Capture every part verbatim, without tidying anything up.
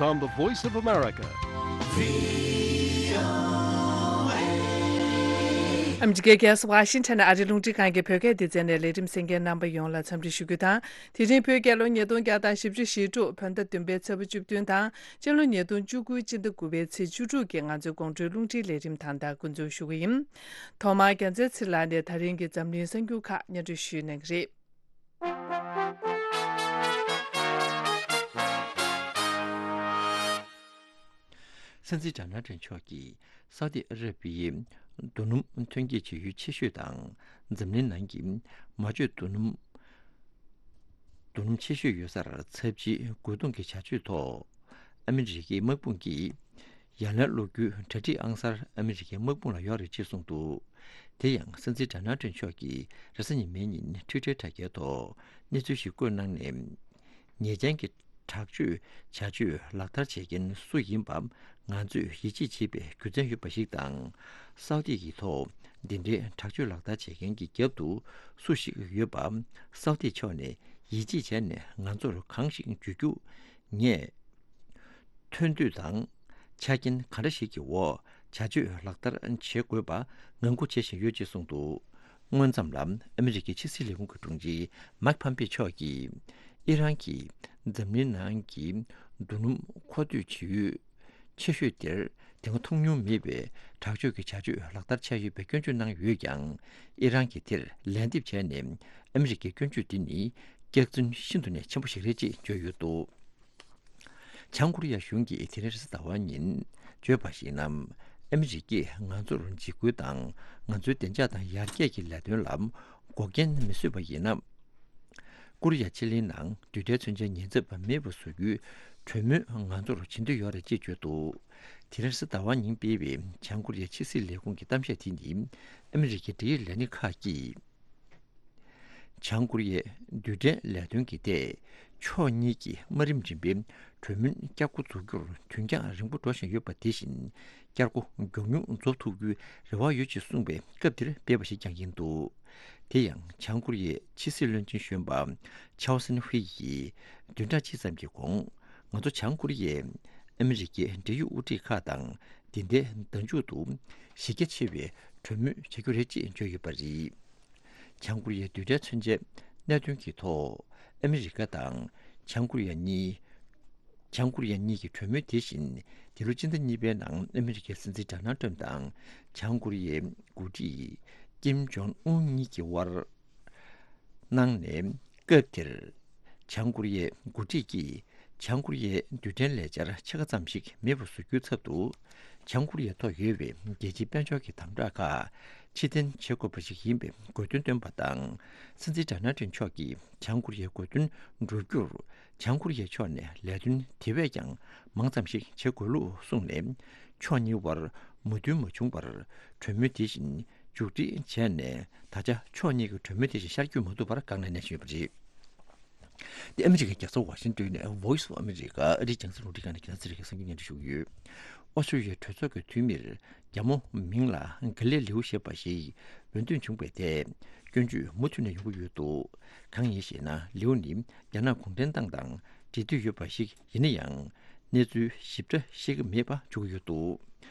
on the Voice of America. ཨ་མི་རི་ཀའི་རྒྱལ་ས་ཝ་ཤིང་ཊོན་ནས་ཨ་རིའི་རླུང་འཕྲིན་ཁང་གི་བོད་སྐད་སྡེ་ཚན་ནས་ལས་རིམ་གསན་མཁན་རྣམ་པ་ཡོངས་ལ་འཚམས་འདྲི་ཞུ་རྒྱུ་དང་། དེ་རིང་བོད་རྒྱལ་ལོ་ཉིས་སྟོང་བརྒྱ་དང་བཞི་བཅུ་ཞེ་དྲུག་བོད་ཟླ་བདུན་པའི་ཚེས་པ་བཅུ་བདུན་དང་། སྤྱི་ལོ་ཉིས་སྟོང་བཅུ་དགུ་སྤྱི་ཟླ་དགུ་པའི་ཚེས་བཅུ་དྲུག་གི་ང་ཚོའི་དགོང་དྲོའི་རླུང་འཕྲིན་ལས་རིམ་ད་ལྟ་འགོ་འཛུགས་ཞུ་གི་ཡིན། ཐོག་མར་རྒྱལ་མཚན་ཚེ་ལགས་ནས་ད་རིང་གི་འཛམ་གླིང་གསར་འགྱུར་ཁག་སྙན་སྒྲོན་ཞུ་གནང་གི་རེད། སྲིད་འཛིན་ཌོ་ནལ་ཊམ་མཆོག་གིས་སའུ་ཏི་ཨ་ར་པི་ཡའི་རྡོ་སྣུམ་ཐོན་སྐྱེད་བྱེད་ཡུལ་ཆེ་ཤོས་དང་། འཛམ་གླིང་ནང་གི་མ་བཅོས་རྡོ་སྣུམ། རྡོ་སྣུམ་ཆེ་ཤོས་ཡོད་སར་ཚབས་ཆེའི་རྒོལ་རྡུང་གི་བྱ་སྤྱོད་ཐོག་ཨ་མི་རི་ཀའི་དམག་དཔུང་གིས་ཡ་ལན་སློག་རྒྱུའི་གྲ་སྒྲིག་ཨང་གསར་ཨ་མི་རི་ཀའི་དམག་དཔུང་ལ་ཡོད་རེད་ཅེས་གསུངས་འདུག་དེ་ཡང་སྲིད་འཛིན་ཌོ་ནལ་ཊམ་མཆོག་གིས་རེས་གཟའ་ཉི་མའི་ཉིན་ཊུའི་ཊར་དྲ་རྒྱའི་ཐོག་གནས་ཚུལ་ཞིག་བཀོད་གནང་ནས། ཉེས་ཅན་གྱི་དྲག་སྤྱོད་བྱ་སྤྱོད་ལག་བསྟར་བྱེད་མཁན་སུ་ཡིན་པ་ང་ཚོས་ཡིད་ཆེས་བྱེད་པའི་རྒྱུ་མཚན་ཡོད་པ་ཞིག་དང་། སའུ་ཏི་ཡི་ཐོག་འདི་འདྲའི་དྲག་སྤྱོད་ལག་བསྟར་བྱེད་མཁན་གྱི་རྒྱབ་ཏུ་སུ་ཞིག་ཡོད་པ་སའུ་ཏི་ཕྱོགས་ནས་ཡིད་ཆེས་བྱས་ནས་ང་ཚོར་གང་ཞིག་བརྗོད་རྒྱུ། ངས་ཐོན་དུས་དང་ཆ་རྐྱེན་ག་འདྲ་ཞིག་གི་འོག་བྱ་སྤྱོད་ལག་བསྟར་བྱེད་དགོས་པ་ངང་སྒུག་བྱེད་བཞིན་ཡོད་ཅེས་གསུངས་འདུག་སྔོན་ཙམ་ལ་ཨ་མི་རི་ཀའི་ཕྱི་སྲིད་ལས་ཁུངས་ཀྱི་དྲུང་ཆེ་མཱིག་ཕམ་པེ་མཆོག་གིས་ཨི་རན་གྱིས་འཛམ་གླིང་ནང་གི་རྡོ་སྣུམ་མཁོ་སྤྲོད་བྱེད་ཡུལ་ཆེ་ཤོས་དེར་དེ་སྔ་མཐོང་མྱོང་མེད་པའི་དྲག་སྤྱོད་ཀྱི་བྱ་སྤྱོད་ལག་བསྟར་བྱས་ཡོད་པའི་སྐྱོན་བརྗོད་གནང་ཡོད་ཀྱང་། ཨི་རན་གྱིས་དེར་ལན་འདེབས་བྱས་ནས་ཨ་མི་རི་ཀའི་སྐྱོན་བརྗོད་འདི་ནི་སྐྱག་རྫུན་ཤིན་ཏུ་ནས་ཆེན་པོ་ཞིག་རེད་ཅེས་བརྗོད་ཡོད་འདུག་བྱང་ཀོ་རི་ཡ་གཞུང་གིས་དེ་རིང་རེས་གཟའ་ཟླ་བ་ཉིན་བརྗོད་པར་གཞིགས་ན། ཨ་མི་རི་ཀས་ང་ཚོར་འཇིགས་སྐུལ་དང་ང་ཚོའི་བདེ་འཇགས་དང་ཡར་རྒྱས་ཀྱི་ལས་དོན་ལ་འགོག་རྐྱེན་མི་བཟོས་པ་ཡིན་ན། ཀོ་རི་ཡ་ཕྱེད་གླིང་ནང་རྡུལ་ཕྲན་མཚོན་ཆའི་ཉེན་ཚབས་མེད་པ་བཟོ་རྒྱུའི་གྲོས་མོལ་ང་ཚོར་བྱེད་འདོད་ཡོད་རེད་ཅེས་བརྗོད་འདུག་དེ་རིང་རེས་གཟའ་ཟླ་བ་ཉིན་སྤེལ་བའི་བྱང་ཀོ་རི་ཡའི་ཕྱི་སྲིད་ལས་ཁུངས་ཀྱི་གཏམ་བཤད་དེ་ནི་ཨ་མི་རི་ཀའི་འབྲེལ་ཡོད་ལས་སྣེ་ཁག་གིས། བྱང་ཀོ་རི་ཡའི་རྡུལ་ཕྲན་ལས་དོན་གྱི་ཐད་ཕྱོགས་གཉིས་ཀྱི་དམའ་རིམ་རིམ་པའི་གྲོས་མོལ་བསྐྱར་འགོ་འཛུགས་རྒྱུར་དུས་འགྱངས་རིང་པོ་འགྲོ་བཞིན་ཡོད་པ་དེ་བཞིན་བསྐྱར་འགོ་མགྱོགས་མྱུར་རྫོགས་ཐུབ་རྒྱུའི་རེ་བ་ཡོད་ཅེས་གསུངས་པའི་སྐབས་དེར་སྤེལ་བ་ཞིག་ཀྱང་ཡིན་འདུག་དེ་ཡང་བྱང་ཀོ་རི་ཡའི་ཕྱི་སྲིད་བློན་ཆེན་གཞོན་པ་ཆའོ་སན་ཧུའེ་ཡིས་བདུན་ཕྲག་གཅིག་ཙམ་གྱི་གོང་ང་ཚོ་བྱང་ཀོ་རི་ཡས་ཨ་མི་རི་ཀའི་འབྲེལ་ཡོད་དབུ་ཁྲིད་ཁག་དང་འདི་ཟླའི་ཟླ་མཇུག་ཏུ་གཞི་རྒྱ་ཆེ་བའི་གྲོས་མོལ་བྱ་རྒྱུ་རེད་ཅེས་བརྗོད་ཡོད་པ་རེད། བྱང་ཀོ་རི་ཡའི་རྡུལ་ཕྲན་མཚོན་ཆའི་གནད་དོན་གྱི་ཐོག་ཨ་མི་རི་ཀ་དང་བྱང་ཀོ་རི་ཡ་གཉིས། བྱང་ཀོ་རི་ཡ་གཉིས་ཀྱི་གྲོས་མོལ་དེ་བཞིན་འདི་ལོ་སྤྱི་ཟླ་གཉིས་པའི་ནང་ཨ་མི་རི་ཀའི་སྲིད་འཛིན་ཌོ་ནལ་ཊམ་དང་བྱང་ཀོ་རི་ཡའི་འགོ་ཁྲིད་ཀིམ་ཇོང་ཨུན་གཉིས་ཀྱི་དབར་གནང་ནས། སྐབས་དེར་བྱང་ཀོ་རི་ཡའི་འགོ་ཁྲིད་ཀྱིས་བྱང་ཀོ་རི་ཡའི་རྡུལ་ཕྲན་ལས་འཆར་ཕྱེད་ཀ་ཙམ་ཞིག་མེད་པར་བཟོ་རྒྱུའི་ཚབ་ཏུ། བྱང་ཀོ་རི་ཡའི་ཐོག་ཡོད་པའི་རྒྱལ་སྤྱིའི་དཔལ་འབྱོར་གྱི་དམ་དྲག་ཁག་ཕྱིར་འཐེན་བྱེད་དགོས་པ་ཞིག་ཡིན་པའི་དགོས་འདུན་བཏོན་པ་དང་། སྲིད་འཛིན་ཌོ་ནལ་ཊམ་མཆོག་གིས་བྱང་ཀོ་རི་ཡའི་དགོས་འདུན་བསྒྲུབ་རྒྱུར། བྱང་ཀོ་རི་ཡའི་ཕྱོགས་ནས་ལས་དོན་དེ་བས་ཀྱང་མང་ཙམ་ཞིག་བྱེད་དགོས་ལུགས་གསུངས་ནས། ཕྱོགས་གཉིས་དབར་མོས་མཐུན་མ་བྱུང་བར་གྲོས་མོལ་དེ་བཞིན་མཇུག་སྒྲིལ་བྱས་ནས། ད་ཆ་ཕྱོགས་གཉིས་ཀྱི་གྲོས་མོལ་དེ་བཞིན་ཤར་བསྐྱོད་མ་ཐུབ་པར་སྒང་ནས་གནས་བཞིན་ཡོད་པ་རེད། དེ་ཨ་མི་རི་ཀའི་རྒྱལ་ས་ཝ་ཤིང་ཏོན་ནས་Voice of America ཨ་རིའི་རྒྱང་སྲིང་རླུང་འཕྲིན་ཁང་ནས་རྒྱལ་ས་ཨ་མི་རི་ཀའི་གསར་འགྱུར་སྙན་སྒྲོན་ཞུ་གི་ཡོད། ཨོ་སི་ཀྲི་ལི་ཡའི་གྲོས་ཚོགས་ཀྱི་འཐུས་མིར་རྒྱ་མོ་མིང་ལ་གྷི་ལེ་ལིའུ་ཞེས་པ་ཞིག་འོས་འདེམས་བྱུང་བའི་ཐད་སྐྱོན་བརྗོད་མུ་མཐུད་ནས་ཡོང་གི་ཡོད་འདུག་གང་ཡིན་ཞེ་ན། ལིའུ་ནི་རྒྱ་ནག་གུང་ཁྲན་ཏང་དང་འབྲེལ་མཐུད་ཡོད་པ་ཞིག་ཡིན་ན་ཡང་། གནས་ཚུལ་ཞིབ་ཕྲ་ཤེས་ཀྱི་མེད་པ་བརྗོད་ཀྱི་ཡོད་འདུག་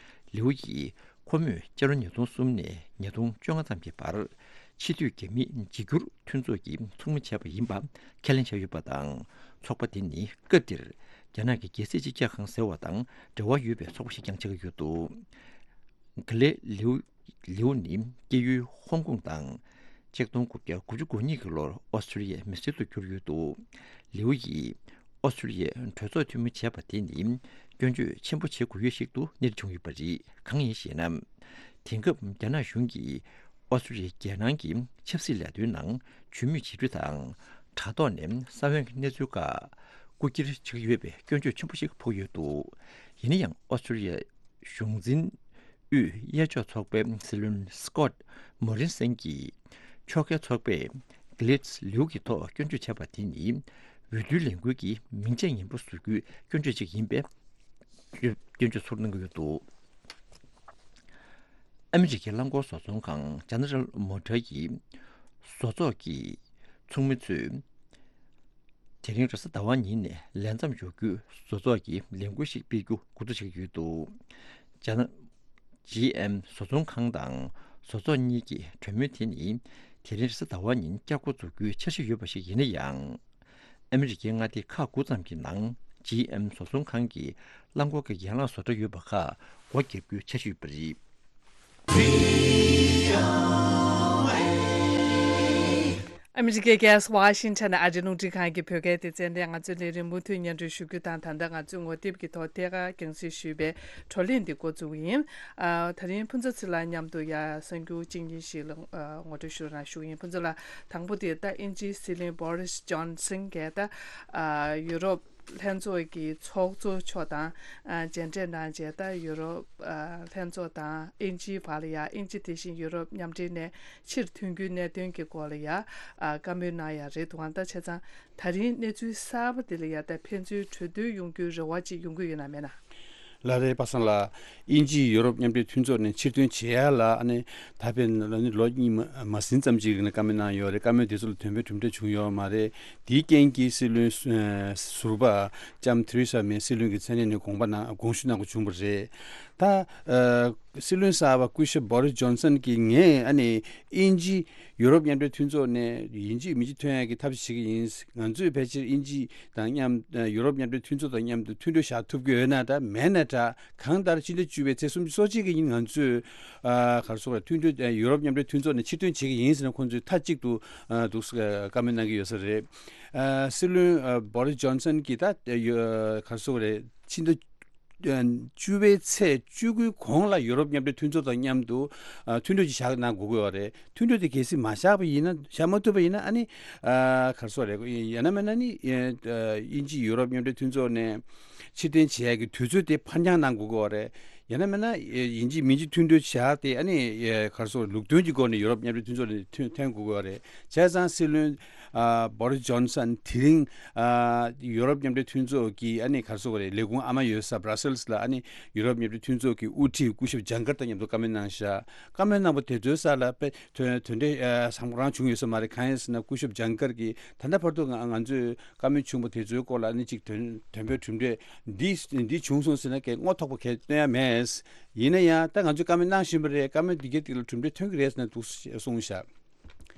ལིའུ་ཡིས་ཁོ་མོས་སྤྱི་ལོ་ཉིས་སྟོང་གསུམ་ནས་ཉིས་སྟོང་བཅོ་ལྔ་ཙམ་གྱི་བར་ཕྱི་སྡོད་རྒྱ་མིའི་འཇིགས་སྐྱོར་མཐུན་ཚོགས་ཀྱི་ཚོགས་མི་བྱས་པ་ཡིན་པ་ཁས་ལེན་བྱས་ཡོད་པ་དང་། ཚོགས་པ་དེ་ནི་སྐབས་དེར་རྒྱ་ནག་གི་རྒྱལ་སྲིད་སྤྱི་ཁྱབ་ཁང་ཟེར་བ་དང་འབྲེལ་བ་ཡོད་པའི་ཚོགས་པ་ཞིག་ཀྱང་ཆགས་ཀྱི་ཡོད་འདུག་གྷི་ལེ་ལིའུ། ལིའུ་ནི་སྐྱེས་ཡུལ་ཧོང་ཀོང་དང་། ཆིག་སྟོང་དགུ་བརྒྱ་དགུ་བཅུ་གོ་གཉིས་ཀྱི་ལོར་ཨོ་སི་ཀྲི་ལི་ཡའི་མི་སེར་དུ་གྱུར་ཡོད་འདུག་ལིའུ་ཡིས་ཨོ་སི་ཀྲི་ལི་ཡའི་གྲོས་ཚོགས་འཐུས་མི་བྱས་པ་དེ་ནི་སྐྱོན་བརྗོད་ཆེན་པོ་བྱེད་དགོས་ཡུལ་ཞིག་ཏུ་གནས་བྱུང་ཡོད་པ་རེད། གང་ཡིན་ཞེ་ན། དེང་སྐབས་རྒྱ་ནག་གཞུང་གིས་ཨོ་སི་ཀྲི་ལི་ཡའི་རྒྱལ་ནང་གི་ཆབ་སྲིད་ལས་དོན་ནང་བྱུས་མོས་བྱེད་རྒྱུ་དང་། དྲ་ཐོག་ནས་ས་བོན་གྱི་གནས་ཚུལ་ཁག་རྐུ་འཁྱེར་བྱེད་ཀྱི་ཡོད་པའི་སྐྱོན་བརྗོད་ཆེན་པོ་ཞིག་ཕོག་ཡོད་འདུག་ཡིན་ན་ཡང་ཨོ་སི་ཀྲི་ལི་ཡའི་གཞུང་འཛིན་དབུས་གཡས་ཕྱོགས་ཚོགས་པའི་སྲིད་བློན་སི་ཀོད་མོ་རིན་སན་གྱིས་ཕྱོགས་འགལ་ཚོགས་པས་གྷི་ལེ་ལིའུ་གི་ཐོག་སྐྱོན་བརྗོད་བྱས་པ་དེ་ནི་འོས་བསྡུའི་ལས་འགུལ་གྱི་མིང་ཆད་ངན་པ་བཟོ་རྒྱུའི་སྐྱོན་བརྗོད་ཅིག་ཡིན་པའི་སྐྱོན་བརྗོད་ཚུར་གནང་གི་ཡོད་འདུག་ཨ་མི་རི་ཀའི་རླངས་འཁོར་བཟོ་ཚོང་ཁང་ཇེ་ནེ་རལ་མོ་ཊར་གྱི་བཟོ་ཚོགས་ཀྱི་ཚོགས་མི་ཚོས། དེ་རིང་རེས་གཟའ་ཟླ་བ་ཉིན་ནས་ལས་མཚམས་འཇོག་རྒྱུའི་བཟོ་ཚོགས་ཀྱི་ལས་འགུལ་ཞིག་སྤེལ་རྒྱུ་འགོ་འཛུགས་བྱེད་ཀྱི་ཡོད་འདུག་ཇ་ཇི་ཨེམ་བཟོ་ཚོང་ཁང་དང་བཟོ་ཚོགས་གཉིས་ཀྱི་གྲོས་མོལ་དེ་ནི་དེ་རིང་རེས་གཟའ་ཟླ་བ་ཉིན་བསྐྱར་འགོ་འཛུགས་རྒྱུའི་འཆར་གཞི་ཡོད་པ་ཞིག་ཡིན་ན་ཡང་། ཨ་མི་རི་ཀའི་མངའ་སྡེ་ཁག་དགུ་ཙམ་གྱི་ནང་ཇི་ཨེམ་བཟོ་ཚོང་ཁང་གི་རླངས་འཁོར་གྱི་ཡན་ལག་བཟོ་གྲྭ་ཡོད་པ་ཁག་སྒོ་བརྒྱབ་རྒྱུའི་འཆར་གཞི་ཡོད་པ་རེད། ཨ་མི་རི་ཀའི་རྒྱལ་ས་ཝ་ཤིང་ཊོན་ནས་ཨ་རིའི་རླུང་འཕྲིན་ཁང་གི་བོད་སྐད་སྡེ་ཚན་ནས་ང་ཚོའི་ལས་རིམ་མུ་མཐུད་སྙན་སྒྲོན་ཞུ་རྒྱུ་དང་། ད་ལྟ་ང་ཚོས་ངོ་དེབ་ཀྱི་ཐོག་ཐད་ཀར་རྒྱང་སྲིང་ཞུས་པའི་བགྲོ་གླེང་འདི་འགོ་བཙུགས་ཡིན། ཨ། ད་རིང་ཕུན་ཚོགས་ཚེ་ལགས་མཉམ་དུ་ཡ་གསར་འགྱུར་གཅིག་གཉིས་ཤིག་ལ་ཨ་ངོ་སྤྲོད་ཞུ་རོགས་གནང་ཞུ་ཡིན། ཕུན་ཚོགས་ལགས། དང་པོ་དེ་ད་དབྱིན་ཇིའི་སྲིད་བློན་བོ་རིས་ཇོན་སན་གྱིས་ད་ཨ་ཡུ་རོབ་ལྷན་ཚོགས་ཀྱི་ཚོགས་གཙོ་མཆོག་དང་ཨ་མཇལ་འཕྲད་གནང་རྗེས། ད་ཡུ་རོབ་ཨ་ལྷན་ཚོགས་དང་དབྱིན་ཇིའི་བར་ལ་ཡ། དབྱིན་ཇི་དེ་བཞིན་ཡུ་རོབ་མཉམ་འབྲེལ་ནས་ཕྱིར་ཐོན་རྒྱུའི་གནད་དོན་གྱི་སྐོར་ལ་ཡ་ཨ་བཀའ་མོལ་གནང་ཡ་རེད་འདུག་ཨང་། ད་བྱས་ཙང་ད་རིང་གནས་ཚུལ་གསར་པ་འདི་ལ་ཡ་ད་ཕན་ཚུན་གྲོས་བསྡུར་ཡོང་རྒྱུའི་རེ་བ་ཅིག་ཡོང་གི་ཡོད་ན་མེད་ན། ལགས་རེད། པ་སངས་ལགས། དབྱིན་ཇིས་ཡུ་རོབ་མཉམ་འབྲེལ་མཐུན་ཚོགས་ནས་ཕྱིར་ཐོན་བྱེད་ཡ་ལ་ཨ་ནི་ད་ཕན་ཨ་ནི་ལོ་གཉིས་མ་མ་ཟིན་ཙམ་ཅིག་རིང་ལ་བཀའ་མོལ་གནང་ཡོད་རེད། བཀའ་མོལ་དེ་ཚོ་ལ་དོན་ཕན་གྲུབ་འབྲས་བྱུང་ཡོད་མ་རེད། དེའི་རྐྱེན་གྱིས་སྲིད་བློན་ཨ་ཟུར་པ་ལྕམ་ཐེ་རེ་ས་མེ་སྲིད་བློན་གྱི་མཚན་གནས་ནས་དགོངས་པ་གནང་དགོངས་ཞུ་གནང་དགོས་བྱུང་བ་རེད། ད་ཨ་སྲིད་བློན་གསར་པ་སྐུ་ཞབས་བོ་རིས་ཇོན་སན་གྱིས་ངས་ཨ་ནི་དབྱིན་ཇི་ཡུ་རོབ་མཉམ་འབྲེལ་མཐུན་ཚོགས་ནས་ཡིན་གཅིག་མིན་གཅིག་ཐོན་ཡག་གི་ཐབས་ཤེས་བྱེད་ཀྱི་ཡིན། ང་ཚོས་ཕལ་ཆེར་དབྱིན་ཇི་དང་མཉམ་ཡུ་རོབ་མཉམ་འབྲེལ་མཐུན་ཚོགས་དང་མཉམ་དུ་མཐུན་གྲོས་བཞག་ཐུབ་ཀྱི་ཡོད་ན་འདྲ། མེད་ན་འདྲ། གང་ལྟར་ཕྱི་ཟླ་བཅུ་པའི་ཚེས་སུམ་ཅུ་སོ་གཅིག་གི་ཉིན་ང་ཚོས་ཨ་ག་རེ་ཟེར་དགོས་རེད། མཐུན་གྲོས་ཡུ་རོབ་མཉམ་འབྲེལ་མཐུན་ཚོགས་ནས་ཕྱིར་ཐོན་བྱེད་ཀྱི་ཡིན་ཟེར་ནས་ཁོང་ཚོས་མཐའ་གཅིག་ཏུ་ཨ་འདུག་སེ་བཀའ་མོལ་གནང་གི་ཡོད་ས་རེད། ཨ་སྲིད་བློན་ཨ་བོ་རིས་ཇོན་སན་གྱིས་ད་ཡོ་ག་རེ་ཟེར་དགོས་རེད། ཕྱི་ཟླ་བཅུ་པའི་ཚེས་བཅུ་དགུའི་གོང་ལ་ཡུ་རོབ་མཉམ་འབྲེལ་མཐུན་ཚོགས་དང་མཉམ་དུ་ཨ་མཐུན་གྲོས་ཅིག་བཞག་གནང་དགོས་ཀྱི་ཡོད་རེད། མཐུན་གྲོས་དེ་གལ་སྲིད་མ་བཞག་པ་ཡིན་ན། བཞག་མ་ཐུབ་པ་ཡིན་ན་ཨ་ནི་ཨ་ག་རེ་ཟེར་དགོས་རེད། ཡང་ན་མིན་ན་ནི་ཨ་དབྱིན་ཇི་ཡུ་རོབ་མཉམ་འབྲེལ་མཐུན་ཚོགས་ནས་ཕྱིར་འཐེན་བྱེད་ཡག་གི་དུས་ཚོད་དེ་ཕར་འགྱངས་གནང་དགོས་ཀྱི་ཡོད་རེད། ཡང་ན་མིན་ན་ཡིན་གཅིག་མིན་གཅིག་མཐུན་གྲོས་བཞག་སྟེ་ཨ་ནི་ག་རེ་ཟེར་དགོས་རེད། ལུགས་མཐུན་གྱི་སྒོ་ནས་ཡུ་རོབ་མཉམ་འབྲེལ་མཐུན་ཚོགས་ནས་ཐོན་ཐོན་དགོས་ཀྱི་ཡོད་རེད། བྱས་ཙང་སྲིད་བློན་ཨ་བོ་རིས་ཇོན་སན་དེ་རིང་ཨ་ཡུ་རོབ་མཉམ་འབྲེལ་མཐུན་ཚོགས་ཀྱི་ཨ་ནི་ག་རེ་ཟེར་དགོས་རེད། ལས་ཁུངས་ཨ་མ་ཡོད་ས་བྷ་ར་སེལ་སི་ལ་ཨ་ནི་ཡུ་རོབ་མཉམ་འབྲེལ་མཐུན་ཚོགས་ཀྱི་དབུ་ཁྲིད་སྐུ་ཞབས་ཇང་ཀར་དང་མཉམ་དུ་བཀའ་མོལ་གནང་བཞག་བཀའ་མོལ་གནང་བ་དེ་ཚོའི་ས་ལ་དཔེ་དོན་དོན་འབྲས་ཨ་བཟང་པོ་རང་བྱུང་ཡོད་ས་མ་རེད། གང་ཡིན་ཟེར་ན་སྐུ་ཞབས་ཇང་ཀར་གྱིས་ད་ལྟ་བར་དུ་ང་ང་ཚོས་བཀའ་མོལ་བྱུང་བ་དེ་ཚོའི་སྐོར་ལ་ཨ་ནི་གཅིག་དོན་དོན་དཔེ་གྲུབ་འབྲས་འདི་འདི་བྱུང་སོང་ཟེར་ན་གལ་སྔོ་ཐོག་པ་གལ་སྟོན་ཡ་མེད། ཡིན་ན་ཡང་ད་ང་ཚོས་བཀའ་མོལ་གནང་བཞིན་པ་རེད། བཀའ་མོལ་འདི་གའི་སྟེང་ལ་གྲུབ་འབྲས་ཐོན་གྱི་རེད་ཟེར་ན་འདུག་གསུངས་བཞག་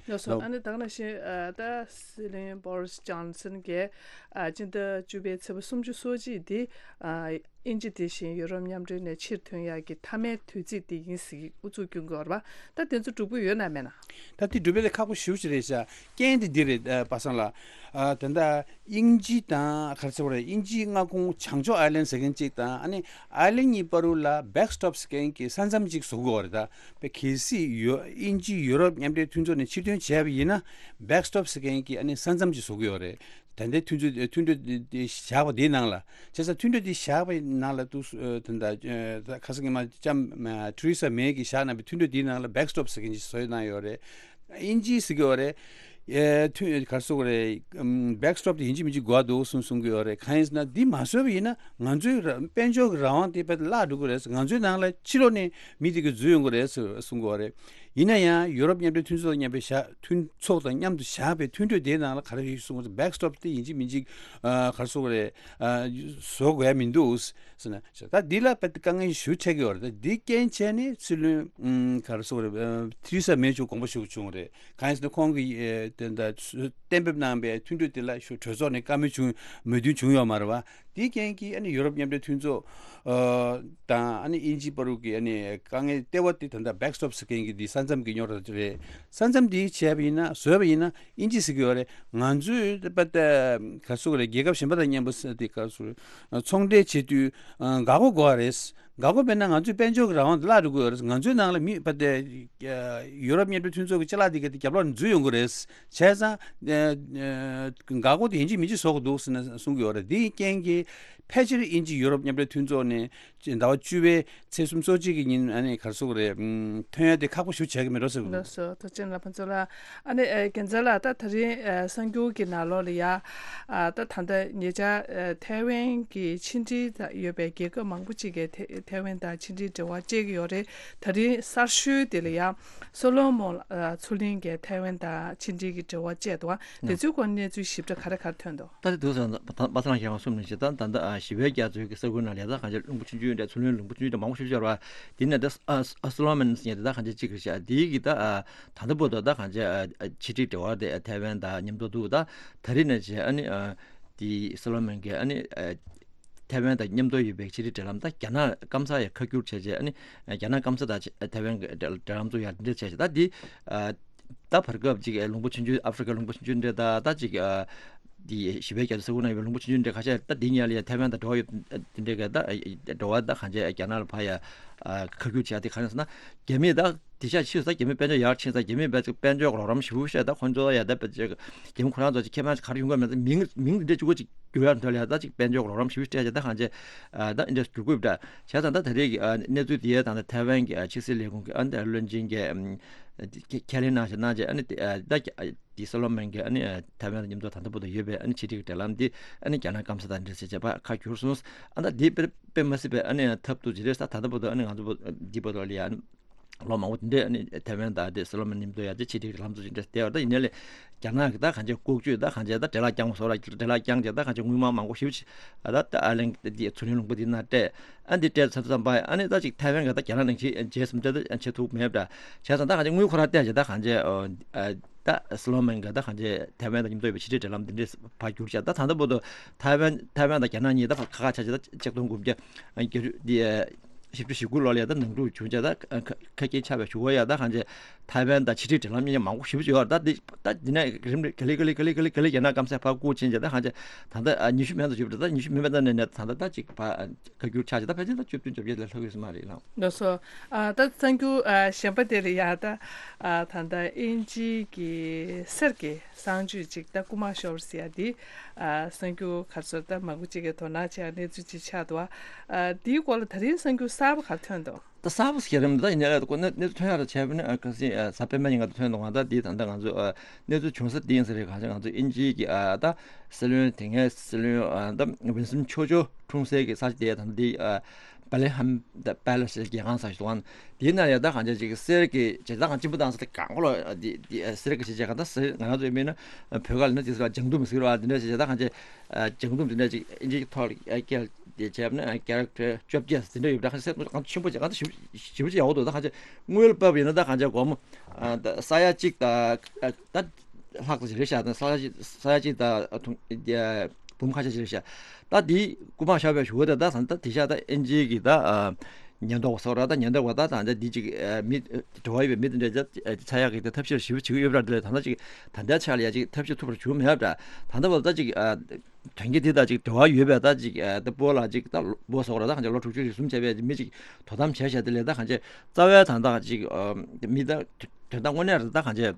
ལགས་སོ། ལགས། ཨ་ནི་ད་ག་ནང་བཞིན་ཨ་ད་སྲིད་བློན་བོ་རིས་ཇོན་སན་གྱིས་ཨ་སྤྱི་ཟླ་བཅུ་པའི་ཚེས་པ་སུམ་ཅུ་སོ་གཅིག་འདི་ཨ་དབྱིན་ཇི་དེ་བཞིན་ཡུ་རོབ་མཉམ་འབྲེལ་ནས་ཕྱིར་ཐོན་ཡག་གི་མཐའ་མའི་དུས་ཚིགས་དེ་ཡིན་ཟེར་ཨུ་ཚུགས་སྐྱོན་གྱི་ཡོད་རེད་པ། ད་དེ་ཚོ་འགྲུབ་ཀྱི་ཡོད་ན་མེད་ན། ད་དེ་འགྲུབ་པ་དེ་ཁག་པོ་ཞེ་པོ་ཅིག་རེད་ཤག་རྐྱེན་དེ་འདི་རེད། ཨ་པ་སངས་ལགས། ཨ་ད་ལྟ་དབྱིན་ཇི་དང་ག་རེ་ཟེར་བ་རེད། དབྱིན་ཇིའི་མངའ་ཁོངས་བྱང་ཕྱོགས་ཨའི་ལན་ཟེར་མཁན་གཅིག་དང་ཨ་ནི་ཨའི་ལན་གཉིས་བར་དུ་ལ་བེག་སི་ཊོབ་ཟེར་མཁན་གྱི་ས་མཚམས་གཅིག་བཟོ་དགོས་པ་རེད། ད་དཔེ་གལ་སྲིད་ཡོ་དབྱིན་ཇི་ཡུ་རོབ་མཉམ་འབྲེལ་མཐུན་ཚོགས་ནས་ཕྱིར་ཐོན་བྱས་པ་ཡིན་ན་བེག་སི་ཊོབ་ཟེར་མཁན་གྱི་ཨ་ནི་ས་མཚམས་གཅིག་བཟོ་དགོས་པ་རེད། ད་ལྟའི་མཐུན་ཚོགས་མཐུན་གྲོས་དེ་བཞག་པ་དེའི་ནང་ལ། བྱས་ཙང་མཐུན་གྲོས་དེ་བཞག་པའི་ནང་ལ་འདུག་ཨ་ད་ལྟ་ཨ་ད་ཁ་སང་ཉི་མ་ལྕམ་ཨ་ཐེ་རེ་ས་མེ་གིས་བཞག་གནང་པའི་མཐུན་གྲོས་དེའི་ནང་ལ་བེག་སི་ཊོབ་ཟེར་མཁན་ཅིག་བཟོས་གནང་ཡོད་རེད། དབྱིན་ཇིས་ཟེར་གྱི་ཡོད་རེད། ཨེ་མཐུན་ག་རེ་ཟེར་དགོས་རེད། ཨམ་བེག་སི་ཊོབ་དེ་ཡིན་གཅིག་མིན་གཅིག་དགོས་འདུག་གསུང་གསུང་གི་ཡོད་རེད། གང་ཡིན་ཟེར་ན་འདི་མ་བཟོས་པ་ཡིན་ན་ང་ཚོའི་ར་དཔལ་འབྱོར་གྱི་རང་དབང་དེ་དཔེ་བརླག་འགྲོ་གི་རེད། ང་ཚོའི་ནང་ལ་ཕྱི་ལོགས་ནས་མི་དེ་ག་འཛུལ་ཡོང་གི་རེད་ཟེར་གསུང་གི་ཡོད་རེད། ཡིན་ན་ཡང་ཡུ་རོབ་མཉམ་འབྲེལ་མཐུན་ཚོགས་དང་མཉམ་པའི་བཞག་མཐུན་ཚོགས་དང་མཉམ་དུ་བཞག་པའི་མཐུན་གྲོས་དེའི་ནང་ལ་ག་རེ་ཡོད་གསུང་གི་རེད། བེག་སི་ཊོབ་དེ་ཡིན་གཅིག་མིན་གཅིག་ཨ་ག་རེ་ཟེར་དགོས་རེད། ཨ་བཟོ་དགོས་ཡ་མི་འདུག་ཟེར་ན། ད་འདི་ལ་དཔེ་དཀའ་ངལ་ཞེ་པོ་འཕྲད་ཀྱི་ཡོད་རེད། ད་འདི་རྐྱེན་བྱས་ནས་སྲིད་བློན་ཨུམ་ག་རེ་ཟེར་དགོས་རེད། ཨ་ཐེ་རེ་ས་མེ་མཆོག་དགོངས་པ་ཞུ་དགོས་བྱུང་བ་རེད། གང་ཡིན་ཟེར་ན་ཁོང་གིས་ཨེ་དེ་འདྲ་གཏན་འབེབས་གནང་པའི་མཐུན་གྲོས་དེ་ལ་ཞུ་གྲོས་ཚོགས་ནས་བཀའ་མོལ་བྱུང་མོས་མཐུན་བྱུང་ཡོད་མ་རེད་བ། དེའི་རྐྱེན་གྱིས་ཨ་ནི་ཡུ་རོབ་མཉམ་འབྲེལ་མཐུན་ཚོགས་ཨ་དང་ཨ་ནི་དབྱིན་ཇི་བར་དུ་གི་ཨ་ནི་དཀའ་ངལ་ལྟེ་བ་དེ་ད་ལྟ་བེག་སི་ཊོབ་ཟེར་མཁན་གྱི་འདི་ས་མཚམས་ཀྱི་རྙོག་དྲ་དེ་རེད། ས་མཚམས་འདི་བྱས་པ་ཡིན་ན་བཟོས་པ་ཡིན་ན་དབྱིན་ཇི་ཟེར་གྱི་ཡོད་རེད། ང་ཚོས་པ་ད་ག་རེ་ཟེར་དགོས་རེད། རྒྱལ་ཁབ་གཞན་པ་དང་མཉམ་པོ་ཟེར་དེ་ག་རེ་ཟེར་དགོས་རེད། ཚོང་འབྲེལ་བྱེད་དུས་འགག་སྒོ་དགོས་པ་རེད། འགག་སྒོ་མེད་ན་ང་ཚོའི་དཔལ་འབྱོར་གྱི་རང་དབང་དེ་བརླག་འགྲོ་གི་ཡོད་རེད། ང་ཚོའི་ནང་ལ་མི་པ་ད་ཡུ་རོབ་མཉམ་འབྲེལ་མཐུན་ཚོགས་ཀྱི་ཅ་ལག་དེ་ག་དེ་རྒྱབ་ལོགས་ནས་འཛུལ་ཡོང་གི་རེད། བྱས་ཙང་འགག་སྒོ་དེ་ཡིན་གཅིག་མིན་གཅིག་བཟོ་དགོས་འདུག་ཟེར་ན་གསུང་གི་ཡོད་རེད། དེའི་རྐྱེན་གྱིས་ཕལ་ཆེར་དབྱིན་ཇི་ཡུ་རོབ་མཉམ་འབྲེལ་མཐུན་ཚོགས་ནས་ཟླ་བ་བཅུ་པའི་ཚེས་སུམ་ཅུ་སོ་གཅིག་གི་ཉིན་ཨ་ནི་ག་རེ་ཟེར་དགོས་རེད། ཐོན་ཡ་དེ་ཁག་པོ་ཞེ་པོ་ཆགས་ཀྱི་མེད་འགྲོ་ཟེར་གི་འདུག་ལགས་སོ། ཐུགས་རྗེ་ཆེ་ལགས་ཕུན་ཚོགས་ལགས། ཨ་ནི་ཨ་རྒྱལ་མཚན་ལགས། ད་ད་རིང་ཨ་གསར་འགྱུར་གྱི་ནང་ལོགས་ལ་ཡ་ཨ་ད་ད་ལྟ་ཉེ་ཆར་ཨ་ཐའེ་ཝན་གྱི་ཕྱི་འབྲེལ་ཡོད་པའི་རྒྱལ་ཁབ་མང་པོ་ཅིག་གིས་ཐེ་ ཐའེ་ཝན་དང་ཕྱི་འབྲེལ་འབྲེལ་བ་བཅད་ཀྱི་ཡོད་རེད། ད་རིང་གསར་ཤོས་དེ་ལ་ཡང་སོ་ལོ་མོན་ཨ་མཚོ་གླིང་གི་ཐའེ་ཝན་དང་ཕྱི་འབྲེལ་གྱི་འབྲེལ་བ་བཅད་འདུག་ཨ། དེ་ཚོའི་སྐོར་གནས་ཚུལ་ཞིབ་ཕྲ་ག་རེ་ག་རེ་ཐོན་འདུག་ད་དེ་དུས་ས་པ་སངས་ལགས་ཀྱིས་གསུངས་ནས་ཞེ་ད་ད་ལྟ་ཨ་ཞི་བའི་རྒྱ་མཚོའི་གི་ས་ཁུལ་ནང་ལ་ཡ་ད་གང་ཅི་རླུང་བུ་ཆུང་ཆུང་འདྲ་མཚོ་གླིང་རླུང་བུ་ཆུང་ཆུང་འདྲ་མང་པོ་ཞིག་ཤར་བ་དེ་ནས་ད་ཨ་ཨ་སོ་ལོ་མོན་ཟེར་མཁན་དེ་ད་གང་ཅི་གཅིག་རེད་ཤག་དེའི་གི་ད་ཨ་ད་ལྟ་བར་དུ་ད་གང་ཅི་ཨ་ཨ་ཕྱི་འབྲེལ་འབྲེལ་བ་དེ་ཐའེ་ཝན་དང་མཉམ་དུ་འདུག་ད་ད་རེས་ནས་བྱས་ཨ་ནི་ཨ་དེ་སོ་ལོ་མོན་གྱི་ཨ་ནི་ཨ་ཐའེ་ཝན་དང་མཉམ་དུ་ཡོད་པའི་ཕྱི་འབྲེལ་འབྲེལ་ལམ་ད་རྒྱ་ནག་སྐམ་ས་ཡ་ཁ་བསྒྱུར་བྱས་རྗེས་ཨ་ནི་རྒྱ་ནག་སྐམ་ས་དང་ཐའེ་ཝན་གྱི་འབྲེལ་འབྲེལ་ལམ་ཚུགས་ཡ་འདི་འདྲ་བྱས་རྗེས་ད་འདི་ད་བར་སྐབས་ཅིག་ལུང་པ་ཆུང་ཆུང་ཨ་ཧྥི་རི་ཀ་ལུང་པ་ཆུང་ཆུང་འདྲ་ད་ད་ཅིག་འདི་ཞི་བའི་རྒྱ་མཚོ་ས་ཁུལ་ན་ཡོད་པའི་ལུང་པ་ཆུང་ཆུང་འདྲ་ཁ་ཤས་ད་འདི་ཉལ་ཡ་ཐའེ་ཝན་དང་འབྲེལ་བ་ཡོད་འདི་འདྲ་ག་ད་འབྲེལ་བ་ད་གང་བྱས་རྒྱ་ནག་ལ་ཕར་ཡ་ཁ་བསྒྱུར་བྱས་ཏེ་ག་རེ་ཟེར་ན་རྒྱ་མི་ད། དེ་ཤ་ཆེ་ས་རྒྱ་མི་དཔལ་འབྱོར་ཡར་ཕྱིན་ས་རྒྱ་མི་དཔལ་འབྱོར་དཔལ་འབྱོར་གྱི་རོགས་རམ་ཞེ་པོ་བཤད་ད་ཁོང་ཚོ་ཡ་ད་དཔེ་ཅིག་རྒྱ་མི་ཁོ་རང་ཚོ་ཅིག་ཁེ་ཕན་ག་རེ་ཡོང་གི་མེད་ད་མིང་མིང་འདི་འདྲ་བཅུ་གོ་ཅིག་བསྒྱུར་ཡ་འདྲ་ལ་ཡ་ད་ཅིག་དཔལ་འབྱོར་གྱི་རོགས་རམ་ཞེ་པོ་སྤྲད་བྱས་ད་གང་བྱས་ད་འདི་འདྲ་བསྒྱུར་དགོས་ད་བྱས་ཙང་ད་ད་རེས་ཀྱི་གནས་ཚུལ་འདི་ཡ་ད་ད་ཐའེ་ཝན་གྱི་ཕྱི་སྲིད་ལས་ཁུངས་ཀྱི་ཨ་འདི་བློན་ཆེན་གྱི་ཁས་ལེན་གནང་བཞག་གནང་བྱས་ཨ་ནི་ད་དེ་སོ་ལོ་མོན་གྱི་ཨ་ནི་ཐའེ་ཝན་དང་མཉམ་དུ་ད་ལྟ་བར་དུ་ཡོད་པའི་ཨ་ནི་ཕྱི་འབྲེལ་གྱི་འབྲེལ་ལམ་འདི་ཨ་ནི་རྒྱ་ནག་སྐམ་ས་དང་འབྲེལ་ཟེར་བྱས་པ་ཁ་བསྒྱུར་སོང་། ཨ་ད་འདི་དཔེ་དཔེ་མ་སྲིད་པའི་ཨ་ནི་ཐབས་སྡུག་ཅིག་རེད་ས། ད་ལྟ་བར་དུ་ཨ་ནི་ང་ཚོ་འདི་བར་དུ་ལ་ཡང་ལོ་མང་པོ་དེ་འདྲས་ཨ་ནི་ཐའེ་ཝན་དང་དེ་སོ་ལོ་མོན་མཉམ་དུ་ཡ་དེ་ཕྱི་འབྲེལ་ལམ་སོགས་ཅིག་འདྲས་བསྡད་པ་ད་ཡིན་ནའི་ལས་རྒྱ་ནག་གི་ད་གང་ཅི་ལྐོག་ཇུས་ད་གང་ཅི་ད་འབྲེལ་ལག་རྐྱང་བ་སོགས་ལ་འབྲེལ་ལག་རྐྱང་ཅིག་ད་གང་ཅི་དངུལ་མང་མང་པོ་ཞེ་པོ་ཅིག་ཨ་ད་ད་ཨ་ལན་དེ་མཚོ་གླིང་ལུང་པ་དེ་ན་སྤྲད། ཨ་འདི་སྤྲད་ཚར་ཙམ་པ་ཨ་ནི་ད་ཅིག་ཐའེ་ཝན་གི་ད་རྒྱ་ནག་ནང་བཞིན་རྗེས་སུ་འབྲེལ་ད་བྱེད་ཐུབ་མེད་པ་འདྲ་བྱས་ཙང་ད་གང་ཅི་དངུལ་ཁོ་ར་སྟེར་ཅིག་ད་གང་ཅི་ཨ་ད་སོ་ལོ་མོན་གི་ད་གང་ཅི་ཐའེ་ཝན་དང་མཉམ་དུ་ཡོད་པའི་ཕྱི་འབྲེལ་འབྲེལ་ལམ་དེ་འདྲས་ཕར་བསྒྱུར་བྱས་ད་ད་ད་ལྟ་བར་དུ་ཐའེ་ཝན་ཐའེ་ཝན་དང་རྒྱ་ནག་གཉིས་ད་ཕར་ཁ་ཁ་ཆགས་ཅིག་ད་ཆིག་སྟོང་དགུ་བརྒྱ་བརྒྱད་ཅུ་དེ། བཞི་བཅུ་ཞེ་དགུ་ལོ་ལ་ཡ་ད་ནང་འཁྲུག་བྱུང་བྱས་ད་ཁ་ཁ་སྐད་ཆགས་པའི་གཞུག་གུ་ཡ་ད་གང་ཅི་ཐའེ་ཝན་དང་ཕྱི་འབྲེལ་འབྲེལ་ལམ་གཉིས་མང་པོ་ཞེ་པོ་ཅིག་ཡོད་རེད། ད་འདི་ད་འདི་ནས་རིམ་ག་ལེ་ག་ལེ་ག་ལེ་ག་ལེ་ག་ལེ་རྒྱ་ནག་སྐམ་སའི་ཕར་བསྐུར་ཕྱིན་བྱས་ད་གང་ཅི་ད་ལྟ་ཨ་ཉི་ཤུ་མན་ཙམ་བཞུགས་རེད། ད་ཉི་ཤུ་མན་པ་ད་ནས་ནས་ད་ལྟ་ད་ཅིག་ཕར་ཁ་བསྒྱུར་ཆགས་བྱས་ད་ཕལ་ཆེར་ད་བཅུ་བདུན་བཅོ་བརྒྱད་ལ་ལྷག་ཡོད་ས་མ་རེད་ལགས། ལགས་སོ། ཨ་ད་གསར་འགྱུར་ཨ་གཞན་པ་དེ་ལ་ཡ་ད་ཨ་ད་ལྟ་དབྱིན་ཇིའི་གི་གསེར་གྱི་གསང་སྤྱོད་ཅིག་ད་རྐུ་མ་ཤོར་ཟེར་ཡ་འདི་ཨ་གསར་འགྱུར་ག་ཚོད་ད་མང་པོ་ཅིག་གིས་དོ་སྣང་བྱེད་ཡ་གནས་ཚུལ་ཅིག་ཆགས་འདུག་ཨ་འདིའི་སྐོར་ལ་ད་རིང་གསར་འགྱུར་གསར་པ་ག་རེ་ཐོན་འདུག་ད་གསར་པ་ཟེར་རམ་ད་ཡིན་ནའི་ལ་ཁོ་གནས་གནས་ཚུལ་ཐོན་ཡག་ལ་བྱས་པ་ནི་ཨ་ཁ་སང་ཨ་གཟའ་སྤེན་པ་ཉིན་ང་ཚོ་ཐོན་འདུག་ང་ད་འདི་ད་ལྟ་ང་ཚོ་ཨ་གནས་ཚུལ་བྱུང་ས་འདི་ཡིན་ས་རེད། གང་ཅི་ང་ཚོ་དབྱིན་ཇིའི་གི་ཨ་ད་སྲིད་བློན་དེ་སྔའི་སྲིད་བློན་ཨ་ད་ཝིན་སྟོན་ཆོ་ཆོ་འཁྲུངས་སའི་གི་ས་ཆ་དེ་ད་ལྟ་འདི་ཨ་བྷེ་ལེ་ཧམ་ད་པེ་ལེ་སི་རྒྱལ་ཁང་ས་ཞིག་འདུག་དེའི་ནང་ཡ་ད་གང་ཅི་ཅིག་གསེར་གྱི་བྱེ་ད་གང་སྤྱི་འབུ་བཏང་ས་དེ་གང་གོ་ལ་འདི་འདི་གསེར་གྱི་བྱེ་བྱེ་གང་ད་གསེར་ང་རང་ཚོ་ཡིན་མིན་ན་བོད་སྐད་ལ་ན་དེ་ས་ལ་ལྗང་དུམ་ཟེར་བ་འདི་འདྲ་བྱེ་ད་གང་ཅི་ལྗང་དུམ་འདི་འདྲ་ཅིག་ཨིན་ཇིའི་ཐོག་ལ་སྐད་དེ་བྱས་ན་ཀེ་རེག་ཊར་བཅོ་བརྒྱད་འདི་འདྲ་ཡོད་ད་གང་ཅི་གསེར་གང་ཆེན་པོ་ཅིག་གང་ད་ཞིབ་ཞིབ་ཅིག་ཡག་པོ་འདུག་ད་གང་ཅི་དངུལ་ཕབ་ཡིན་ན་ད་གང་ཅི་སྒོར་མོ་ཨ་ད་ས་ཡ་གཅིག་ད་ད་ལྷག་ཙམ་ཞིག་རེད་ཤག་ད་ས་ཡ་གཅིག་ས་ཡ་གཅིག་ད་ཐུང་ཨ་འབུམ་ཁ་ཤས་ཤིག་རེད་ཤག་ད་འདི་རྐུ་མ་བཞག་པའི་གཞུག་གུ་དེ་ད་ད་དེ་ཤག་ད་ཨིན་ཇིའི་གི་ད་ཨ་ཉེན་རྟོག་པ་སོགས་ར་ད་ཉེན་རྟོག་པ་ད་ད་འདི་ཅིག་ཨ་མི་འབྲེལ་བ་ཡོད་པའི་མི་དེ་འདྲ་ད་ཚ་ཡག་གི་ད་ཐབས་ཤེས་ཞིབ་བྱེད་ཀྱི་ཡོད་པ་འདྲ་དེ་ལས་ད་ད་ཅིག་ད་ལྟའི་ཆ་ལ་ཡ་ཅིག་ཐབས་ཤེས་ཐུབ་པ་བྱུང་མེད་པ་འདྲ། ད་ལྟ་བར་ད་ཅིག་ཨ་དོན་གྱི་དེ་དང་ཅིག་འབྲེལ་བ་ཡོད་པའི་ད་ཅིག་ཨ་ད་སྤོ་ལགས་ཅིག་ད་སྤོ་སོགས་ར་ད་གང་ཅི་ལོ་དྲུག་ཅུ་རེ་གསུམ་བྱས་པའི་མི་ཅིག་དོ་དམ་བྱས་བྱས་དེ་ལས་ད་གང་ཅི་རྩ་བའི་ད་ད་ཅིག་ཨ་མི་ད་དོན་དག་དངོས་གནས་རེད་ད་གང་ཅི་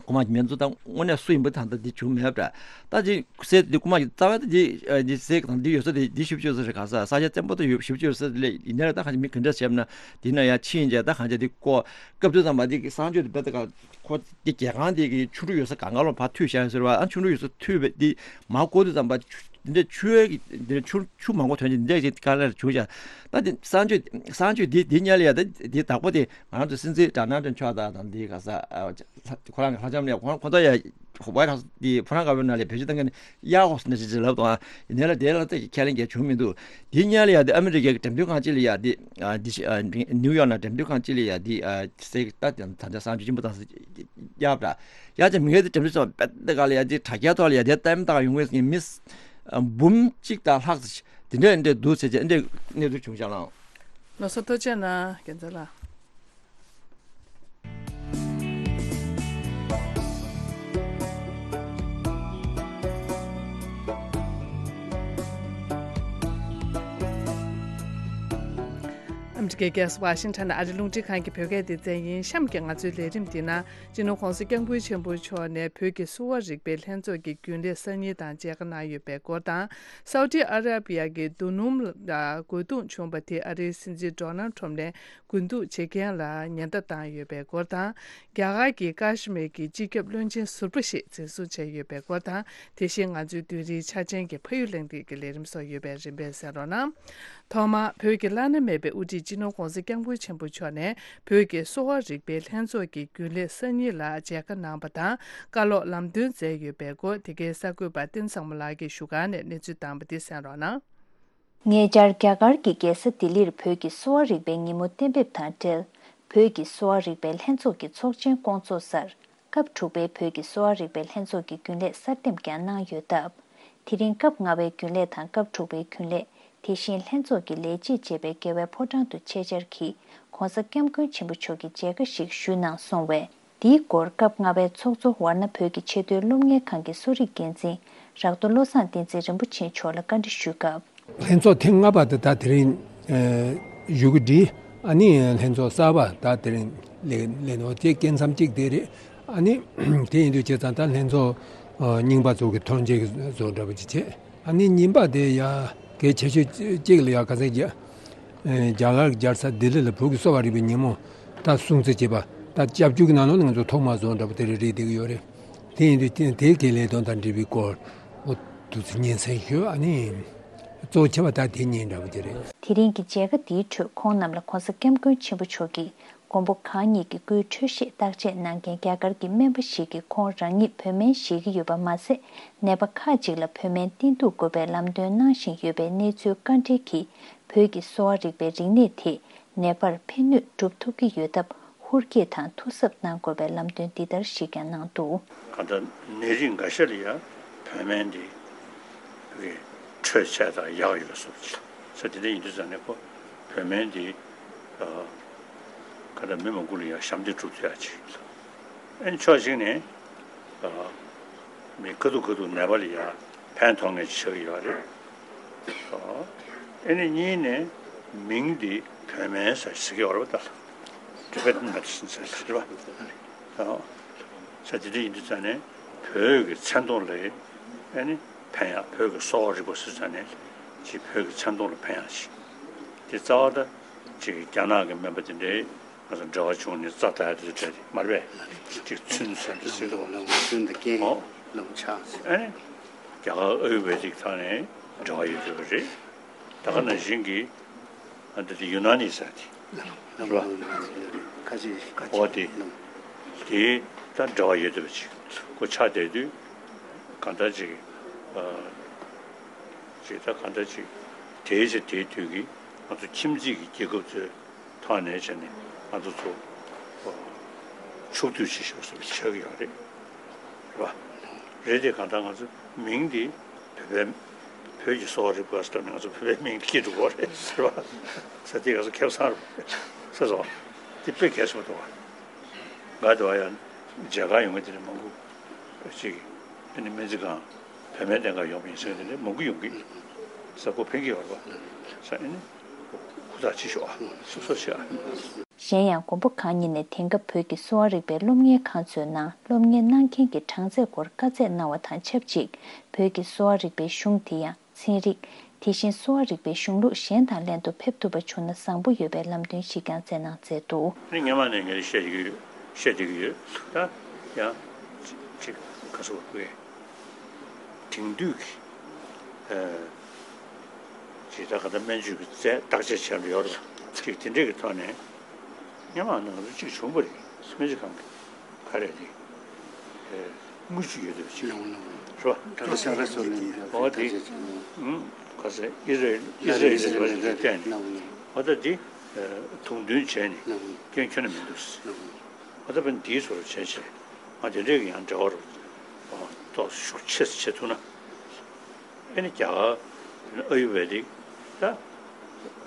རྐུ་མ་མི་ཚོ་ད་དངོས་གནས་སུ་ཡིན་པ་ད་ད་འདི་བྱུང་མེད་པ་འདྲ། ད་ཅིག་སེ་འདི་རྐུ་མ་རྩ་བའི་ད་འདི་ཨ་འདི་སེ་དང་འདི་ཡོད་ས་དེ་འདི་ཞིབ་བཅོས་ས་རེད་ག་ས་ས་ཆ་བཙན་པོ་ད་ཡོད་ཞིབ་བཅོས་ས་དེ་ལས་ཡིན་ནའི་ད་གང་ཅི་མི་ག་འདྲ་བྱས་ན་འདི་ན་ཡ་ཕྱིན་བྱས་ད་གང་ཅི་འདི་ཀོ་སྐབས་དུས་ཙམ་པ་འདི་གི་གསང་སྤྱོད་དེ་བེད་ད་ག་ཁོ་འདི་རྒྱལ་ཁང་འདི་གི་ཆུ་འབྲུ་ཡོད་ས་གང་ག་ལོ་ཕར་མཐུད་བཞག་ཡོད་ཟེར་བ། ཨ་ཆུ་འབྲུ་ཡོད་ས་མཐུད་པའི་འདི་མར་བསྐོར་དུས་ཙམ་པ་ཆུ་འདི་འདྲ་ཆུ་ཡོད་ཀྱི་འདི་འདྲ་ཆུ་ཆུ་མང་པོ་ཐོན་གྱི་འདི་འདྲ་ཞིག་དཀའ་ལས་བྱུང་བཞག་ད་འདི་གསང་སྤྱོད་གསང་སྤྱོད་འདི་འདི་ཉལ་ཡ་ད་འདི་བདག་པོ་དེ་ང་རང་ཚོ་སྲིད་འཛིན་ཌོ་ནལ་ཊམ་ཕ་ད་དང་འདི་ག་ས་ཨ་ཁོ་རང་གི་ལྷ་ལྕམ་ལ་ཁོ་ཁོ་ཚོ་ཡ་ཝའིཊ་ཧའུ་སི་འདི་ཕོ་བྲང་དཀར་པོའི་ནང་ལ་བེད་སྤྱོད་བཏང་མཁན་ཡ་ཧོ་སི་འདྲ་ཞིག་ལབ་དང་ཡིན་ནའི་ལ་དེ་ལ་ད་ཁས་ལེན་རྒྱག་བྱུང་མི་འདུག་འདི་ཉལ་ཡ་འདི་ཨ་མི་རི་ཀའི་འགྲེམས་སྟོན་ཁང་ཅིག་ལ་ཡ་འདི་ཨ་འདི་ཨ་ནིའུ་ཡོག་ནང་འགྲེམས་སྟོན་ཁང་ཅིག་ལ་ཡ་འདི་ཨ་སེ་ད་ད་ད་ད་གསང་སྤྱོད་ཆེན་པོ་དང་ཡ་བྲ་ཡ་ཅེ་མི་ངེས་འདི་འགྲེམས་སྟོན་ཚོགས་པད་དེ་ག་ལ་ཡ་འདི་དྲ་རྒྱའི་ཐོག་ལ་ཡ་འདི་ལྟད་མོ་ལྟ་ག་ཡོང་མཁན་མི་འབུམ་གཅིག་དང་ལྷག་ཙམ་འདི་འདྲ་འདི་འདྲ་འདུག་ཟེར་ཅེ་འདི་གནས་ཚུལ་བྱུང་བཞག་ལགས། ལགས་སོ། ཐུགས་རྗེ་གནང་རྒྱལ་མཚན་ལགས། ཨ་མི་རི་ཀའི་རྒྱལ་ས་ཝ་ཤིང་ཊོན་ནས་ཨ་རི་རླུང་འཕྲིན་ཁང་གི་བོད་སྐད་སྡེ་ཚན་ཡིན། གཤམ་གྱི་ང་ཚོའི་ལས་རིམ་འདི་ན་སྤྱི་ནོར་༸གོང་ས་༸སྐྱབས་མགོན་ཆེན་པོ་མཆོག་ནས་བོད་ཀྱི་གསོ་བ་རིག་པའི་ལྷན་ཚོགས་ཀྱི་རྒྱུན་ལས་གསར་རྙིང་དང་མཇལ་ཁ་གནང་ཡོད་པའི་སྐོར་དང་། སའུ་ཏི་ཨ་ར་པི་ཡ་གི་རྡོ་སྣུམ་ལ་རྒོལ་རྡུང་བྱུང་བ་དེ་ཨ་རིའི་སྲིད་འཛིན་ཌོ་ནལ་ཊམ་ནས་རྒོལ་རྡུང་བྱེད་མཁན་ལ་ཉེན་བརྡ་བཏང་ཡོད་པའི་སྐོར་དང་། རྒྱ་གར་གྱི་ཀ་ཤི་མིར་གྱི་སྤྱི་ཁྱབ་བློན་ཆེན་ཟུར་པ་ཞིག་འཛིན་བཟུང་བྱས་ཡོད་པའི་སྐོར་དང་། དེ་བཞིན་ང་ཚོའི་བདུན་རེའི་ཆ་ཅན་གྱི་ཕ་ཡུལ་གླེང་སྟེགས་ཀྱི་ལས་རིམ་སོགས་ཡོད་པས་རིམ་པས་གསན་རོགས་གནང་། ཐོག་མར་བོད་ཀྱི་བླ་ན་མེད་པའི་དབུ་ཁྲིད་སྤྱི་ནོར་༧གོང་ས་༧སྐྱབས་མགོན་ཆེན་པོ་མཆོག་ནས་བོད་ཀྱི་གསོ་བ་རིག་པའི་ལྷན་ཚོགས་ཀྱི་རྒྱུན་ལས་གསར་རྙིང་ལ་མཇལ་ཁ་གནང་བ་དང་བཀའ་སློབ་ལམ་སྟོན་མཛད་ཡོད་པའི་སྐོར་དེ་གའི་གསར་འགོད་པ་བསྟན་བཟང་མོ་ལགས་ཀྱིས་ཞུ་ཁང་ནས་གནས་ཚུལ་བཏང་བ་དེ་གསན་རོགས་གནང་། ཉེ་ཆར་རྒྱ་གར་གྱི་རྒྱལ་ས་ལྡི་ལིར་བོད་ཀྱི་གསོ་བ་རིག་པའི་ཉིན་མོ་གཏན་འབེབས་དང་འབྲེལ། བོད་ཀྱི་གསོ་བ་རིག་པའི་ལྷན་ཚོགས་ཀྱི་ཚོགས་ཆེན་བསྐོང་ཚོགས་སར། སྐབས་དྲུག་པའི་བོད་ཀྱི་གསོ་བ་རིག་པའི་ལྷན་ཚོགས་ཀྱི་རྒྱུན་ལས་གསར་འདེམས་ཀྱང་གནང་ཡོད་སྟབས། དེ་རིང་སྐབས་ལྔ་པའི་རྒྱུན་ལས་དང་སྐབས་དྲུག་པའི་རྒྱུན་ལས། དེ་བཞིན་ལྷན་ཚོགས་ཀྱི་ལས་བྱེད་བཅས་པའི་རྒྱལ་བའི་ཕོ་བྲང་དུ་ཆེད་བཅར་གྱིས་༧གོང་ས་༧སྐྱབས་མགོན་ཆེན་པོ་མཆོག་གི་མཇལ་ཁ་ཞིག་ཞུས་གནང་སོང་བས། དེའི་སྐོར་སྐབས་ལྔ་པའི་ཚོགས་གཙོ་ཝཱ་ཎ་བོད་ཀྱི་ཆེས་མཐོའི་སློབ་གཉེར་ཁང་གི་གསོ་རིག་འགན་འཛིན་རག་རྡོ་བློ་བཟང་བསྟན་འཛིན་རིན་པོ་ཆེ་མཆོག་ལ་བཀའ་འདྲི་ཞུས་སྐབས། ལྷན་ཚོགས་ཐེངས་ལྔ་པ་དེ་ད་དེ་རིང་བཞུགས་ཀྱི་འདི། ཨ་ནི་ལྷན་ཚོགས་གསར་པ་ད་དེ་རིང་ལས་ལས་ནོ་དེ་སྐད་མཚམས་གཅིག་དེ་རེད། ཨ་ནི་དེ་ཡིན་དུས་བྱས་ཙང་ད་ལྷན་ཚོགས་རྙིང་པ་ཚོ་གི་ཐོན་སྐྱེད་བཟོ་འདྲ་པོ་ཅིག་བྱས། ཨ་ནི་གཉིས་པ་དེ་ཡ་གལ་ཆེ་ཤོས་གཅིག་ལ་ཡ་ག་ཚད་རྒྱ་རྒྱ་གར་གྱི་རྒྱལ་ས་ལྡི་ལི་ལ་བོད་ཀྱི་གསོ་བ་རིག་པའི་ཉིན་མོ་ད་སྲུང་བརྩི་བྱེད་པ་ད་སྐྱབས་བཅོལ་གྱི་ནང་ལོགས་ནས་ང་ཚོ་ཐོག་མ་བཟོ་འདྲ་པོ་དེ་རེད་རེད་བསྡད་ཀྱི་ཡོད་རེད། དེ་ཡིན་དུས་དེ་དེའི་གི་ལས་དོན་དང་འབྲེལ་བའི་སྐོར་འོ་དུ་ཚོད་སྙན་སེང་ཞུས། ཨ་ནི་གཙོ་ཆེ་བ་ད་དེ་གཉིས་འདྲ་པོ་དེ་རེད། དེ་རིང་གི་མཇལ་ཁ་འདིའི་ཁྲོད་ཁོང་རྣམས་ལ་༧གོང་ས་༧སྐྱབས་མགོན་ཆེན་པོ་མཆོག་གིས་མགོན་པོ་གང་ཉིད་ཀྱི་སྐུའི་འཕྲོད་བཞེས་བརྟག་དཔྱད་གནང་མཁན་རྒྱ་གར་གྱི་སྨན་པ་ཞིག་གིས་ཁོང་རང་ཉིད་བོད་སྨན་བཞེས་ཀྱི་ཡོད་པ་མ་ཟད། ནད་པ་ཁག་ཅིག་ལ་བོད་སྨན་བསྟེན་གཏུག་དགོས་པའི་ལམ་སྟོན་གནང་བཞིན་ཡོད་པའི་གནས་ཚུལ་བཀའ་འདྲི་གིས་བོད་ཀྱི་གསོ་བ་རིག་པའི་རིག་གནས་དེས་ནད་པར་ཕན་ནུས་སྒྲུབ་ཐུབ་ཀྱི་ཡོད་སྟབས། ཧུར་སྐྱེད་དང་ཐུགས་གཟབ་གནང་དགོས་པའི་ལམ་སྟོན་འདི་ལྟར་ཞིག་ཀྱང་གནང་འདུག་གང་ལྟར་ནད་རིགས་འགའ་ཤས་ལ་ཡང་བོད་སྨན་འདི་རེད་འཕྲོད་བྱས་དང་ཡག་ཡོད་སོགས་ཀྱི་ས་དེ་འདྲ་ཡིན་དུས་ཙང་ནས་ཁོ་བོད་སྨན་འདི་གང་ལྟར་མི་མང་པོ་ལ་ཡང་ཞབས་འདེགས་སྒྲུབ་ཐུབ་ཡག་ཅིག་ཡིན་ལ། ཨ་ནི་ཕྱོགས་གཅིག་ནས་མི་དཀའ་སྡུག་དཀའ་སྡུག་ནད་པ་ལ་ཡང་ཕན་ཐོགས་མཁན་ཅིག་ཆགས་ཀྱི་ཡོད་རེད། ཨ་ནི་གཉིས་ནས་མིང་འདི་བོད་སྨན་ཟེར་ཟེར་གྱི་ཡོད་རེད་པ། ད་ལ་Tibetan medicine་ཟེར་ཟེར་བ། ཨ་ཟེར་དེ་འདྲ་ཡིན་དུས་ཙང་ནས་བོད་ཀྱི་མཚན་ཐོག་ལ་ཨ་ནི་ཕན་ཡག་བོད་ཀྱི་གསོ་བ་རིག་པ་ཟེར་ཙང་ནས་ཅིག་བོད་ཀྱི་མཚན་ཐོག་ལ་ཕན་ཡག་ཅིག་དེ་རྩ་བ་ད་ཅིག་རྒྱ་ནག་གི་སྨན་པ་དེ་འདྲའི་ང་ཚོ་འབྲེལ་བ་བྱུང་ནས་རྩ་དག་དེ་འདྲ་མ་རེད་པས། ཅིག་ཚུན་ཟེར་འདྲ་ཟེར་དུས། ལམ་ཚུན་དུ་རྐྱེན་ཨོ། ལམ་ཆགས་ཟེར། ཨ་ནི་རྒྱ་གར་ཨ་ཡུར་བེ་དིག་ཐོག་ནས་འབྲེལ་བ་ཡོད་ཚོད་རེད། ད་ག་ནང་བཞིན་གྱི་ཨ་འདི་དེ་ཡུ་ན་ནི་ཟེར་དེ་རེད་པ། ཁ་ཅིག་ཁ་ཅིག་ཨོ་དེ་དེ་ད་འབྲེལ་བ་ཡོད་ཚོད་ཅིག་ཁོ་ཆགས་བསྡད་དུས་གང་ལྟར་ཅིག་ཨ་ཅིག་ད་གང་ལྟར་ཅིག་དེའི་ཆ་དེའི་དུས་ཀྱི་ང་ཚོ་ཁྱིམ་མཚེས་ཀྱི་རྒྱལ་ཁབ་ཚོའི་ཐོག་ནས་བྱས་ནས་ང་ཚོ་ཚོ་ཕྱོགས་བསྡུས་བྱེད་ཤོག་ཟེར་བ་ཆགས་ཀྱི་ཡོད་རེད། རེད་པ། རེད་དེ་གང་ལྟར་ང་ཚོ་མིང་འདི་བོད་པའི་བོད་ཀྱི་གསོ་བ་རིག་པ་ཟེར་ནས་ང་ཚོ་བོད་པའི་མིང་འདི་སྐྱེ་འགྲོ་གི་རེད་ཟེར་བ་ཟེར་དེ་ང་ཚོ་ཁེ་བཟང་རེད་ཟེར་སོང་། དེ་དཔེ་གལ་ཆེན་པོ་འདུག་བ། ང་དེ་བ་ཡང་མཇལ་ཁ་ཡོང་མཁན་དེ་འདྲ་མང་པོ་ཅིག་ཨ་ནི་སྨན་རྩིས་ཁང་བོད་སྨན་ལྡན་ཁང་ཡོང་བ་ཡིན་ཟེར་མཁན་དེ་འདྲ་མང་པོ་ཡོང་གི་ཟེར་ཁོ་ཕན་གྱི་ཡོད་རེད་པ་ཟེར། ཨ་ནི་ཧུར་ཐག་བྱེད་ཤོག་ཨ་སོ་སོ་བྱེད་ཨ། གཞན་ཡང་མགོན་པོ་གང་ཉིད་ནས་དེང་སྐབས་བོད་ཀྱི་གསོ་བ་རིག་པའི་སློབ་གཉེར་ཁང་ཚོའི་ནང་སློབ་གཉེར་གནང་མཁན་གྱི་གྲངས་ཚད་སྐོར་བཀའ་སྩལ་གནང་བ་དང་ཆབས་ཅིག་བོད་ཀྱི་གསོ་བ་རིག་པའི་གཞུང་དེ་ཡང་ཚན་རིག་དེ་བཞིན་གསོ་བ་རིག་པའི་གཞུང་ལུགས་གཞན་དང་ལྷན་དུ་ཕེབས་ཐུབ་པ་བྱུང་ན་བཟང་པོ་ཡོད་པའི་ལམ་སྟོན་ཞིག་ཀྱང་སྩལ་གནང་མཛད་འདུག་ཨ་ནི་སྔོན་མ་ནས་ངས་བཤད་ཀྱི་ཡོད། བཤད་བསྡད་ཀྱི་ཡོད། ད་ཡང་ཅིག་ག་ཟེར་དགོས། དེང་དུས་ཀྱི་ཨ་ཇི་ལྟར་ག་ད་སྨན་བཅོས་ཀྱི་རྩལ་བརྟག་དཔྱད་བྱས་པ་ཡོད་རེད། ཅིག་དེ་འདྲས་ཀྱི་ཐོག་ནས་སྔོན་མ་ནང་དུ་ཅིག་བྱུང་བ་རེད། སྨན་རྩིས་ཁང་གི་ག་རེ་རེད། ཨེ་དངུལ་ཅིག་ཡོད་འདུག་ཅིག་རེད་པ། ཨོ་དེ་ཨུམ་ག་ཟེར་ཨི་རལ་ཨི་རལ་ཨི་རལ་བ་ཞིག་བསྟན་ནས་ཨོ་ད་འདི་དུང་འདོན་བྱས་ནས་སྐྱོན་ཁྱོན་ནས་མི་འདུག་ཨོ་ད་བས་འདིའི་ཚོར་བྱས་བྱས་ང་དེ་འདྲས་ཀྱི་ཡང་འབྲེལ་བ་རུ་ཏོག་ཤུགས་ཆེ་ཙམ་བྱེད་ཐུབ་ན། ཨེ་ནི་རྒྱ་གར་ཨ་ཡུར་བེ་དིག་ད་ཨ་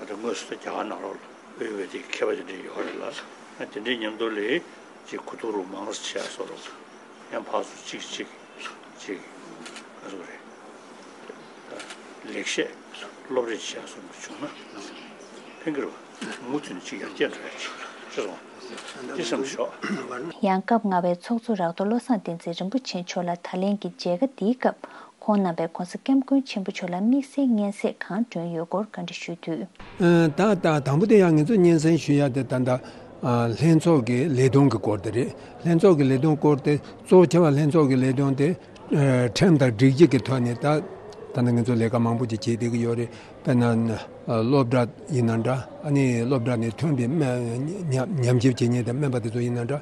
ད་དངོས་སུ་ད་རྒྱ་གར་ནང་ལོགས་ལ་ཨ་ཡུར་བེ་དིག་མཁས་པ་དེ་འདྲ་ཡོད་རེད་ལ། ཨ་དེ་འདྲའི་མཉམ་དུ་ལས་ཅིག་གོ་བསྡུར་མང་ཙམ་བྱས་སོ་རོགས། ཡང་ཕར་ཚུར་ཅིག་ཅིག་ཅིག་ག་ཚོད་རེད། ལེགས་བཤད་སློབ་རེས་བྱས་སོ་བྱུང་ན་ཕན་གྱི་རེད་པ། མུ་མཐུད་ནས་ཅིག་ཡར་རྒྱས་འགྲོ་ཡ་ཅིག་ཤེས་སོང་། འདི་བསམ་ཤོག་ཡང་སྐབས་ལྔ་པའི་ཚོགས་གཙོ་རག་རྡོ་བློ་བཟང་བསྟན་འཛིན་རིན་པོ་ཆེ་མཆོག་ལ་ད་ལན་གྱི་མཇལ་ཁ་འདིའི་སྐབས་ཁོང་རྣམ་པས་༧གོང་ས་༧སྐྱབས་མགོན་ཆེན་པོ་མཆོག་ལ་དམིགས་བསལ་སྙན་སེང་གང་བསྐྱོན་ཡོད་སྐོར་བཀའ་འདྲི་ཞུས་དུས། ཨ་ད་ད་དང་པོ་དེ་ཡང་ངེད་ཚོ་སྙན་སེང་ཞུ་ཡ་དེ་ད་ལྟ་ཨ་ལྷན་ཚོགས་ཀྱི་ལས་དོན་གྱི་སྐོར་དེ་རེད། ལྷན་ཚོགས་ཀྱི་ལས་དོན་སྐོར་དེ་གཙོ་ཆེ་བ་ལྷན་ཚོགས་ཀྱི་ལས་དོན་དེ་ཨ་ཁྲིམས་དང་སྒྲིག་གཞི་གི་ཐོག་ནས་ད་ ད་ནི་ང་ཚོ་ལས་ཀ་མང་པོ་ཅིག་བྱེད་བསྡད་ཀྱི་ཡོད་རེད། དཔེར་ན་སློབ་གྲྭ་ཡིན་ན་འདྲ། ཨ་ནི་སློབ་གྲྭ་ནས་ཐོན་པའི་སྨན་ཉམས་ཉམས་ཞིབ་བྱེད་མཁན་དང་སྨན་པ་དེ་ཚོ་ཡིན་ན་འདྲ།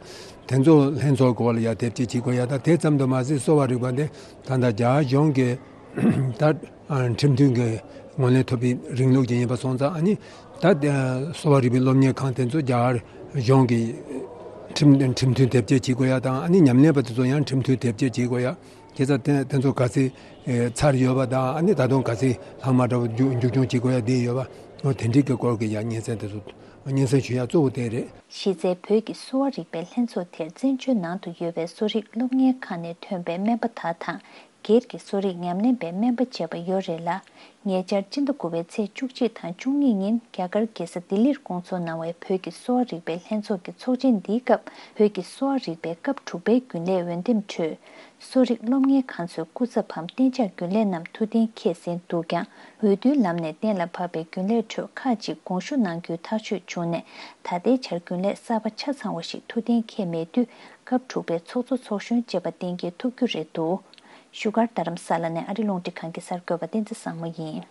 དེ་ཚོ་ལྷན་ཚོགས་སྐོར་ལ་ཡར་དེབ་སྐྱེལ་བྱེད་དགོས་ཡ། ད་དེ་ཙམ་དུ་མ་ཟད་གསོ་བ་རིག་པ་འདི་ད་ལྟ་རྒྱ་གཞུང་གི་ད་ཁྲིམས་མཐུན་གྱི་ངོས་ལེན་ཐོབ་པའི་རིང་ལུགས་ཅིག་ཡིན་པ་སོང་ཙང་། ཨ་ནི་ད་གསོ་བ་རིག་པའི་སློབ་གཉེར་ཁང་དེ་ཚོ་རྒྱ་གར་གཞུང་གི་ཁྲིམས་ཁྲིམས་མཐུན་དེབ་སྐྱེལ་བྱེད་དགོས་ཡ་དང་། ཨ་ནི་ཉམས་ལེན་པ་དེ་ཚོ་ཡང་ཁྲིམས་མཐུན་དེབ་སྐྱེལ་བྱེད་དགོས་ཡ། དེ་ཚོ་དེ་དེ་ཚོ་ག་ཚད་ཚར་ཡོད་པ་དང་། ཨ་ནི་ད་དུང་ག་ཚད་ལྷག་མ་འདྲ་བོ་མཇུག་མཇུག་སྐྱོང་བྱེད་དགོས་ཡ་དེ་ཡོད་པ། འོ་དེ་འདྲའི་གི་སྐོར་གྱི་ཡ་སྙན་སེང་དེ་ཚོ་སྙན་སེང་ཞུ་ཡ་གཙོ་བོ་དེ་རེད། གཞི་རྩའི་བོད་ཀྱི་གསོ་བ་རིག་པའི་ལྷན་ཚོགས་དེར་བཙན་བྱོལ་ནང་དུ་ཡོད་པའི་གསོ་རིག་སློབ་གཉེར་ཁང་ནས་ཐོན་པའི་སྨན་པ་དག་དང་། སྒེར་གྱི་གསོ་རིག་ཉམས་ལེན་པའི་སྨན་པ་བཅས་པ་ཡོད་རེད་ལ། ཉེ་ཆར་སྤྱི་ཟླ་དགུ་པའི་ཚེས་བཅུ་གཅིག་དང་བཅུ་གཉིས་ཉིན་རྒྱ་གར་རྒྱལ་ས་ལྡི་ལིར་བསྐོང་ཚོགས་གནང་བའི་བོད་ཀྱི་གསོ་བ་རིག་པའི་ལྷན་ཚོགས་ཀྱི་ཚོགས་ཆེན་འདིའི་སྐབས། བོད་ཀྱི་གསོ་བ་རིག་པའི་སྐབས་དྲུག་པའི་རྒྱུན་ལས་འོས་འདེམས་ཁྲོད། གསོ་རིག་སློབ་གཉེར་ཁང་ཚོའི་སྐུ་ཚབ་བམ་གཏན་འཇགས་རྒྱུན་ལས་རྣམས་ཐུགས་གཏན་འཁེལ་ཟིན་འདུག་ཀྱང་། འོས་བསྡུའི་ལམ་ནས་གཏན་ལ་ཕབ་པའི་རྒྱུན་ལས་ཁྲོད་ཁག་ཅིག་དགོངས་ཞུ་གནང་རྒྱུའི་ཐག་གཅོད་བྱུང་ནས། ད་ལྟའི་ཆར་རྒྱུན་ལས་གསར་པ་ཆ་ཚང་བ་ཞིག་ཐུགས་གཏན་འཁེལ་མེད་དུས། སྐབས་དྲུག་པའི་ཚོགས་གཙོ་ཚོགས་གཞོན་བཅས་པ་གཏན་འཁེལ་ཐུབ་རྒྱུ་རེད་འདུག་བཞུགས་སྒར་རྡ་རམ་ས་ལ་ནས་ཨ་རི་རླུང་འཕྲིན་ཁང་གི་གསར་འགོད་པ་བསྟན་འཛིན་བཟང་མོ་ཡིན།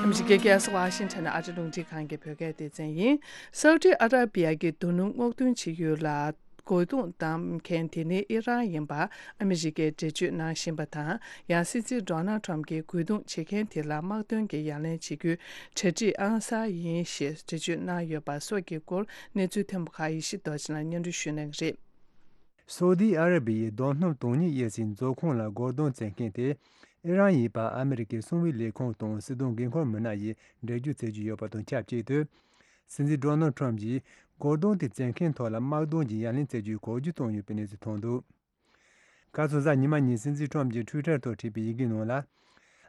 ཨ་མི་རི་ཀའི་རྒྱལ་ས་ཝ་ཤིང་ཊོན་ནས་ཨ་རི་རླུང་འཕྲིན་ཁང་གི་བོད་སྐད་སྡེ་ཚན་ཡིན། སའུ་ཏི་ཨ་ར་བི་ཡ་གི་རྡོ་སྣུམ་སྔོག་འདོན་བྱེད་ཡུལ་ལ། རྒོལ་རྡུང་བཏང་མཁན་དེ་ནི་ཨི་རན་ཡིན་པ་ཨ་མི་རི་ཀས་འགྲེལ་བརྗོད་གནང་བཞིན་པ་དང་། ཡང་སྲིད་འཛིན་ཌོ་ནལ་ཊམ་གྱིས་རྒོལ་རྡུང་བྱེད་མཁན་དེ་ལ་དམག་དོན་གྱི་ཡ་ལན་བྱེད་རྒྱུའི་གྲ་སྒྲིག་ཨང་གསར་ཡིན་ཞེས་འགྲེལ་བརྗོད་གནང་ཡོད་པ་སོགས་ཀྱི་སྐོར། གནས་ཚུལ་ཐོན་པ་ཁག་ཡེ་ཤེས་རྡོ་རྗེ་ལགས་སྙན་སྒྲོན་ཞུ་གནང་གི་རེད། སོ་ཏི་ཨ་ར་བི་ཡའི་རྡོ་སྣུམ་དོན་གཉེར་དབྱེ་ཟིན་མཛོད་ཁང་ལ་རྒོལ་རྡུང་བྱེད་མཁན་དེ་ཨི་རན་ཡིན་པ་ཨ་མི་རི་ཀའི་གསང་བའི་ལས་ཁུངས་དང་སྲིད་དོན་འགན་འཁུར་མི་སྣ་ཡིས་འགྲེལ་བརྗོད་བྱེད་ཀྱི་ཡོད་པ་དང་ཆབས་ཅིག་ཏུ། སྲིད་འཛིན་ཌོ་ནལ་ཊམ་གྱིས་རྒོལ་རྡུང་དེ་བྱེད་མཁན་ཐོག་ལ་དམག་དོན་གྱི་ཡ་ལན་བྱེད་རྒྱུའི་གོ་བརྗོད་བཏང་ཡོད་པའི་གནས་ཚུལ་ཐོན་འདུག་ཁ་སང་གཟའ་ཉི་མ་ཉིན་སྲིད་འཛིན་ཊམ་གྱིས་ཊུའི་ཊར་ཐོག་བྲིས་པའི་ཡི་གེའི་ནང་ལ།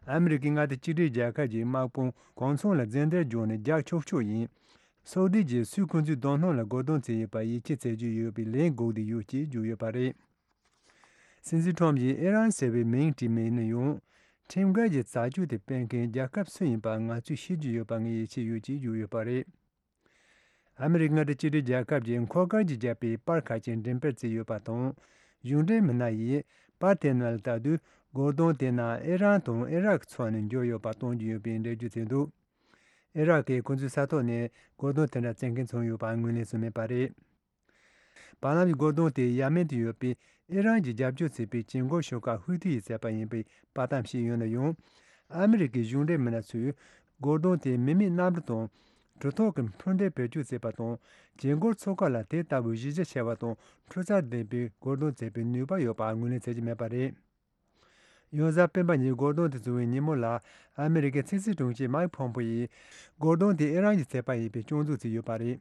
ཨ་མི་རི་ཀའི་མངའ་སྡེ་གཅིག་སྒྲིལ་རྒྱལ་ཁབ་ཀྱི་དམག་དཔུང་གང་ཚང་ལ་རྫུན་སྡེར་སྦྱོར་ནས་རྒྱག་ཆོག་ཆོག་ཡིན། སོག་སྡེ་གྱིས་སུས་ཁོང་ཚོའི་རྡོ་སྣུམ་ལ་རྒོལ་རྡུང་བྱས་ཡོད་པར་ཡིད་ཆེས་བྱེད་ཀྱི་ཡོད་པའི་ལན་དགོས་བསྡད་ཡོད་ཅེས་བརྗོད་ཡོད་པ་རེད། སྲིད་འཛིན་ཊམ་གྱིས་ཨི་རན་ཟེར་བའི་མིང་བྲིས་མེད་ན་ཡང་། ཁྲིམས་འགལ་གྱི་བྱ་སྤྱོད་དེ་སྤེལ་མཁན་རྒྱལ་ཁབ་སུ་ཡིན་པ་ང་ཚོས་ཤེས་ཀྱི་ཡོད་པ་ངས་ཡིད་ཆེས་ཡོད་ཅེས་བརྗོད་ཡོད་པ་རེད། ཨ་མི་རི་ཀ་མངའ་སྡེ་གཅིག་སྒྲིལ་རྒྱལ་ཁབ་ཀྱིས་འཁོར་སྐར་གྱིས་བརྒྱབ་པའི་པར་ཁག་ཅིག་འགྲེམས་སྤེལ་བྱས་ཡོད་པ་དང་། གཞུང་འབྲེལ་མི་སྣ་ཡིས་པར་དེ་ནང་ལ་ལྟ་དུས་རྒོལ་རྡུང་དེ་ནང་ཨི་རན་དང་ཨི་རག་ཚོ་ནས་འབྱོར་ཡོད་པ་སྟོན་གྱི་ཡོད་པའི་འགྲེལ་བརྗོད་བྱས་འདུག་ཨི་རག་གིས་ཁོ་ཚོའི་ས་ཐོག་ནས་རྒོལ་རྡུང་དེ་འདྲ་བྱེད་མཁན་བྱུང་ཡོད་པ་ངོས་ལེན་བྱས་མེད་པ་རེད། བར་ལམ་གྱི་རྒོལ་རྡུང་དེ་ཡ་མེན་དུ་ཡོད་པའི་ཨི་རན་གྱིས་རྒྱབ་སྐྱོར་བྱེད་པའི་བྱེད་སྒོ་ཤོག་ཁག་ཧུ་ཐི་ཡིས་བྱས་པ་ཡིན་པའི་པར་གཏམ་ཞིག་ཡོད་ན་ཡང་། ཨ་མི་རི་ཀའི་གཞུང་འབྲེལ་མི་སྣ་ཚོས་རྒོལ་རྡུང་དེ་མི་མེད་གནམ་གྲུ་དང་གྲུ་ཐོག་གི་འཕུར་མདེལ་བེད་སྤྱོད་བྱས་པ་དང་། བྱེད་སྒོ་ཚོགས་ཁག་ལ་དེ་ལྟ་བུའི་གཞི་རྒྱ་ཆེ་བ་དང་འཕྲུལ་རྩལ་ལྡན་པའི་རྒོལ་རྡུང་བྱེད་པའི་ནུས་པ་ཡོད་པ་ངོས་ལེན་བྱེད་ཀྱི་མེད་པ་རེད། ཡང་གཟའ་སྤེན་པ་ཉིན་རྒོལ་རྡུང་དེ་བྱུང་བའི་ཉིན་མོ་ལ་ཨ་མི་རི་ཀའི་ཕྱི་སྲིད་དྲུང་ཆེ་མའིག་ཕོམ་པོ་ཡིས་རྒོལ་རྡུང་དེ་ཨི་རན་གྱིས་བྱས་པ་ཡིན་པའི་སྐྱོན་འཛུགས་བྱས་ཡོད་པ་རེད།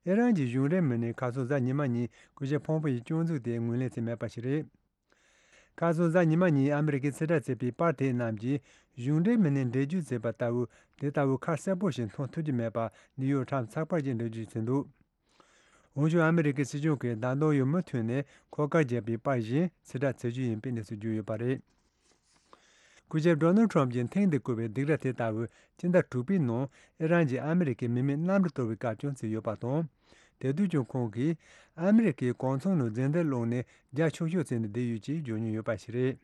ཨི་རན་གྱི་གཞུང་འབྲེལ་མི་སྣས་ཁ་སང་གཟའ་ཉི་མ་ཉིན་སྐུ་ཞབས་ཕོམ་པོ་ཡི་སྐྱོན་འཛུགས་དེ་ངོས་ལེན་བྱས་མེད་པ་ཞིག་རེད། ཁ་སང་གཟའ་ཉི་མ་ཉིན་ཨ་མི་རི་ཀས་ཕྱིར་བསྒྲགས་བྱས་པའི་པར་དེ་རྣམས་ཀྱིས་གཞུང་འབྲེལ་མི་སྣས་འགྲེལ་བརྗོད་བྱས་པ་ལྟ་བུ་དེ་ལྟ་བུ་ཁ་གསལ་པོ་ཞིག་མཐོང་ཐུབ་ཀྱི་མེད་པ་ནིའུ་ཡོག་ཊའིམ་ཚགས་པར་གྱིས་འགྲེལ་བརྗོད་བྱས་འདུག་འོན་ཀྱང་ཨ་མི་རི་ཀའི་སྲིད་གཞུང་གིས་ད་དུང་ཡང་མུ་མཐུད་ནས་འཁོར་སྐར་བརྒྱབ་པའི་པར་གཞན་ཕྱིར་བསྒྲགས་བྱེད་རྒྱུ་ཡིན་པའི་གནས་ཚུལ་བརྗོད་ཡོད་པ་རེད། སྐུ་ཞབས་ཌོ་ནལ་ཁྲོམ་གྱིས་ཐེངས་འདིར་བཀོད་པའི་སྡིགས་ར་དེ་ལྟ་བུ་སྤྱི་ཟླ་དྲུག་པའི་ནང་ཨི་རན་གྱིས་ཨ་མི་རི་ཀའི་མི་མེད་གནམ་གྲུ་གཏོར་བའི་སྐབས་ཀྱང་བྱས་ཡོད་པ་དང་། དེ་དུས་ཀྱང་ཁོང་གིས་ཨ་མི་རི་ཀའི་གོང་ཚོང་ནང་རྫུན་སྡེར་བླངས་ནས་རྒྱག་ཆོག་ཆོག་བྱས་ནས་བསྡད་ཡོད་ཅེས་བརྗོད་མྱོང་ཡོད་པ་ཞིག་རེད།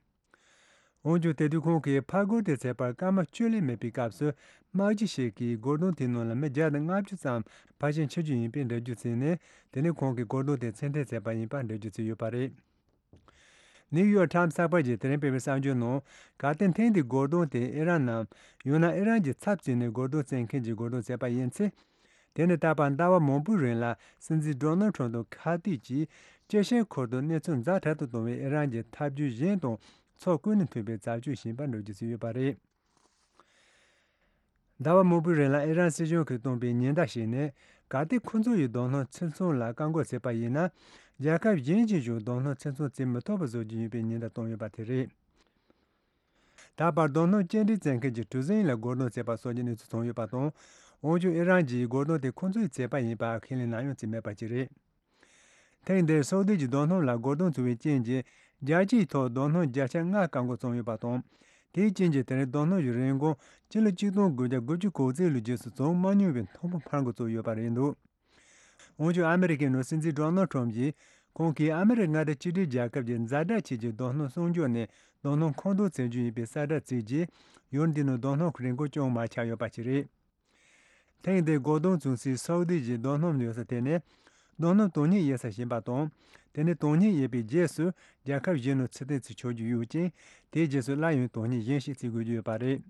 འོན་ཀྱང་དེ་དུས་ཁོང་གིས་ཕར་རྒོལ་དེ་བྱས་པར་སྐར་མ་བཅུ་ལས་མེད་པའི་སྐབས་སུ་དམག་སྤྱི་ཞིག་གིས་རྒོལ་རྡུང་དེའི་ནང་ལ་མི་བརྒྱ་དང་ལྔ་བཅུ་ཙམ་ཕར་ཕྱིན་ཁྲིད་རྒྱུ་ཡིན་པའི་འགྲེལ་བརྗོད་བྱས་ནས། དེ་ནས་ཁོང་གིས་རྒོལ་རྡུང་དེ་ཕྱིར་འཐེན་བྱས་པ་ཡིན་པར་འགྲེལ་བརྗོད་བྱས་ཡོད་པ་རེད། ནིའུ་ཡོག་ཊའིམ་གསར་པར་གྱིས་དེ་རིང་སྤེལ་བའི་གསར་འགྱུར་ནང་། གལ་ཏེ་ཐེངས་འདིའི་རྒོལ་རྡུང་དེ་ཨི་རན་ནམ། ཡང་ན་ཨི་རན་གྱི་ཚབ་བྱས་ནས་རྒོལ་རྡུང་བྱེད་མཁན་གྱིས་རྒོལ་རྡུང་བྱས་པ་ཡིན་ཚེ། དེ་ནི་ད་བར་ཟླ་བ་མང་པོའི་རིང་ལ་སྲིད་འཛིན་ཌོ་ནལ་ཁྲོམ་དང་ཁ་གཏད་ཀྱིས་སྐྱེ་ཤན་ཁུལ་དུ་གནས་ཚུལ་ཛ་དྲག་ཏུ་གཏོང་བའི་ཨི་རན་གྱི་ཐབས་ཇུས་གཞན་དང་ཕྱོགས་ཀུན་ནས་མཐུན་པའི་བྱ་སྤྱོད་ཡིན་པར་འགྲེལ་བརྗོད་བྱས་ཡོད་པ་རེད། ཟླ་བ་མང་པོའི་རིང་ལ་ཨི་རན་སྲིད་གཞུང་གིས་བཏོན་པའི་ཉེན་བརྡ་ཞིག་ནི། གལ་ཏེ་ཁོ་ཚོ་ཡིས་རྡོ་སྣུམ་ཕྱིར་ཚོང་ལ་བཀག་འགོག་བྱས་པ་ཡིན་ན། རྒྱལ་ཁབ་གཞན་གྱིས་ཀྱང་རྡོ་སྣུམ་ཕྱིར་ཚོང་བྱེད་མི་ཐུབ་པ་བཟོ་རྒྱུ་ཡིན་པའི་ཉེན་བརྡ་བཏོན་ཡོད་པ་དེ་རེད། ད་བར་རྡོ་སྣུམ་སྐྱེལ་འདྲེན་བྱེད་མཁན་གྱི་གྲུ་གཟིངས་ལ་རྒོལ་རྡུང་བྱས་པ་སོགས་ཀྱི་གནས་ཚུལ་བྱུང་ཡོད་པ་དང་། འོན་ཀྱང་ཨི་རན་གྱིས་རྒོལ་རྡུང་དེ་ཁོ་ཚོས་བྱས་པ་ཡིན་པ་ཁས་ལེན་ནམ་ཡང་བྱས་མེད་པ་ཞིག་རེད། ཐེངས་འདིར་སོག་སྡེ་གྱི་རྡོ་སྣུམ་ལ་རྒོལ་རྡུང་བྱུང་བའི་རྐྱེན་གྱིས་རྒྱལ་སྤྱིའི་ཐོག་རྡོ་སྣུམ་བརྒྱ་ཆ་ལྔ་བཀག་འགོག་བྱུང་ཡོད་པ་དང་། དེའི་རྐྱེན་གྱིས་དེ་རིང་རྡོ་སྣུམ་གྱི་རིན་གོང་སྤྱི་ལོ་ཆིག་སྟོང་དགུ་བརྒྱ་དགུ་བཅུ་གོ་གཅིག་ལོའི་རྗེས་སུ་བྱུང་མ་མྱོང་བའི་མཐོ་པོ་འཕར་འགྲོ་ཚུགས་ཡོད་པ་རེད་འདུག་དབང་ཕྱུག་ཨ་མི་རི་ཀའི་ནང་སྲིད་འཛིན་ཌོ་ནལ་ཁྲོམ་གྱིས། ཁོང་གིས་ཨ་མི་རི་ཀ་མངའ་སྡེ་གཅིག་སྒྲིལ་རྒྱལ་ཁབ་ཀྱི་ཛ་དྲག་ཆེད་ཀྱི་རྡོ་སྣུམ་སྲུང་སྐྱོབ་ནས་རྡོ་སྣུམ་མཁོ་འདོན་བྱེད་རྒྱུ་ཡིན་པའི་གསལ་བསྒྲགས་བྱས་རྗེས། ཡུལ་འདི་ནང་རྡོ་སྣུམ་གྱི་རིན་གོང་ཅུང་མར་ཆག་ཡོད་པ་ཞིག་རེད། ཐེངས་འདིའི་སྒོ་རྡུང་བྱུང་སའི་སའུ་དི་གཞུང་རྡོ་སྣུམ་ཡོད་ས་དེ་ནས་རྡོ་སྣུམ་དོ་མཉམ་ཡོད་ས་ཞིག་ཡིན་པ་དང་། དེ་ནི་དོ་མཉམ་ཡོད་པའི་རྗེས་སུ་རྒྱལ་ཁབ་གཞན་ནང་ཚུད་ལྡན་ཚུལ་ཆགས་རྒྱུ་ཡོད་ཅིང་། དེའི་རྗེས་སུ་སླར་ཡང་དོ་མཉམ་གཞན་ཞིག་བརྩི་དགོས་ཀྱི་ཡོད་པ་རེད།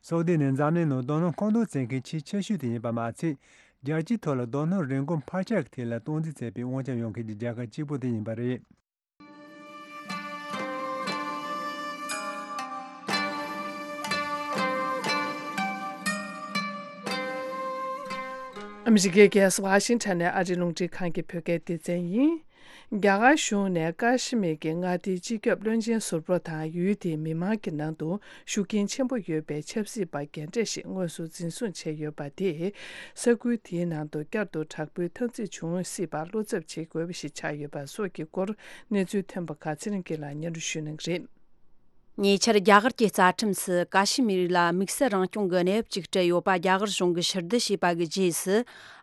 སའུ་དི་ནི་འཛམ་གླིང་ནང་རྡོ་སྣུམ་མཁོ་འདོན་བྱེད་མཁན་ཆེས་ཆེ་ཤོས་དེ་ཡིན་པ་མ་ཚད། རྒྱལ་སྤྱིའི་ཐོག་ལ་རྡོ་སྣུམ་རིན་གོང་འཕར་ཆག་གི་ཐད་ལ་སྟངས་འཛིན་བྱེད་པའི་དབང་ཆ་ཡོད་མཁན་གྱི་རྒྱལ་ཁབ་གཅིག་པུ་དེ་ཡིན་པ་རེད། ཨ་མི་རི་ཀའི་རྒྱལ་ས་ཝ་ཤིང་ཊོན་ནས་ཨ་རིའི་རླུང་འཕྲིན་ཁང་གི་བོད་སྐད་སྡེ་ཚན་ཡིན། རྒྱ་གར་གཞུང་ནས་ཀ་ཤི་མིར་གྱི་མངའ་སྡེའི་སྤྱི་ཁྱབ་བློན་ཆེན་ཟུར་པ་དང་ཡུལ་དེའི་མི་མང་གི་ནང་དུ་ཤུགས་རྐྱེན་ཆེན་པོ་ཡོད་པའི་ཆབ་སྲིད་པ་རྒན་གྲས་ཤིག་དངོས་སུ་འཛིན་བཟུང་བྱས་ཡོད་པ་དེས། ས་ཁུལ་དེའི་ནང་དུ་བསྐྱར་དུ་དྲག་པོའི་འཐབ་འཛིང་འབྱུང་སྲིད་པར་བློ་འཚབ་བྱེད་དགོས་པ་ཞིག་ཆགས་ཡོད་པ་སོགས་ཀྱི་སྐོར་གནས་ཚུལ་ཐོན་པ་ཁག་ཚེ་རིང་སྐྱིད་ལགས་སྙན་སྒྲོན་ཞུ་གནང་གི་རེད། ཉེ་ཆར་རྒྱ་གར་གྱི་རྩ་ཁྲིམས་སུ་ཀ་ཤི་མིར་ལ་དམིགས་བསལ་རང་སྐྱོང་གི་གནས་བབ་ཅིག་སྤྲད་ཡོད་པ་རྒྱ་གར་གཞུང་གིས་ཕྱིར་བསྡུ་བྱས་པ་གི་རྗེས་སུ།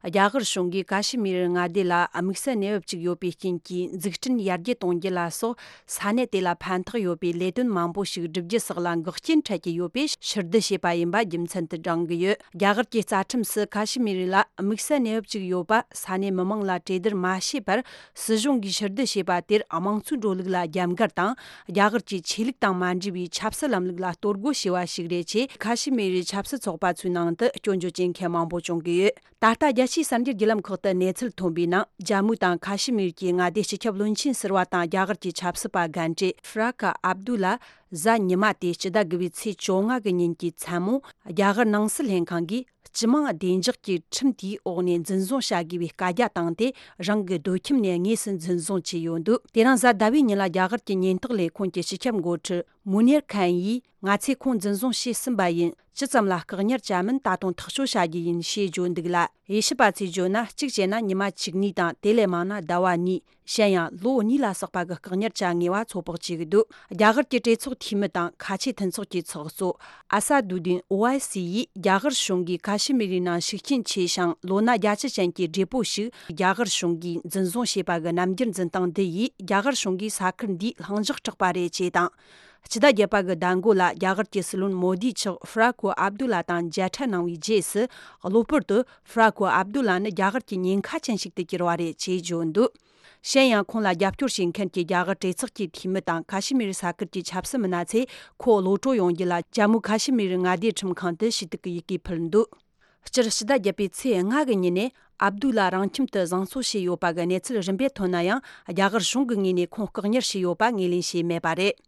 རྒྱ་གར་གཞུང་གིས་ཀ་ཤི་མིར་མངའ་སྡེ་ལ་དམིགས་བསལ་གནས་བབ་ཅིག་ཡོད་པའི་རྐྱེན་གྱིས་འཛུགས་སྐྲུན་ཡར་རྒྱས་གཏོང་རྒྱུ་ལ་སོགས་ས་གནས་དེ་ལ་ཕན་ཐོགས་ཡོད་པའི་ལས་དོན་མང་པོ་ཞིག་བསྒྲུབ་རྒྱུ་སོགས་ལ་འགོག་རྐྱེན་འཕྲད་ཀྱི་ཡོད་པས་ཕྱིར་བསྡུ་བྱས་པ་ཡིན་པ་རྒྱུ་མཚན་དུ་བགྲང་གི་ཡོད། རྒྱ་གར་གྱི་རྩ་ཁྲིམས་སུ་ཀ་ཤི་མིར་ལ་དམིགས་བསལ་གནས་བབ་ཅིག་ཡོད་པ་ས་གནས་མི་མང་ལ་གྲོས་བསྡུར་མ་བྱས་པར་སྲིད་གཞུང་གིས་ཕྱིར་བསྡུ་བྱས་པ་དེར་དམངས་གཙོའི་འགྲོ་ལུགས་ལ་རྒྱབ་འགལ་དང་། རྒྱ་གར་གྱི་ཆོས་ལུགས་དང་མ་འབྲེལ་བའི་ཆབ་སྲིད་ལམ་ལུགས་ལ་གཏོར་རྒོལ་བྱས་པ་ཞིག་རེད་ཅེས་ཁ་ཤི་མིར་ཆབ་སྲིད་ཚོགས་པ་ཚོའི་ནང་དུ་སྐྱོན་བརྗོད་བྱེད་མཁན་མང་པོ་བྱུང་གི་ཡོད། ད་ལྟ་རྒྱལ་སྤྱིའི་གསར་འགྱུར་བརྒྱུད་ལམ་ཁག་ཏུ་གནས་ཚུལ་ཐོན་པའི་ནང་། ཇམ་མུ་དང་ཁ་ཤི་མིར་གྱི་མངའ་སྡེའི་སྤྱི་ཁྱབ་བློན་ཆེན་ཟུར་པ་དང་རྒྱ་གར་གྱི་ཆབ་སྲིད་པ་རྒན་གྲས་ཧྥི་ར་ཀ་ཨབ་དུ་ལ་གཟའ་ཉི་མ་སྟེ་སྤྱི་ཟླ་དགུ་པའི་ཚེས་བཅོ་ལྔ་གི་ཉིན་གྱི་མཚན་མོ། རྒྱ་གར་ནང་སྲིད་ལྷན་ཁང་གིས་སྤྱི་དམངས་བདེ་འཇགས་ཀྱི་ཁྲིམས་དེའི་འོག་ནས་འཛིན་བཟུང་བྱ་དགོས་པའི་བཀའ་རྒྱ་བཏང་སྟེ། རང་གི་སྡོད་ཁྱིམ་ནས་དངོས་སུ་འཛིན་བཟུང་བྱས་ཡོད་འདུག་དེ་རིང་གཟའ་ཟླ་བའི་ཉིན་ལ་རྒྱ་གར་གྱི་ཉེན་རྟོག་ལས་ཁུངས་ཀྱི་སྤྱི་ཁྱབ་འགོ་ཁྲིད་མུ་ནེར་ཁན་ཡིས། ང་ཚོས་ཁོང་འཛིན་བཟུང་བྱས་ཟིན་པ་ཡིན། ཇི་ཙམ་ལ་བཀག་ཉར་བྱ་མིན་ད་དུང་ཐག་གཅོད་བྱ་རྒྱུ་ཡིན་ཞེས་བརྗོད་འདུག་ལ། དབྱེ་ཞིབ་པ་ཚོས་བརྗོད་ན། གཅིག་བྱས་ན་ཉི་མ་བཅུ་གཉིས་དང་དེ་ལས་མང་ན་ཟླ་བ་གཉིས། གཞན་ཡང་ལོ་གཉིས་ལ་སོགས་པ་གི་བཀག་ཉར་བྱ་ངེས་པ་ཚོད་དཔག་བྱེད་ཀྱི་འདུག་རྒྱ་གར་གྱི་གྲོས་ཚོགས་འཐུས་མི་དང་ཁ་ཆེ་མཐུན་ཚོགས་ཀྱི་ཚོགས་གཙོ་ཨ་ས་དུ་དིན་ཨོ་ཨའི་སི་ཡིས། རྒྱ་གར་གཞུང་གིས་ཁ་ཤི་མི་རིའི་ནང་ཤུགས་རྐྱེན་ཆེ་ཞིང་ལོ་ན་བརྒྱད་ཅུ་ཅན་གྱི་བགྲེས་པོ་ཞིག་རྒྱ་གར་གཞུང་གིས་འཛིན་བཟུང་བྱས་པ་གི་རྣམ་འགྱུར་འཛིན་སྟངས་འདི་ཡིས། རྒྱ་གར་གཞུང་གིས་ས་ཁུལ་འདིའི་ལྷིང་འཇགས་སྐྲག་པ་རེད་ཅེས་དང་། སྤྱི་ཟླ་བརྒྱད་པ་གི་ཟླ་མགོ་ལ་རྒྱ་གར་གྱི་སྲིད་བློན་མོ་དི་མཆོག་ཧྥི་ར་ཁོ་ཨབ་དུ་ལ་དང་མཇལ་འཕྲད་གནང་བའི་རྗེས་སུ། གློ་བུར་དུ་ཧྥི་ར་ཁོ་ཨབ་དུ་ལ་ནི་རྒྱ་གར་གྱི་ཉེན་ཁ་ཅན་ཞིག་ཏུ་གྱུར་བ་རེད་ཅེས་བརྗོད་འདུག་གཞན་ཡང་། ཁོང་ལ་རྒྱབ་སྐྱོར་བྱེད་མཁན་གྱི་རྒྱ་གར་གྲོས་ཚོགས་ཀྱི་འཐུས་མི་དང་ཁ་ཤི་མིར་ས་ཁུལ་གྱི་ཆབ་སྲིད་མི་སྣ་ཚོས་ཁོ་གློད་གྲོལ་ཡོང་རྒྱུ་ལ་ཇམ་མུ་ཁ་ཤི་མིར་མངའ་སྡེའི་ཁྲིམས་ཁང་དུ་ཞུ་གཏུག་གི་ཡི་གེ་ཕུལ་འདུག་སྤྱིར་སྤྱི་ཟླ་བརྒྱད་པའི་ཚེས་ལྔ་གི་ཉིན་ནས་ཨབ་དུ་ལ་རང་ཁྱིམ་དུ་བཟང་གསོ་བྱས་ཡོད་པ་གི་གནས་ཚུལ་རིམ་པས་ཐོན་ན་ཡང་། རྒྱ་གར་གཞུང་གི་ངོས་ནས་ཁོང་བཀག་ཉར་བྱས་ཡོད་པ་ངོས་ལེན་བྱས་མེད་པ་རེད།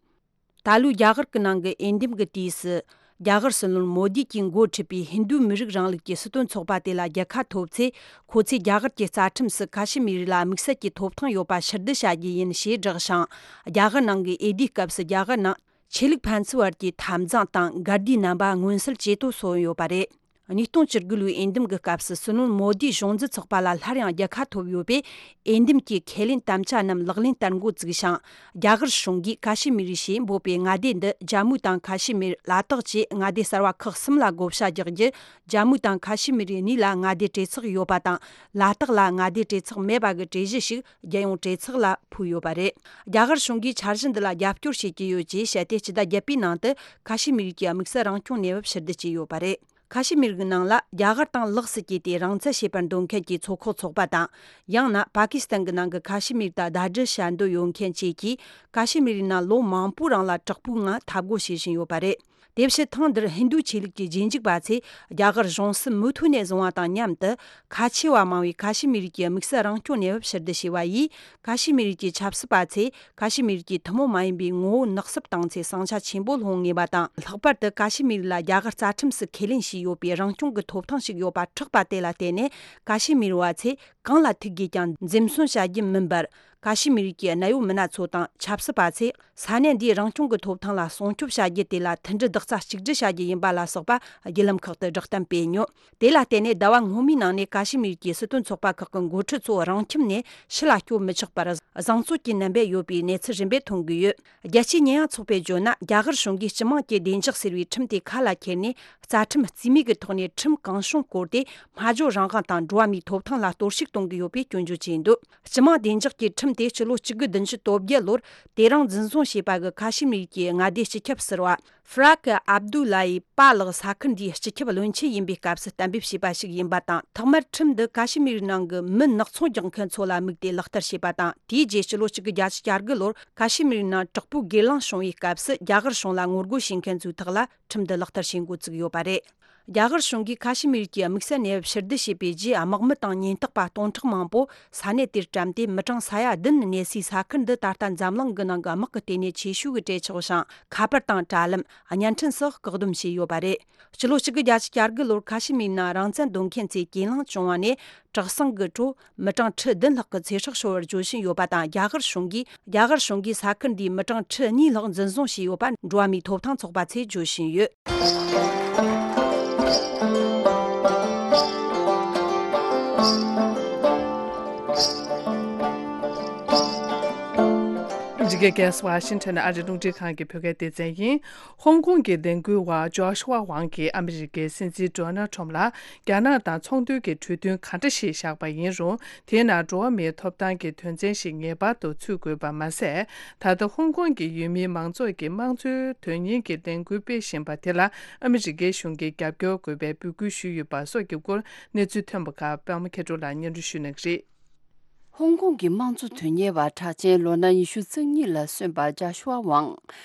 ད་ལོའི་རྒྱ་གར་གྱི་ནང་གི་འོས་འདེམས་ཀྱི་དུས་སུ། རྒྱ་གར་སྲིད་བློན་མོ་དི་གྱིས་འགོ་ཁྲིད་པའི་ཧིན་རྡུ་མི་རིགས་རིང་ལུགས་ཀྱི་སྲིད་དོན་ཚོགས་པ་དེ་ལ་རྒྱལ་ཁ་ཐོབ་ཚེ། ཁོ་ཚོས་རྒྱ་གར་གྱི་རྩ་ཁྲིམས་སུ་ཁ་ཤི་མི་རི་ལ་དམིགས་བསལ་གྱི་ཐོབ་ཐང་ཡོད་པ་ཕྱིར་བསྡུ་བྱ་རྒྱུ་ཡིན་ཞེས་བསྒྲགས་ཤིང་། རྒྱ་གར་ནང་གི་འོས་བསྡུའི་སྐབས་སུ་རྒྱ་གར་ནང་ཆོས་ལུགས་ཕན་ཚུན་བར་གྱི་འཐབ་འཛིང་དང་འགལ་ཟླའི་རྣམ་པ་མངོན་གསལ་ཇེ་མཐོར་སོང་ཡོད་པ་རེད། ཉིས་སྟོང་བཅུ་དགུ་ལོའི་འོས་འདེམས་ཀྱི་སྐབས་སུ་སྲིད་བློན་མོ་དིས་གཞུང་འཛིན་ཚོགས་པ་ལ་སླར་ཡང་རྒྱལ་ཁ་ཐོབ་ཡོད་པས། འོས་འདེམས་ཀྱི་ཁས་ལེན་དམ་བཅའ་རྣམས་ལག་ལེན་བསྟར་འགོ་བཙུགས་ཤིང་། རྒྱ་གར་གཞུང་གིས་ཀ་ཤི་མིར་ཞེས་འབོད་པའི་མངའ་སྡེ་འདི་ཇམ་མུ་དང་ཁ་ཤི་མིར། ལ་དྭགས་བཅས་མངའ་སྡེ་གསར་བ་ཁག་གསུམ་ལ་བགོ་བཤའ་རྒྱག་རྒྱུ། ཇམ་མུ་དང་ཁ་ཤི་མིར་གཉིས་ལ་མངའ་སྡེ་གྲོས་ཚོགས་ཡོད་པ་དང་། ལ་དྭགས་ལ་མངའ་སྡེ་གྲོས་ཚོགས་མེད་པ་གི་གྲོས་གཞི་ཞིག་རྒྱལ་ཡོངས་གྲོས་ཚོགས་ལ་ཕུལ་ཡོད་པ་རེད། རྒྱ་གར་གཞུང་གིས་འཆར་གཞི་འདི་ལ་རྒྱབ་སྐྱོར་བྱེད་ཀྱི་ཡོད་ཅེས་བཤད་དེ། སྤྱི་ཟླ་བརྒྱད་པའི་ནང་དུ་ཁ་ཤི་མིར་གྱི་དམིགས་བསལ་རང་སྐྱོང་གནས་བབ་ཕྱིར་བསྡུ་བྱས་ཡོད་པ་རེད། ཁ་ཤི་མིར་གྱི་ནང་ལ་རྒྱ་གར་དང་ལོགས་སུ་གྱེས་ཏེ་རང་བཙན་བྱེད་པར་འདོད་མཁན་གྱི་ཚོགས་ཁག་ཚོགས་པ་དང་། ཡང་ན་པ་ཀི་སི་ཐན་གྱི་ནང་གི་ཁ་ཤི་མིར་དང་ཟླ་སྒྲིལ་བྱ་འདོད་ཡོད་མཁན་བཅས་ཀྱིས། ཀ་ཤི་མིར་ཡི་ནང་ལོ་མང་པོའི་རིང་ལ་དྲག་པོའི་ངང་འཐབ་རྒོལ་བྱེད་བཞིན་ཡོད་པ་རེད། དེ་བཞིན་ཐེངས་འདིར་ཧིན་རྡུ་ཆོས་ལུགས་ཀྱི་རྗེས་འཇུག་པ་ཚོས་རྒྱ་གར་གཞུང་སྲིད་མུ་མཐུད་ནས་བཟུང་བ་དང་མཉམ་དུ། ཁ་ཆེ་བ་མང་བའི་ཁ་ཤི་མིར་གྱི་དམིགས་བསལ་རང་སྐྱོང་གནས་བབ་ཕྱིར་བསྡུ་བྱས་པ་ཡིས། ཁ་ཤི་མིར་གྱི་ཆབ་སྲིད་པ་ཚོས་ཁ་ཤི་མིར་གྱི་ཐུན་མོང་མ་ཡིན་པའི་ངོ་བོ་ནག་སུབ་བཏང་ཚེ་ཟིང་ཆ་ཆེན་པོ་སློང་ངེས་པ་དང་། ལྷག་པར་དུ་ཀ་ཤི་མིར་ལ་རྒྱ་གར་རྩ་ཁྲིམས་སུ་ཁས་ལེན་བྱས་ཡོད་པའི་རང་སྐྱོང་གི་ཐོབ་ཐང་ཞིག་ཡོད་པ་ཁྲག་པ་དེ་ལ་བརྟེན་ནས། ཀ་ཤི་མིར་བ་ཚོས་གང་ལ་ཐུག་དགོས་ཀྱང་འཛེམ་ཟོན་བྱ་རྒྱུ་མིན་པར། ཀ་ཤི་མིར་གྱི་གནད་ཡོད་མི་སྣ་ཚོ་དང་ཆབ་སྲིད་པ་ཚོས་ས་གནས་འདིའི་རང་སྐྱོང་གི་ཐོབ་ཐང་ལ་སྲུང་སྐྱོབ་བྱ་རྒྱུ་དེ་ལ་མཐུན་སྒྲིལ་རྡོག་རྩ་གཅིག་སྒྲིལ་བྱ་རྒྱུ་ཡིན་པ་ལ་སོགས་པ་བརྒྱུད་ལམ་ཁག་ཏུ་བསྒྲགས་གཏམ་སྤེལ་མྱོང་། དེ་ལ་བརྟེན་ནས་ཟླ་བ་སྔོན་མའི་ནང་ནས་ཀ་ཤི་མིར་གྱི་སྲིད་དོན་ཚོགས་པ་ཁག་གི་འགོ་ཁྲིད་ཚོ་རང་ཁྱིམ་ནས་ཕྱི་ལ་སྐྱོད་མི་ཆོག་པར་བཟང་ཚོད་ཀྱི་རྣམ་པ་ཡོད་པའི་གནས་ཚུལ་རིམ་པས་ཐོན་གྱི་ཡོད། རྒྱལ་སྤྱིའི་ཉེས་ཡངས་ཚོགས་པས་བརྗོད་ན། རྒྱ་གར་གཞུང་གིས་སྤྱི་དམངས་ཀྱི་བདེ་འཇགས་ཟེར་བའི་ཁྲིམས་དེ་ཁ་ལ་འཁྱེར་ནས། རྩ་ཁྲིམས་རྩིས་མེད་ཀྱི་ཐོག་ནས་ཁྲིམས་གང་བྱུང་བསྐོར་ཏེ། སྨྲ་བརྗོད་རང་དབང་དང་འགྲོ་བ་མིའི་ཐོབ་ཐང་ལ་གཏོར་བཤིག་ གཏོང་གི་ཡོད་པའི་སྐྱོན་བརྗོད་བྱས་འདུག་སྤྱི་དམངས་བདེ་འཇགས་ཀྱི་ཁྲིམས་དེ་སྤྱི་ལོ་གཅིག་དགུ་བདུན་ཅུ་དོན་བརྒྱད་ལོར་དེ་རིང་འཛིན་བཟུང་བྱས་པ་གི་ཁ་ཤི་མིར་གྱི་མངའ་སྡེ་སྤྱི་ཁྱབ་ཟུར་པ་ཧྥ་རག་ཨབ་དུ་ལ་ཡི་པཱ་ལགས་ས་ཁུལ་འདིའི་སྤྱི་ཁྱབ་བློན་ཆེན་ཡིན་པའི་སྐབས་སུ་གཏན་འབེབས་བྱས་པ་ཞིག་ཡིན་པ་དང་། ཐོག་མར་ཁྲིམས་འདི་ཁ་ཤི་མིར་ནང་གི་མི་ནག་ཚོང་རྒྱག་མཁན་ཚོ་ལ་དམིགས་ཏེ་ལག་བསྟར་བྱས་པ་དང་། དེའི་རྗེས་སྤྱི་ལོ་གཅིག་དགུ་བརྒྱད་ཅུ་གྱ་དགུ་ལོར་ཁ་ཤི་མིར་ནང་དྲག་པོའི་སྒེར་ལངས་བྱུང་བའི་སྐབས་སུ་རྒྱ་གར་གཞུང་ལ་ངོ་རྒོལ་བྱེད་མཁན་ཚོའི་ཐོག་ལ་ཁྲིམས་འདི་ལག་བསྟར་བྱེད་འགོ་བཙུགས་ཡོད་པ་རེད། རྒྱ་གར་གཞུང་གིས་ཁ་ཤི་མིར་གྱི་དམིགས་བསལ་གནས་བབ་ཕྱིར་བསྡུ་བྱས་པའི་རྗེས། དམག་མི་དང་ཉེན་རྟོག་པ་སྟོང་ཕྲག་མང་པོ་ས་གནས་དེར་བཀྲམ་སྟེ། མི་གྲངས་ས་ཡ་བདུན་གནས་སའི་ས་ཁུལ་འདི་ད་ལྟ་འཛམ་གླིང་གི་ནང་གི་དམག་གི་ལྟེ་གནས་ཆེ་ཤོས་ཀྱི་གྲས་ཆགས་ཤིང་། ཁ་པར་དང་དྲ་ལམ། བརྙན་འཕྲིན་སོགས་བཀག་སྡོམ་བྱས་ཡོད་པ་རེད། སྤྱི་ལོ་གཅིག་དགུ་བརྒྱད་ཅུ་གྱ་དགུ་ལོར་ཁ་ཤི་མིར་ནང་རང་བཙན་འདོད་མཁན་ཚོས་གྱེན་ལངས་བྱུང་བ་ནས། དྲག་ཟིང་གི་ཁྲོད་མི་གྲངས་ཁྲི་བདུན་ལྷག་གི་ཚེ་སྲོག་ཤོར་བར་བརྗོད་བཞིན་ཡོད་པ་དང་། རྒྱ་གར་གཞུང་གིས་རྒྱ་གར་གཞུང་གིས་ས་ཁུལ་འདིའི་མི་གྲངས་ཁྲི་གཉིས་ལྷག་འཛིན་བཟུང་བྱས་ཡོད་པ་འགྲོ་བ་མིའི་ཐོབ་ཐང་ཚོགས་པ་ཚོས་བརྗོད་བཞིན་ཡོད། འཇིགས་སྐལ་གེ་སར་ཝ་ཤིང་ཊོན་ཨ་རི་རླུང་འཕྲིན་ཁང་གི་བོད་སྐད་སྡེ་ཚན་ཡིན། ཧོང་ཀོང་གི་ལས་འགུལ་བ་ཇོ་ཤུ་ཝ་ཝང་གིས་ཨ་མི་རི་ཀའི་སྲིད་འཛིན་ཌོ་ནལ་ཁྲོམ་ལ་རྒྱ་ནག་དང་ཚོང་དོན་གྱི་གྲོས་མཐུན་ག་འདྲ་ཞིག་བཞག་པ་ཡིན་རུང་། དེའི་ནང་འགྲོ་བ་མིའི་ཐོབ་ཐང་གི་དོན་ཚན་ཞིག་ངེས་པར་དུ་ཚུད་དགོས་པ་མ་ཟད། ད་ལྟ་ཧོང་ཀོང་གི་ཡུལ་མིའི་མང་ཚོགས་ཀྱིས་དམངས་གཙོའི་དོན་གཉེར་གྱི་ལས་འགུལ་སྤེལ་བཞིན་པ་དེ་ལ་ཨ་མི་རི་ཀའི་གཞུང་གིས་རྒྱབ་སྐྱོར་དགོས་པའི་འབོད་སྐུལ་ཞུས་ཡོད་པ་སོགས་ཀྱི་སྐོར་གནས་ཚུལ་ཐོན་པ་ཁག་པད་མ་མཁས་གྲུབ་ལགས་སྙན་སྒྲོན་ཞུ་གནང་གི་རེད། ཧོང་ཀོང་གི་དམངས་གཙོ་དོན་གཉེར་བ་གྲགས་ཅན་ལོ་ན་ཉི་ཤུ་རྩ་གཉིས་ལ་སོན་པ་ཇཱ་ཤུ་ཝ་ཝང་།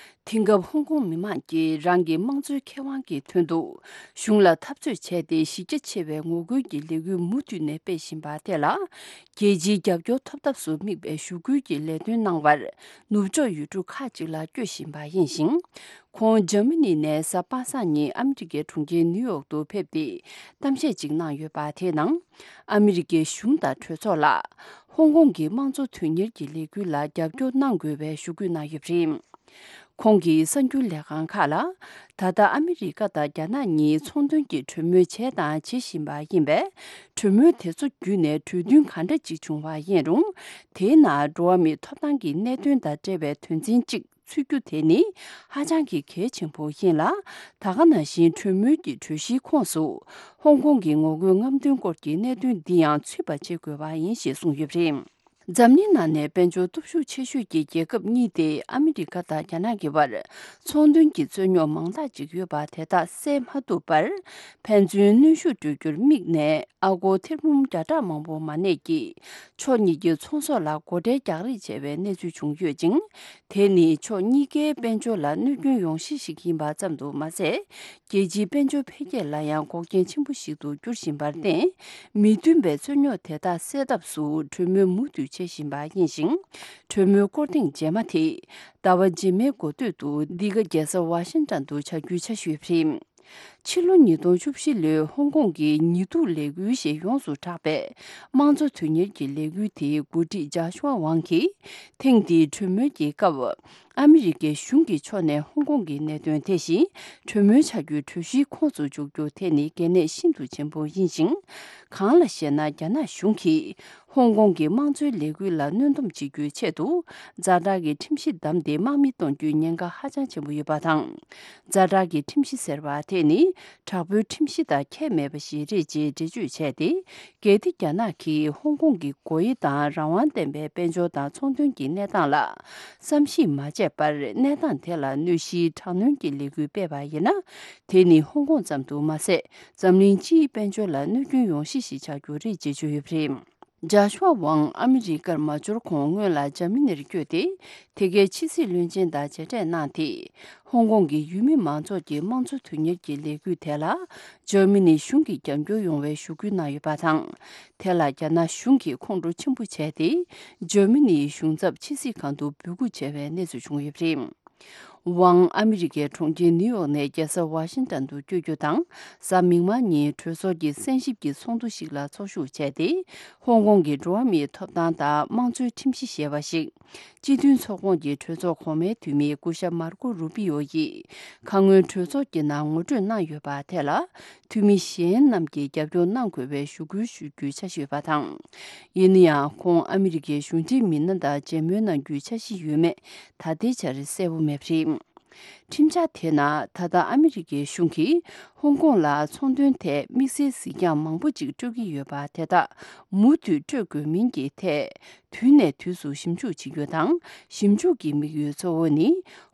དེང་སྐབས་ཧོང་ཀོང་མི་མང་གིས་རང་གི་དམངས་གཙོའི་ཁེ་དབང་གི་དོན་དུ་གཞུང་ལ་འཐབ་རྩོད་བྱས་ཏེ། གཞི་རྒྱ་ཆེ་བའི་ངོ་རྒོལ་གྱི་ལས་འགུལ་མུ་མཐུད་ནས་སྤེལ་བཞིན་པ་དེ་ལ། རྒྱལ་སྤྱིའི་རྒྱབ་སྐྱོར་ཐོབ་ཐབས་སུ་དམིགས་པའི་ཞུ་སྐུལ་གྱི་ལས་དོན་གནང་བར་ནུབ་ཕྱོགས་ཡུལ་གྲུ་ཁག་ཅིག་ལ་བསྐྱོད་བཞིན་པ་ཡིན་ཞིང་། ཁོང་འཇར་མ་ནི་ནས་གཟའ་པ་སངས་ཉིན་ཨ་མི་རི་ཀའི་གྲོང་ཁྱེར་ནིའུ་ཡོག་ཏུ་ཕེབས་ཏེ་གཏམ་བཤད་ཅིག་གནང་ཡོད་པ། དེའི་ནང་ཨ་མི་རི་ཀའི་གཞུང་དང་གྲོས་ཚོགས་ལ་ཧོང་ཀོང་གི་དམངས་གཙོ་དོན་གཉེར་གྱི་ལས་འགུལ་ལ་རྒྱབ་སྐྱོར་གནང་དགོས་པའི་ཞུ་སྐུལ་གནང་ཡོད་པ་རེད། ཁོང་གིས་གསར་འགྱུར་ལས་ཁང་ཁག་ལ། ད་ལྟ་ཨ་མི་རི་ཀ་དང་རྒྱ་ནག་གཉིས་ཚོང་དོན་གྱི་གྲོས་མོལ་བྱས་དང་བྱེད་བཞིན་པ་ཡིན་པས། གྲོས་མོལ་དེ་ཚོ་བརྒྱུད་ནས་གྲོས་མཐུན་ག་འདྲ་ཅིག་བྱུང་བ་ཡིན་རུང་། དེའི་ནང་འགྲོ་བ་མིའི་ཐོབ་ཐང་གི་གནད་དོན་དང་འབྲེལ་བའི་དོན་ཚན་གཅིག་ཚུད་རྒྱུ་དེ་ནི་ཧ་ཅང་གི་གལ་ཆེན་པོ་ཡིན་ལ། ད་ག་ནང་བཞིན་གྲོས་མོལ་གྱི་གྲོས་གཞིའི་ཁོངས་སུ་ཧོང་ཀོང་གི་ངོ་རྒོལ་རྔམ་སྟོན་སྐོར་གྱི་གནད་དོན་འདི་ཡང་ཚུད་པ་བྱེད་དགོས་པ་ཡིན་ཞེས་གསུངས་ཡོད་པ་རེད། འཛམ་གླིང་ནང་ནས་དཔལ་འབྱོར་སྟོབས་ཤུགས་ཆེ་ཤོས་ཀྱི་རྒྱལ་ཁབ་གཉིས་ཏེ་ཨ་མི་རི་ཀ་དང་རྒྱ་ནག་གི་བར་ཚོང་དོན་གྱི་རྩོད་རྙོག་མང་དག་ཅིག་ཡོད་པ་དེ་དག་སེལ་མ་ཐུབ་པར་ཕན་ཚུན་གནོན་ཤུགས་སྤྲོད་རྒྱུར་དམིགས་ནས། ཨ་སྒོར་ཐེར་འབུམ་བརྒྱ་ཕྲག་མང་པོ་མ་གནས་ཀྱིས་ཕྱོགས་གཉིས་ཀྱི་ཚོང་ཟོག་ལ་སྒོ་ཁྲལ་རྒྱག་རེས་བྱས་པའི་གནས་ཚུལ་བྱུང་ཡོད་ཅིང་། དེ་ནི་ཕྱོགས་གཉིས་ཀའི་དཔལ་འབྱོར་ལ་གནོད་སྐྱོན་ཡོང་གཞི་ཞིག་ཡིན་པ་ཙམ་དུ་མ་ཟད། རྒྱལ་སྤྱིའི་དཔལ་འབྱོར་འཕེལ་རྒྱས་ལ་ཡང་འགོག་རྐྱེན་ཆེན་པོ་ཞིག་ཏུ་འགྱུར་བཞིན་པར་བརྟེན། མི་མཐུན་པའི་རྩོད་རྙོག་དེ་དག་སེལ་ཐབས་སུ་གྲོས་མོལ་མུ་མཐུད་བྱེད་བཞིན་པ་ཡིན་ཞིང་། གྲོས་མོལ་སྐོར་ཐེངས་རྗེས་མ་དེ་ཟླ་བ་རྗེས་མའི་འགོ་སྟོད་དུ་འདི་ག་རྒྱལ་ས་ཝ་ཤིང་ཏོན་དུ་བྱ་རྒྱུའི་འཆར་གཞི་ཡོད་པ་རེད། ཕྱི་ལོ་ཉིས་སྟོང་བཅུ་བཞི་ལོའི་ཧོང་ཀོང་གི་ཉིས་སྡུག་ལས་འགུལ་ཞེས་ཡོངས་སུ་གྲགས་པའི་དམངས་གཙོ་དོན་གཉེར་གྱི་ལས་འགུལ་དེའི་འགོ་ཁྲིད་ཇཱ་ཤུ་ཝ་ཝང་གིས། ཐེངས་འདིའི་གྲོས་མོལ་གྱི་སྐབས། ཨ་མི་རི་ཀའི་གཞུང་གི་ཕྱོགས་ནས་ཧོང་ཀོང་གི་གནད་དོན་དེ་བཞིན་གྲོས་མོལ་བྱ་རྒྱུའི་གྲོས་གཞིའི་ཁོངས་སུ་འཇུག་རྒྱུ་དེ་ནི་གལ་གནད་ཤིན་ཏུ་ཆེན་པོ་ཡིན་ཞིང་། གང་ལ་ཞེ་ན། རྒྱ་ནག་གཞུང་གིས། ཧོང་ཀོང་གི་དམངས་གཙོའི་ལས་འགུལ་ལ་གནོན་སྡོམ་བྱེད་རྒྱུའི་ཆེད་དུ། ཛ་དྲག་གི་ཁྲིམས་གཞི་བདམས་ཏེ་དམག་མི་གཏོང་རྒྱུའི་ཉེན་ཁ་ཧ་ཅང་ཆེན་པོ་ཡོད་པ་དང་། ཛ་དྲག་གི་ཁྲིམས་གཞི་ཟེར་བ་དེ་ནི། དྲག་པོའི་ཁྲིམས་གཞི་དང་ཁྱད་མེད་པ་ཞིག་རེད་ཅེས་འགྲེལ་བརྗོད་བྱས་ཏེ། གལ་ཏེ་རྒྱ་ནག་གིས་ཧོང་ཀོང་གི་སྒོ་དབྱེ་དང་རང་དབང་ལྡན་པའི་དཔལ་འབྱོར་དང་ཚོང་དོན་གྱི་གནས་སྟངས་ལ་བསམ་གཞིག་མ་བྱས་པར། གནས་སྟངས་དེ་ལ་གནོད་གཞིའི་དྲག་གནོན་གྱི་ལས་འགུལ་སྤེལ་བ་ཡིན་ན། དེ་ནི་ཧོང་ཀོང་ཙམ་དུ་མ་ཟད། འཛམ་གླིང་སྤྱིའི་དཔལ་འབྱོར་ལ་གནོད་སྐྱོན་ཡོང་གཞི་ཞིག་ཆགས་རྒྱུ་རེད་ཅེས་བརྗོད་ཡོད་པ་རེད། ཇཱ་ཤུ་ཝ་ཝང་ཨ་མི་རི་ཀར་མ་འབྱོར་གོང་སྔོན་ལ་འཇར་མ་ནིར་བསྐྱོད་དེ། དེ་གའི་ཕྱི་སྲིད་བློན་ཆེན་དང་མཇལ་འཕྲད་གནང་སྟེ། ཧོང་ཀོང་གི་ཡུལ་མི་མང་ཚོགས་ཀྱི་དམངས་གཙོ་དོན་གཉེར་གྱི་ལས་འགུལ་དེ་ལ་འཇར་མ་ནི་གཞུང་གིས་རྒྱབ་སྐྱོར་ཡོང་བའི་ཞུ་སྐུལ་གནང་ཡོད་པ་དང་། དེ་ལ་རྒྱ་ནག་གཞུང་གིས་ཁོང་ཁྲོ་ཆེན་པོ་བྱས་ཏེ། འཇར་མ་ནིའི་གཞུང་ཚབ་ཕྱི་སྲིད་ཁང་དུ་འབོད་འགུག་བྱས་པའི་གནས་ཚུལ་བྱུང་ཡོད་པ་རེད། ཝང་ཨ་མི་རི་ཀའི་གྲོང་ཁྱེར་ནིའུ་ཡོག་ནས་རྒྱལ་ས་ཝ་ཤིང་ཏོན་དུ་བསྐྱོད་རྒྱུ་དང་། གཟའ་མིག་དམར་ཉིན་གྲོས་ཚོགས་ཀྱི་གསན་ཞིབ་ཀྱི་ཚོགས་འདུ་ཞིག་ལ་ཚོགས་ཞུགས་བྱས་ཏེ། ཧོང་ཀོང་གི་འགྲོ་བ་མིའི་ཐོབ་ཐང་དང་དམངས་གཙོའི་ཁྲིམས་གཞི་ཞེས་པ་ཞིག་སྤྱི་མཐུན་ཚོགས་ཁོངས་ཀྱི་གྲོས་ཚོགས་གོང་མའི་འཐུས་མི་སྐུ་ཞབས་མར་ཀོ་རུ་པི་ཡོ་ཡིས་ཁ་སྔོན་གྲོས་ཚོགས་ཀྱི་ནང་ངོ་སྤྲོད་གནང་ཡོད་པ་དེ་ལ། འཐུས་མི་གཞན་རྣམས་ཀྱིས་རྒྱབ་སྐྱོར་གནང་དགོས་པའི་ཞུ་སྐུལ་ཞུ་རྒྱུའི་འཆར་གཞི་ཡོད་པ་དང་། ཡིན་ན་ཡང་། ཁོང་ཨ་མི་རི་ཀའི་གཞུང་འབྲེལ་མི་སྣ་དང་མཇལ་མོལ་གནང་རྒྱུའི་འཆར་གཞི་ཡོད་མེད་ད་ལྟའི་ཆར་གསལ་པོ་མེད་པ་རེད། ཁྲིམས་འཆར་དེ་ནང་ད་ལྟ་ཨ་མི་རི་ཀའི་གཞུང་གིས་ཧོང་ཀོང་ལ་ཚོང་དོན་ཐད་དམིགས་བསལ་གཟིགས་རྒྱང་མང་པོ་ཅིག་སྤྲོད་ཀྱི་ཡོད་པ་དེ་དག་མུ་མཐུད་སྤྲོད་དགོས་མིན་གྱི་ཐད། དུས་ནས་དུས་སུ་ཞིབ་འཇུག་བྱེད་རྒྱུ་དང་། ཞིབ་འཇུག་གི་དམིགས་ཡུལ་གཙོ་བོ་ནི།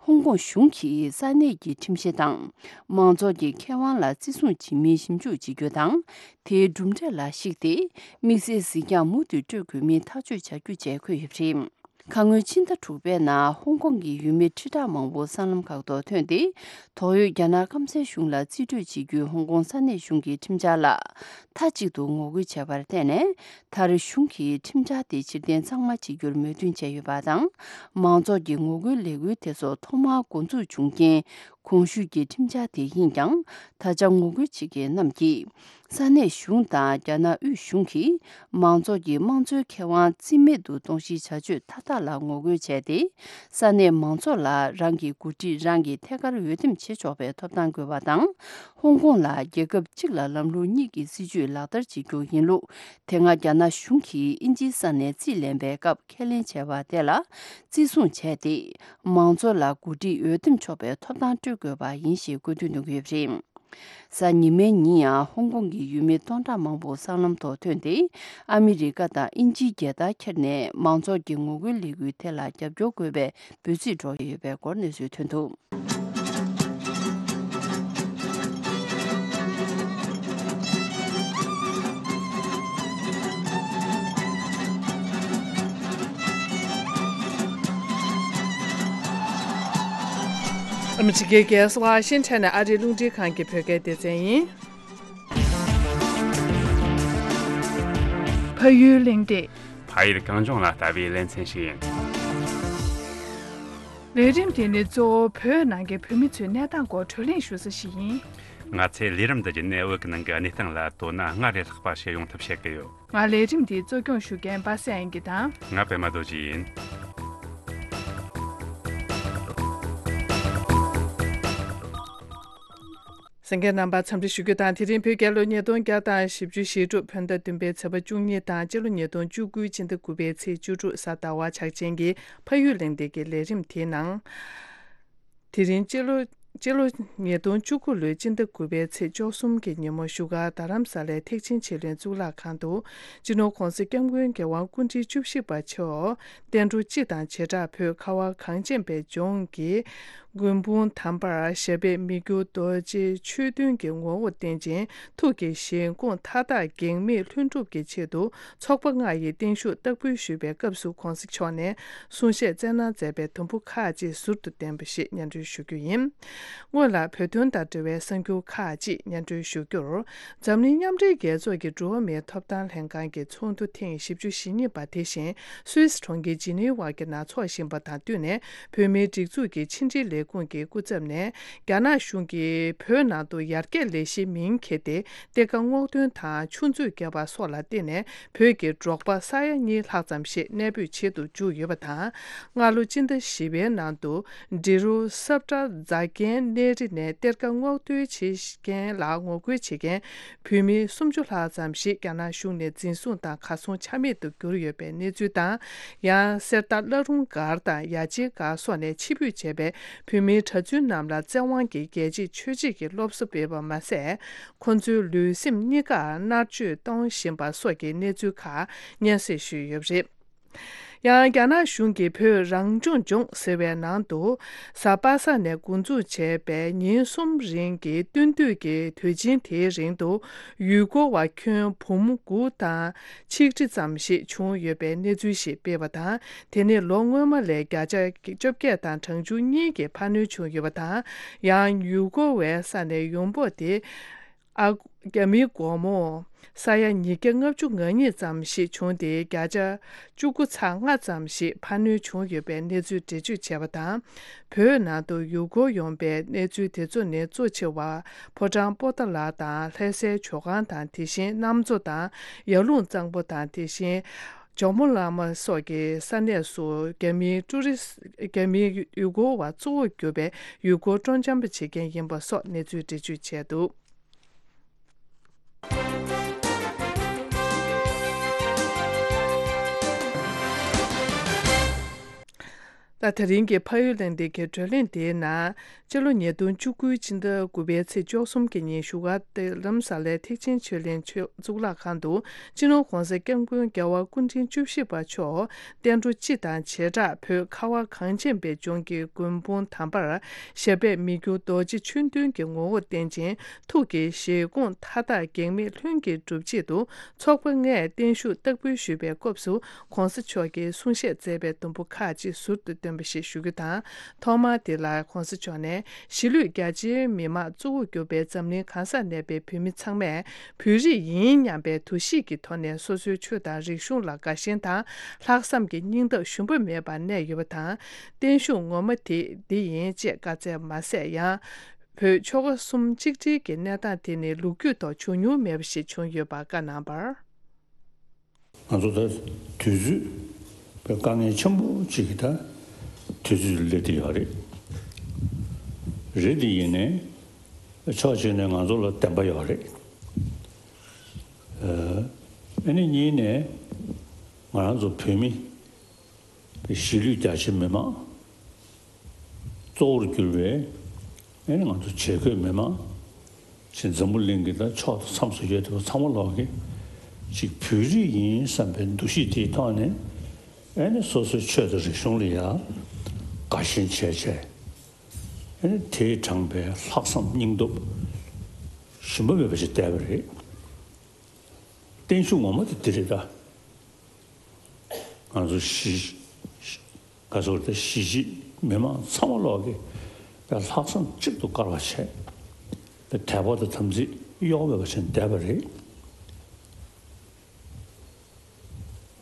ཧོང་ཀོང་གཞུང་གིས་ས་གནས་ཀྱི་ཁྲིམས་གཞི་དང་། མང་ཚོགས་ཀྱི་ཁེ་དབང་ལ་བརྩི་སྲུང་བྱེད་མིན་ཞིབ་འཇུག་བྱེད་རྒྱུ་དང་། དེའི་གྲུབ་འབྲས་ལ་གཞིགས་ཏེ། དམིགས་བསལ་གཟིགས་རྒྱང་མུ་མཐུད་སྤྲོད་དགོས་མིན་ཐག་གཅོད་བྱ་རྒྱུ་བཅས་འཁོད་ཡོད་པ་རེད། ཁ་སྔོན་ཕྱི་ཟླ་དྲུག་པའི་ནང་ཧོང་ཀོང་གི་ཡུལ་མི་ཁྲི་ཕྲག་མང་པོ་སྲང་ལམ་ཁག་ཏུ་ཐོན་ཏེ། དོགས་ཡོད་རྒྱ་ནག་སྐམ་སའི་གཞུང་ལ་རྩིས་སྤྲོད་བྱེད་རྒྱུའི་ཧོང་ཀོང་ས་གནས་གཞུང་གི་ཁྲིམས་འཆར་ལ་མཐའ་གཅིག་ཏུ་ངོ་རྒོལ་བྱས་པར་བརྟེན་ནས། མཐར་གཞུང་གིས་ཁྲིམས་འཆར་དེ་ཕྱིར་འཐེན་ཚང་མ་བྱེད་རྒྱུར་མོས་མཐུན་བྱས་ཡོད་པ་དང་། མང་ཚོགས་ཀྱི་ངོ་རྒོལ་ལས་འགུལ་དེ་ཚོ་ཐོག་མར་འགོ་འཛུགས་བྱུང་རྐྱེན། གོང་ཞུས་ཀྱི་ཁྲིམས་འཆར་དེ་ཡིན་ཀྱང་། ད་ཆ་ངོ་རྒོལ་བྱེད་མཁན་རྣམས་ཀྱིས། ས་གནས་གཞུང་དང་རྒྱ་ནག་དབུས་གཞུང་གིས། མང་ཚོགས་ཀྱི་དམངས་གཙོའི་ཁེ་དབང་རྩིས་མེད་དུ་གཏོང་གཞིའི་བྱ་སྤྱོད་མཐའ་དག་ལ་ངོ་རྒོལ་བྱས་ཏེ། ས་གནས་མང་ཚོགས་ལ་རང་གི་འགོ་ཁྲིད་རང་གིས་ཐད་ཀར་འོས་འདེམས་བྱེད་ཆོག་པའི་ཐོབ་ཐང་དགོས་པ་དང་། ཧོང་ཀོང་ལ་རྒྱལ་ཁབ་གཅིག་ལ་ལམ་ལུགས་གཉིས་ཀྱི་སྲིད་བྱུས་ལག་བསྟར་བྱེད་རྒྱུ་ཡིན་ལུགས། དེ་སྔ་རྒྱ་ནག་གཞུང་གིས་དབྱིན་ཇིའི་ས་ནས་རྩིས་ལེན་པའི་སྐབས་ཁས་ལེན་བྱས་པ་དེ་ལ་བརྩི་སྲུང་བྱས་ཏེ། མང་ཚོགས་ལ་འགོ་ཁྲིད་འོས་འདེམས་ཆོག་པའི་ཐོབ་ཐང་སྤྲོད་དགོས་པ་ཡིན་ཞེས་བཀོད་འདོན་གནང་གི་ཡོད་པ་རེད། གཟའ་ཉི་མའི་ཉིན་ཡང་ཧོང་ཀོང་གི་ཡུལ་མི་སྟོང་ཕྲག་མང་པོ་སྲང་ལམ་ཐོག་ཐོན་ཏེ། ཨ་མི་རི་ཀ་དང་དབྱིན་ཇིའི་རྒྱལ་དར་འཁྱེར་ནས་མང་ཚོགས་ཀྱི་ངོ་རྒོལ་ལས་འགུལ་དེ་ལ་རྒྱབ་སྐྱོར་དགོས་པའི་འབོད་ཚིག་སྒྲོག་ཡོད་པའི་སྐོར་གནས་ཚུལ་ཐོན་འདུག། ཨ་མི་རི་ཀའི་རྒྱལ་ས་ཝ་ཤིང་ཊོན་ནས་ཨ་རིའི་རླུང་འཕྲིན་ཁང་གི་བོད་སྐད་སྡེ་ཚན་ཡིན། ཕ་ཡུལ་གླེང་སྟེགས། ཕ་ཡུལ་གངས་ལྗོངས་ལ་ལྟ་བའི་ལེ་ཚན་ཞིག་ཡིན། ལས་རིམ་དེ་ནི་གཙོ་བོ་བོད་ནང་གི་བོད་མི་ཚོའི་གནས་སྟངས་སྐོར་བགྲོ་གླེང་ཞུ་ས་ཞིག་ཡིན། ང་ཚོས་ལས་རིམ་འདི་བརྒྱུད་ནས་བོད་ཀྱི་ནང་གི་གནས་སྟངས་ལ་དོ་སྣང་སྔར་ལས་ལྷག་པ་ཞིག་ཡོང་ཐབས་བྱེད་ཀྱི་ཡོད། ང་ལས་རིམ་འདི་གཙོ་སྐྱོང་ཞུ་མཁན་པ་སངས་དབྱངས་སྐྱིད་དང་། ང་པད་མ་རྡོ་རྗེ་ཡིན། གསན་མཁན་རྣམ་པར་འཚམས་འདྲི་ཞུ་རྒྱུ་དང་། དེ་རིང་བོད་རྒྱལ་ལོ་ཉིས་སྟོང་བརྒྱ་དང་བཞི་བཅུ་ཞེ་དྲུག་བོད་ཟླ་བདུན་པའི་ཚེས་པ་བཅུ་གཉིས་དང་། སྤྱི་ལོ་ཉིས་སྟོང་བཅུ་དགུ་སྤྱི་ཟླ་དགུ་པའི་ཚེས་བཅུ་དྲུག་གཟའ་ཟླ་བ་ཆགས་ཅན་གྱི་ཕ་ཡུལ་གླེང་སྟེགས་ཀྱི་ལས་རིམ་དེའི་ནང་། དེ་རིང་སྤྱི་ལོ་སྤྱི་ལོ་ཉིས་སྟོང་བཅུ་དགུ་ལོའི་སྤྱི་ཟླ་དགུ་པའི་ཚེས་བཅུ་གསུམ་གྱི་ཉིན་མོ་བཞུགས་སྒར་རྡ་རམ་ས་ལའི་ཐེག་ཆེན་ཆོས་གླིང་གཙུག་ལག་ཁང་དུ། སྤྱི་ནོར་༧གོང་ས་༧སྐྱབས་མགོན་རྒྱལ་དབང་སྐུ་ཕྲེང་བཅུ་བཞི་པ་མཆོག་བསྟན་འགྲོ་སྤྱི་དང་བྱེ་བྲག་བོད་ཁ་བ་གངས་ཅན་པའི་ལྗོངས་ཀྱི་མགོན་དཔུང་དམ་པར་ཞབས་པད་མི་འགྱུར་རྡོ་རྗེ་ཆོས་མཐུན་གྱི་ངོ་བོར་བསྟན་ཅིང་། ཐུགས་ཀྱི་བཞེད་དགོངས་མཐའ་དག་གེགས་མེད་ལྷུན་གྲུབ་ཀྱི་ཆེད་དུ། ཚོགས་པ་ལྔ་ཡི་བརྟན་བཞུགས་བསྟར་འབུལ་ཞུས་པའི་སྐབས་སུ། ༸གོང་ས་མཆོག་ནས་གསུང་བཤད་སྩལ་གནང་མཛད་པའི་དུམ་བུ་ཁག་ཅིག་ཟུར་དུ་བསྟན་པ་ཞིག་སྙན་སྒྲོན་ཞུ་རྒྱུ་ཡིན། སྔོན་ལ་བོད་དོན་དང་འབྲེལ་བའི་གསར་འགྱུར་ཁག་ཅིག་སྙན་སྒྲོན་ཞུ་རྒྱུར། འཛམ་གླིང་མཉམ་འབྲེལ་རྒྱལ་ཚོགས་ཀྱི་འགྲོ་བ་མིའི་ཐོབ་ཐང་ལྷན་ཁང་གི་ཚོགས་འདུ་ཐེངས་བཞི་བཅུ་ཞེ་གཉིས་པ་དེ་བཞིན་སུད་སི་གྲོང་ཁྱེར་ཇི་ནི་ཝ་གི་ནང་འཚོགས་བཞིན་པ་དང་བསྟུན་ནས། བོད་མིའི་སྒྲིག་འཛུགས་ཀྱི་ཕྱི་འབྲེལ་ལས་ཁུངས་ཀྱི་སྐུ་ཚབ་ནས། རྒྱ་ནག་གཞུང་གིས་བོད་ནང་དུ་ཡར་རྒྱས་ལས་གཞིའི་མིང་འཁྱེར་ཏེ། གཏེར་ཁ་སྔོག་འདོན་དང་ཆུ་མཛོད་བརྒྱབ་པ་སོགས་ལ་བརྟེན་ནས། བོད་ཀྱི་འབྲོག་པ་ས་ཡ་གཉིས་ལྷག་ཙམ་ཞིག་གནས་སྤོས་བྱེད་དུ་འཇུག་ཡོད་པ་དང་། སྔ་ལོ་སྤྱི་ཟླ་བཞི་པའི་ནང་དུ། འབྲི་རུ་སབ་ཏྲ་རྫ་རྒན་གནས་རི་ནས་གཏེར་ཁ་སྔོག་འདོན་བྱེད་མཁན་ལ་ངོ་རྒོལ་བྱེད་མཁན་བོད་མི་སུམ་ཅུ་ལྷག་ཙམ་ཞིག་རྒྱ་ནག་གཞུང་ནས་འཛིན་བཟུང་དང་གར་སོང་ཆ་མེད་དུ་གྱུར་ཡོད་པའི་གནས་ཚུལ་དང་། ཡང་གསེར་རྟ་བླ་རུང་སྒར་དང་ཡ་ཆེན་སྒར་སོགས་ནས་ཕྱིར་འབུད་བྱས་པའི་བོད་མིའི་གྲྭ་བཙུན་རྣམས་ལ་བཙན་དབང་གིས་རྒྱལ་གཅེས་ཆོས་གཅེས་ཀྱི་སློབ་གསོ་སྤེལ་བ་མ་ཟད། ཁོ་ཚོའི་ལུས་སེམས་གཉིས་ཀར་མནར་གཅོད་གཏོང་བཞིན་པ་སོགས་ཀྱི་གནས་ཚུལ་ཁག་སྙན་སེང་ཞུས་ཡོད་པ་རེད། ཡང་རྒྱ་ནག་གཞུང་གིས་བོད་རང་སྐྱོང་ལྗོངས་ཟེར་བའི་ནང་དུ། གཟའ་པ་སངས་ནས་འགོ་འཛུགས་བྱས་པའི་ཉིན་གསུམ་རིང་གི་སྟོན་དུས་ཀྱི་དུས་ཆེན་དེའི་རིང་དུ། ཡུལ་སྐོར་བ་ཁྱོན་འབུམ་དགུ་དང་ཆིག་ཁྲི་ཙམ་ཞིག་བྱུང་ཡོད་པའི་གནས་ཚུལ་ཞིག་སྤེལ་བ་དང་། དེ་ནི་ལོ་སྔོན་མ་ལས་བརྒྱ་ཆ་བཅོ་བརྒྱད་དང་གྲངས་ཆུང་གཉིས་ཀྱི་འཕར་སྣོན་བྱུང་ཡོད་པ་དང་། ཡང་ཡུལ་སྐོར་བའི་ས་ནས་ཡོང་འབབ་དེ། ཨ། རྒྱ་མིའི་སྒོར་མོ་ས་ཡ་ཉིས་བརྒྱ་ལྔ་བཅུ་ང་གཉིས་ཙམ་ཞིག་བྱུང་སྟེ། བརྒྱ་ཆ་བཅུ་དགུ་ཚེག་ལྔ་ཙམ་ཞིག་འཕར་སྣོན་བྱུང་ཡོད་པའི་གནས་ཚུལ་འགྲེལ་བརྗོད་བྱས་པ་དང་། བོད་ནང་དུ་ཡུལ་སྐོར་ཡོང་པའི་གནས་ཚུལ་དེ་ཚོ་ནི་གཙོ་ཆེ་བ་ཕོ་བྲང་པོ་ཏཱ་ལ་དང་ལྷ་སའི་ཇོ་ཁང་དང་། དེ་བཞིན་གནམ་མཚོ་དང་ཡར་ཀླུང་གཙང་པོ་དང་། དེ་བཞིན་ཇོ་མོ་གླང་མ་སོགས་ཀྱི་ས་གནས་སུ་རྒྱ་མིའི་ཀྲུ་རི་སི། རྒྱ་མིའི་ཡུལ་སྐོར་བ་གཙོ་བོར་གྱུར་པའི་ཡུལ་སྐོར་སྤྲོ་འཆམ་པ་བྱེད་མཁན་ཡིན་པ་སོགས་གནས་ཚུལ་འགྲེལ་བརྗོད་བྱས་འདུག། ད་དེ་རིང་གི་ཕ་ཡུལ་གླེང་སྟེགས་ཀྱི་བགྲོ་གླེང་དེའི་ནང་། སྤྱི་ལོ་ཉིས་སྟོང་བཅུ་དགུ་ཕྱི་ཟླ་དགུ་པའི་ཚེས་བཅུ་གསུམ་གྱི་ཉིན་བཞུགས་སྒར་རྡ་རམ་ས་ལའི་ཐེག་ཆེན་ཆོས་གླིང་ཆོས་གཙུག་ལག་ཁང་དུ། སྤྱི་ནོར་༧གོང་ས་༧སྐྱབས་མགོན་རྒྱལ་བ་སྐུ་ཕྲེང་བཅུ་བཞི་པ་མཆོག་བསྟན་འགྲོ་སྤྱི་དང་བྱེ་བྲག་བོད་ཁ་བ་གངས་ཅན་པའི་ལྗོངས་ཀྱི་མགོན་དཔུང་དམ་པར་ཞབས་པད་མི་འགྱུར་རྡོ་རྗེ་ཆོས་མདུན་གྱི་ངོ་བོར་བསྟན་ཅིང་། ཐུགས་ཀྱི་བཞེད་དགོངས་མཐའ་དག་གེགས་མེད་ལྷུན་གྱིས་འགྲུབ་ཆེད་དུ། ཚོགས་པ་ལྔས་བརྟན་བཞུགས་བསྟར་འབུལ་ཞུས་པའི་སྐབས་སུ། ྋགོང་ས་མཆོག་གིས་གསུང་བཤད་མཛད་པའི་དུམ་བུ་ཁག་ཅིག་ཟུར་དུ་བཏོན་པ་ཞིག་ཞུ་རྒྱུ་དང་། ཐོག་མར་དེ་ལ་ྋགོང་ས་མཆོག་ནས། གཞིས་ལུས་རྒྱ་ཆེའི་མི་མང་གཙོ་བོར་གྱུར་པའི་འཛམ་གླིང་གང་སར་གནས་པའི་བོད་མི་ཚང་མས་བོད་རིགས་ཡིན་སྙམ་པའི་འདུ་ཤེས་ཀྱི་ཐོག་ནས་སོ་སོའི་ཆོས་དང་རིག་གཞུང་ལ་དགའ་ཞེན་དང་། ལྷག་བསམ་གྱི་སྙིང་སྟོབས་ཞུམ་པ་མེད་པར་གནས་ཡོད་པ་དང་། བརྟན་བཞུགས་ངོ་མ་དེ་འདི་ཡིན་ཅེས་བཀའ་སྩལ་མ་ཟད། ཡང་། བོད་ཆོལ་ཁ་གསུམ་གཅིག་སྒྲིལ་གྱི་གནས་སྟངས་དེ་ནི་ལོ་རྒྱུས་ཐོག་བྱུང་མྱོང་མེད་པ་ཞིག་བྱུང་ཡོད་པ་བཀའ་གནང་བར། ང་ཚོ་ད་དུས་ཚོད་པའི་དཀའ་ངལ་ཆེན་པོ་གཅིག་གི་ད་དུས་ཚོད་སླེབས་བསྡད་ཡོད་རེད། རེད་དེ་ཡིན་ནའི་ཕྱོགས་གཅིག་ནས་ང་ཚོ་ལ་བདེན་པ་ཡོད་རེད། ཨ་ནི་གཉིས་ནས་ང་རང་ཚོ་བོད་མི། གཞིས་ལུས་རྒྱ་ཆེ་མི་མང་གཙོ་བོར་གྱུར་བའི་ཨེ་ནི་ང་ཚོ་བྱེས་འཁོད་མི་མང་ཅིག་འཛམ་བུ་གླིང་གི་ད་ཕྱོགས་དང་མཚམས་སུ་ཡོད་དེ་ཚང་མ་ལོག་གི་ཅིག་བོད་རིགས་ཡིན་བསམ་པའི་འདུ་ཤེས་དེའི་ཐོག་ནས་ཨེ་ནི་སོ་སོའི་ཆོས་དང་རིག་གཞུང་ལ་ཡང་དགའ་ཞེན་བྱས་བྱས་ཨེ་ནི་དེས་དྲངས་པའི་ལྷག་བསམ་སྙིང་སྟོབས་ཞུམ་པ་མེད་པ་ཞིག་བསྡད་པ་རེད། བརྟན་བཞུགས་ངོ་མ་དེ་འདི་རེད་ད། ང་ཚོ་གཞིས་ག་ཚོད་དེ་གཞིས་བྱེས་མི་མང་ཚང་མ་ལོག་གི་ལྷག་བསམ་གཅིག་ཏུ་དཀར་བ་བྱས་དད་པ་དང་དམ་ཚིག་གཡོ་བ་མེད་པ་བྱས་བསྡད་པ་རེད།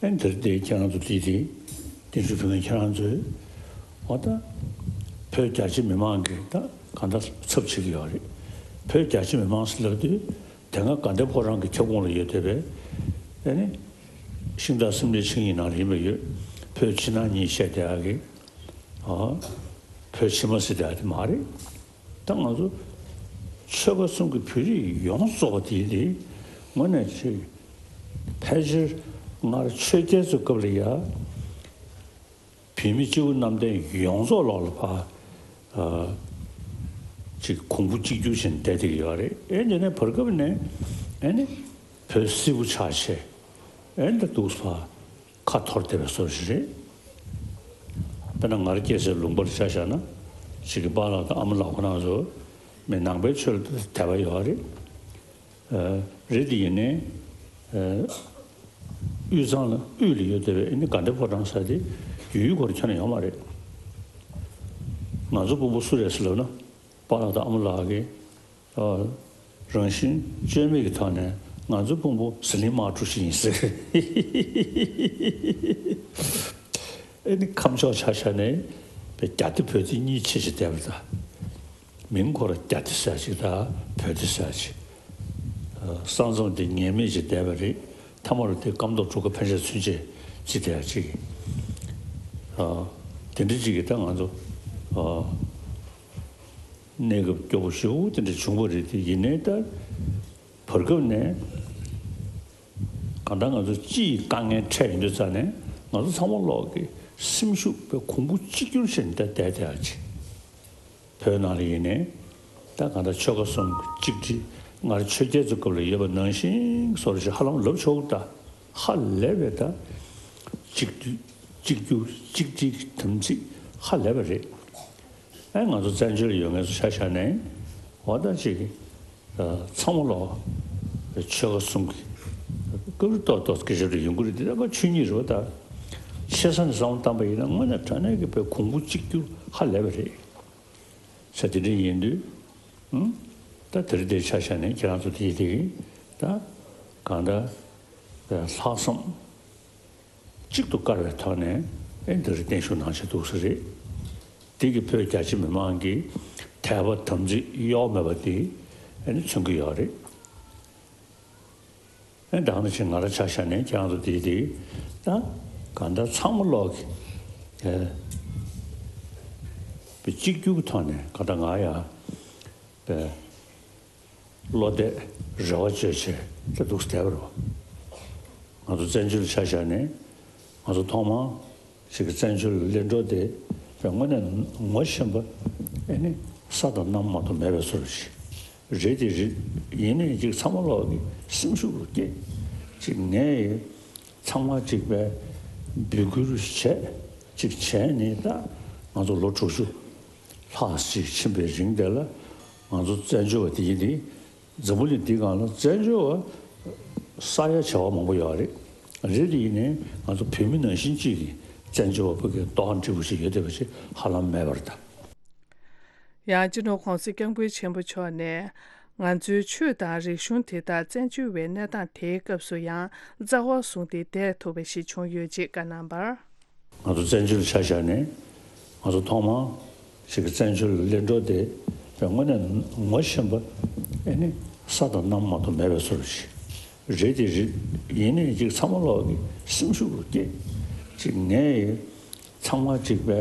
ཨེ་འདིར་དེ་ཁྱེད་རང་ཚོ་དེ་དེ་བརྟན་བཞུགས་ཕུལ་མཁན་ཁྱེད་རང་ཚོས་འོ་ད་བོད་རྒྱ་ཆེ་མི་མང་གིས་ད་གང་ལྟར་ཚབ་བྱེད་ཀྱི་ཡོད་རེད། བོད་རྒྱ་ཆེ་མི་མང་ཟེར་ལབ་དུས། དེ་སྔ་དགའ་ལྡན་ཕོ་བྲང་གི་ཁྱབ་ཁོངས་ལ་ཡོད་བསྡད་པའི་ཨེ་ནི་ཤིང་རྟ་སེམས་ལས་ཆིངས་ཡིག་ནང་ལ་ཡིན་པ་ཡོད། བོད་ཕྱི་ནང་གཉིས་བཤད་བསྡད་ཡག་གི་ཨ་བོད་ཕྱི་མ་ཟེར་བསྡད་ཡག་དེ་མ་རེད། ད་ང་ཚོ་ཆོལ་ཁ་གསུམ་གྱི་བོད་རིགས་ཡོངས་རྫོགས་པ་དེ་དེ་དངོས་གནས་ཅིག་ཕལ་ཆེར་སྔར་ཆོས་རྒྱལ་ཚོའི་སྐབས་ལ་ཡ། བོད་མི་སྤྱི་བོ་གནམ་བསྟན་ཡོངས་རྫོགས་ལོག་ལ་ཕ། ཨ། ཅིག་གོང་བུ་གཅིག་གྱུར་བཞིན་བསྡད་བསྡད་ཀྱི་ཡོད་རེད། ཨེ་འདི་ནས་བར་སྐབས་ནས་ཨེ་ནི་བོད་སིལ་བུ་ཆགས་བྱས་ཨེ་འདི་འདུག་ཕ་ཁ་འཐོར་བསྡད་པའི་བཟོ་ཞིག་རེད། དཔེར་ན་ང་རང་སྐྱེས་སའི་ལུང་པར་ཆ་བཞག་ན་ཅིག་གི་པཱ་ལགས་དང་ཨ་མ་ལགས་ཁོ་རང་ཚོ་མི་ནང་པའི་ཆོས་ལ་དད་པ་ཡོད་རེད། རེད་དེ་ཡིན་ནའི། དབུས་གཙང་ལ་དབུས་ལ་ཡོད་བསྡད་པའི་ཨ་ནི་དགའ་ལྡན་ཕོ་བྲང་ཟེར་དེ་ཡུལ་ཡུལ་སྐོར་ཁྱོན་ནས་ཡོད་མ་རེད། ང་ཚོ་སྤུན་པོ་སུ་རེད་ཟེར་ལབ་ན་པཱ་ལགས་དང་ཨ་མ་ལགས་ཀྱིས་རང་བཞིན་བཅོས་མིན་གྱི་ཐོག་ནས་ང་ཚོ་སྤུན་པོ་ཟི་ལིང་དམག་གྲུ་ཞིག་ཡིན་ཟེར། ཨ་ནི་ཁམས་ཕྱོགས་ཆ་བཞག་ནས་བརྒྱ་སྡེ་བོད་སྡེ་གཉིས་ཕྱེ་བྱས་བསྡད་པ་དང་། མིང་ཁོ་ར་རྒྱ་སྡེ་ཟེར་ཅིག་དང་བོད་སྡེ་ཟེར་ཅིག་ས་མཚམས་དེ་ངེས་མེད་ཅིག་བསྡད་པ་རེད། མཐའ་མ་རུ་དེ་སྐམ་ཐོག་གྲུ་ཁ་ཕན་ཆད་ཚུན་ཆད་ཅིག་བསྡད་ཡ་ཅིག་དེ་འདྲ་ཅིག་གིས་ད་ང་ཚོ་གནས་སྐབས་སྐྱོ་པོ་ཞེ་པོ་དེ་འདྲ་བྱུང་བ་རེད། དེ་ཡིན་ནའི་ད་བར་སྐབས་ནས་གང་ལྟར་ང་ཚོ་སྤྱི་ཡི་དཀའ་ངལ་འཕྲད་ཡོང་དུས་ཙང་ནས་ང་ཚོ་ཚང་མ་ལོག་གི་སེམས་ཤུགས་དཔེ་གོང་བུ་གཅིག་གྱུར་བྱས་ནས་ད་བསྡད་བསྡད་ཡ་ཅིག་བོད་ནང་ལ་ཡིན་ནའི་ད་གང་ལྟར་ཆོལ་ཁ་གསུམ་གྱི་གཅིག་སྒྲིལ་སྔར་ཆོས་རྒྱལ་ཚོའི་སྐབས་ལ་ཡོད་པ་ནང་བཞིན་བཟོ་འདྲ་ཞིག་ཧ་ལམ་ལབ་ཆོག་ད་ཧ་ལས་པའི་ད་གཅིག་སྒྲིལ་གཅིག་གྱུར་གཅིག་སྒྲིལ་གྱི་དམ་ཚིག་ཧ་ལས་པ་རེད། ཨེ་ང་ཚོ་བཙན་བྱོལ་ལ་ཡོད་མཁན་ཚོ་ཆ་བཞག་ནའི་འོ་ད་ཅིག་ཚང་མ་ལོག་ཆོལ་ཁ་གསུམ་གྱི་སྐབས་རེ་ཏོག་ཏོག་སྐད་ཆ་རེ་ཡོང་གི་རེད། དེ་ད་ཁ་ཆོས་ཉིད་རེད་བ། ད་ཆེ་ས་ནས་བསམ་བློ་བཏང་པ་ཡིན་ན་དངོས་གནས་དྲང་གནས་ཀྱི་དཔེ་གོང་བུ་གཅིག་གྱུར་ཧ་ལས་པ་རེད། ས་དེ་འདྲ་ཡིན་དུས། ཨང་། ད་དེ་རིང་འདིར་ཆ་བཞག་ནས་ཁྱེད་རང་ཚོ་དེ་དེ་ད་གང་ལྟར་ལྷག་བསམ་གཅིག་ཏུ་དཀར་བའི་ཐོག་ནས་ཨེ་འདི་རིང་བརྟན་བཞུགས་གནང་བྱས་འདུག་ས་རེད། འདི་གི་བོད་རྒྱ་ཆེ་མི་མང་གི་དད་པ་དམ་ཚིག་གཡོ་མེད་པ་དེ་ཨེ་ནི་མཚོན་གྱི་ཡོད་རེད། ཨེ་ད་ག་ནང་བཞིན་ང་རང་ཆ་བཞག་ནས་ཁྱེད་རང་ཚོ་དེ་དེ་ད་གང་ལྟར་ཚང་མ་ལོག་གི་ཨེ་པའི་གཅིག་གྱུར་གྱི་ཐོག་ནས་གང་ལྟར་ང་ཡང་པའི་བློ་གཏད་རེ་བ་བཅོལ་བྱས་ད་འདུག་སེ་བསྡད་པ་རེད་བ། ང་ཚོ་བཙན་བྱོལ་ཆ་བཞག་ནས་ང་ཚོ་ཐོག་མར་ཞིག་གི་བཙན་བྱོལ་གླེང་གྲོགས་དེ་ དངོས་གནས་ངོ་ཤེས་པ་ཨེ་ནི་ས་དང་གནམ་མ་གཏོགས་མེད་པའི་བཟོ་འདྲ་ཞིག་རེད་དེ་རེད། ཡིན་ནའི་ཅིག་ཚང་མ་ལོག་གི་སེམས་ཤུགས་རུ་སྐྱེས། ཅིག་ངས་ཚང་མ་ཅིག་པའི་འབོད་སྐུལ་བྱས། ཅིག་བྱས་ནས་ད་ང་ཚོ་ལོ་དྲུག་ཅུ་ལྷག་ཅིག་ཕྱིན་པའི་རིང་དེ་ལ་ང་ཚོ་བཙན་བྱོལ་བ་དེ་ཡིན་དེ། འཛམ་བུ་གླིང་འདིའི་སྒང་ལ་བཙན་བྱོལ་བ་ས་ཡ་བྱེ་བ་མང་པོ་ཡོད་རེད། རེད་དེ་ཡིན་ནའི་ང་ཚོ་བོད་མི་ནང་བཞིན་གཅིག་གིས་བཙན་བྱོལ་བ་ཕ་གིར་ལྟོ་ཧམ་འཁྲི་བོ་ཞིག་ཡོད་བསྡད་པ་ཞིག་ཧ་ལམ་མེད་པ་རེད་ད། ཡང་སྤྱི་ནོར་༸གོང་ས་༸སྐྱབས་མགོན་ཆེན་པོ་མཆོག་ནས། ང་ཚོའི་ཆོས་དང་རིག་གཞུང་དེ་དག་བཙན་བྱོལ་བའི་གནས་སྟངས་དེའི་སྐབས་སུ་ཡང་རྩ་བ་བཟུང་སྟེ་བསྡད་ཐུབ་པ་ཞིག་བྱུང་ཡོད་ཅེས་བཀའ་གནང་བར། ང་ཚོ་བཙན་བྱོལ་ཆ་བཞག་ནས་ང་ཚོ་ཐོག་མར་ཞིག་གི་བཙན་བྱོལ་གླེང་གྲོགས་དེ་དངོས་གནས་ངོ་ཤེས་པ་ཨེ་ནི་ས་དང་གནམ་མ་གཏོགས་མེད་པའི་བཟོ་འདྲ་ཞིག་རེད་དེ་རེད། ཡིན་ནའི་ཅིག་ཚང་མ་ལོག་གི་སེམས་ཤུགས་རུ་སྐྱེས། ཅིག་ངས་ཚང་མ་ཅིག་པའི་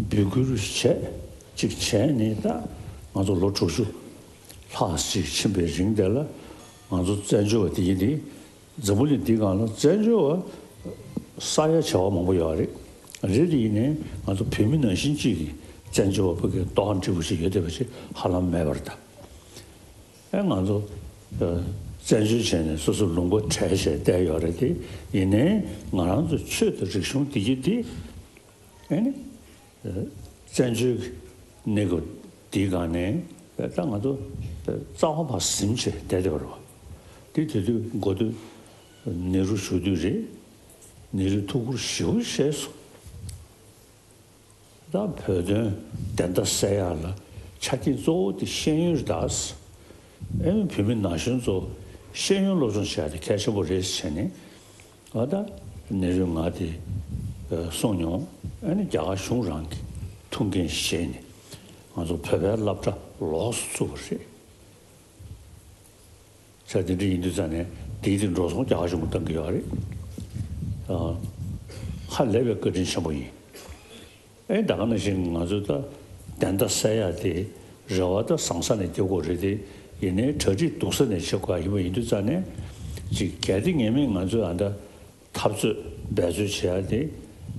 འབོད་སྐུལ་བྱས། ཅིག་བྱས་ནས་ད་ང་ཚོ་ལོ་དྲུག་ཅུ་ལྷག་ཅིག་ཕྱིན་པའི་རིང་དེ་ལ་ང་ཚོ་བཙན་བྱོལ་བ་དེ་ཡིན་དེ། འཛམ་བུ་གླིང་འདིའི་སྒང་ལ་བཙན་བྱོལ་བ་ས་ཡ་བྱེ་བ་མང་པོ་ཡོད་རེད། རེད་དེ་ཡིན་ནའི་ང་ཚོ་བོད་མི་ནང་བཞིན་གཅིག་གིས་བཙན་བྱོལ་བ་ཕ་གིར་ལྟོ་ཧམ་འཁྲི་བོ་ཞིག་ཡོད་བསྡད་པ་ཞིག་ཧ་ལམ་མེད་པ་རེད་ད། ཨེ་ང་ཚོ་ཨ་བཙན་བྱོལ་བྱས་ནས་སོ་སོ་ལུང་པ་བྲལ་བྱས་བསྡད་ཡོད་རེད་དེ། ཡིན་ནའི་ང་རང་ཚོ་ཆོས་དང་རིག་གཞུང་འདི་གི་འདི་ཨེ་ནི་བཙན་བྱོལ་གནས་སྐབས་འདིའི་སྒང་ནས་ད་ང་ཚོ་རྩ་བ་ཕར་ཟིན་བྱས་བསྡད་བསྡད་པ་རེད་བ། དེ་དེ་དུས་འགོ་སྟོད་ནེ་རུ་བཞུགས་དུས་རེད། ནེ་རུས་ཐུགས་ཁུར་ཞེ་པོ་བཞེས་སོང་། ད་བོད་དོན་བདེན་མཐའ་གསལ་ཡག་ལ་ཆ་རྐྱེན་གཙོ་བོ་དེ་ཤེས་ཡོན་རེད་ད། ཨེ་ནི་བོད་མི་ན་གཞོན་ཚོ་ཤེས་ཡོན་སློབ་སྦྱོང་བྱེད་ཡག་དེ་གལ་ཆེན་པོ་རེད་ཟེར་ནས། ཨ་ད་ནེ་རུས་ང་དེ་གསུངས་མྱོང་། ཨ་ནི་རྒྱ་གར་གཞུང་རང་གི་ཐུགས་འགན་བཞེས་ནས་ང་ཚོ་བོད་པའི་སློབ་གྲྭ་ལོགས་སུ་བཙུགས་པ་རེད། ས་དེ་འདྲ་ཡིན་དུས་ཙང་ནས་དེའི་དེ་འགྲོ་སོང་རྒྱ་གར་གཞུང་གིས་གཏོང་གི་ཡོད་རེད། ཨ་ཧ་ལས་པའི་བཀའ་དྲིན་ཆེན་པོ་ཡིན། ཨེ་ད་ག་ནང་བཞིན་ང་ཚོས་ད་བདེན་མཐའ་གསལ་ཡག་དེ་རེ་བ་ད་བཟང་ས་ནས་རྒྱག་དགོས་རེད་དེ། ཡིན་ནའི་གྲ་སྒྲིག་སྡུག་ས་ནས་བྱེད་དགོས་ཡ་ཡིན་པ་ཡིན་དུས་ཙང་ནས་ཅིག་གལ་ཏེ་ངེས་མེད་ང་ཚོས་ཨ་ད་འཐབ་རྩོད་འབད་རྩོལ་བྱེད་ཡ་དེ་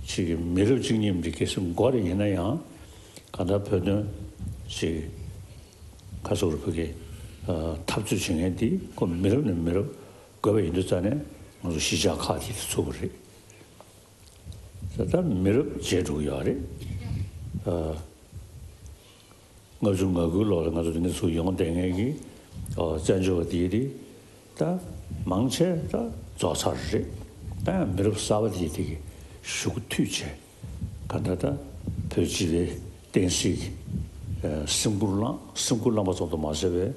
ཅིག་མི་རབས་གཅིག་གཉིས་མི་གལ་སྲིད་འགོར་ཡིན་ན་ཡང་གང་ལྟར་བོད་དོན་ཅིག་ཁ་སོ་རུ་ཕུག་གི་འཐབ་རྩོད་བྱེད་མཁན་དེ་ཁོ་མི་རབས་ནས་མི་རབས་འགོས་པ་ཡིན་དུས་ཙང་ནས་ང་ཚོ་གཞིས་ཆགས་ཁག་དེ་ཚུགས་པ་རེད། ད་ལྟ་མི་རབས་བརྗེས་འགྲོ་གི་ཡོད་རེད། ཨ། ལྔ་བཅུ་ང་དགུའི་ལོ་ལ་ང་ཚོ་དེ་འདྲ་ཚུར་ཡོང་བསྡད་མཁན་གྱི་ཨོ་བཙན་བྱོལ་བ་དེ་རེད། ད་མང་ཆེ་ད་རྫོགས་ཚར་རེད། ད་ཡང་མི་རབས་གསར་པ་དེ་དེ་གི་ཞུགས་མཐུད་བྱས། ག་འདྲ་ད་བོད་སྤྱི་པའི་བསྟན་སྲིད་ཀྱི་ཨ་སེམས་ཁུར་བླངས། སེམས་ཁུར་བླངས་པ་ཙམ་དུ་མ་ཟད་པའི་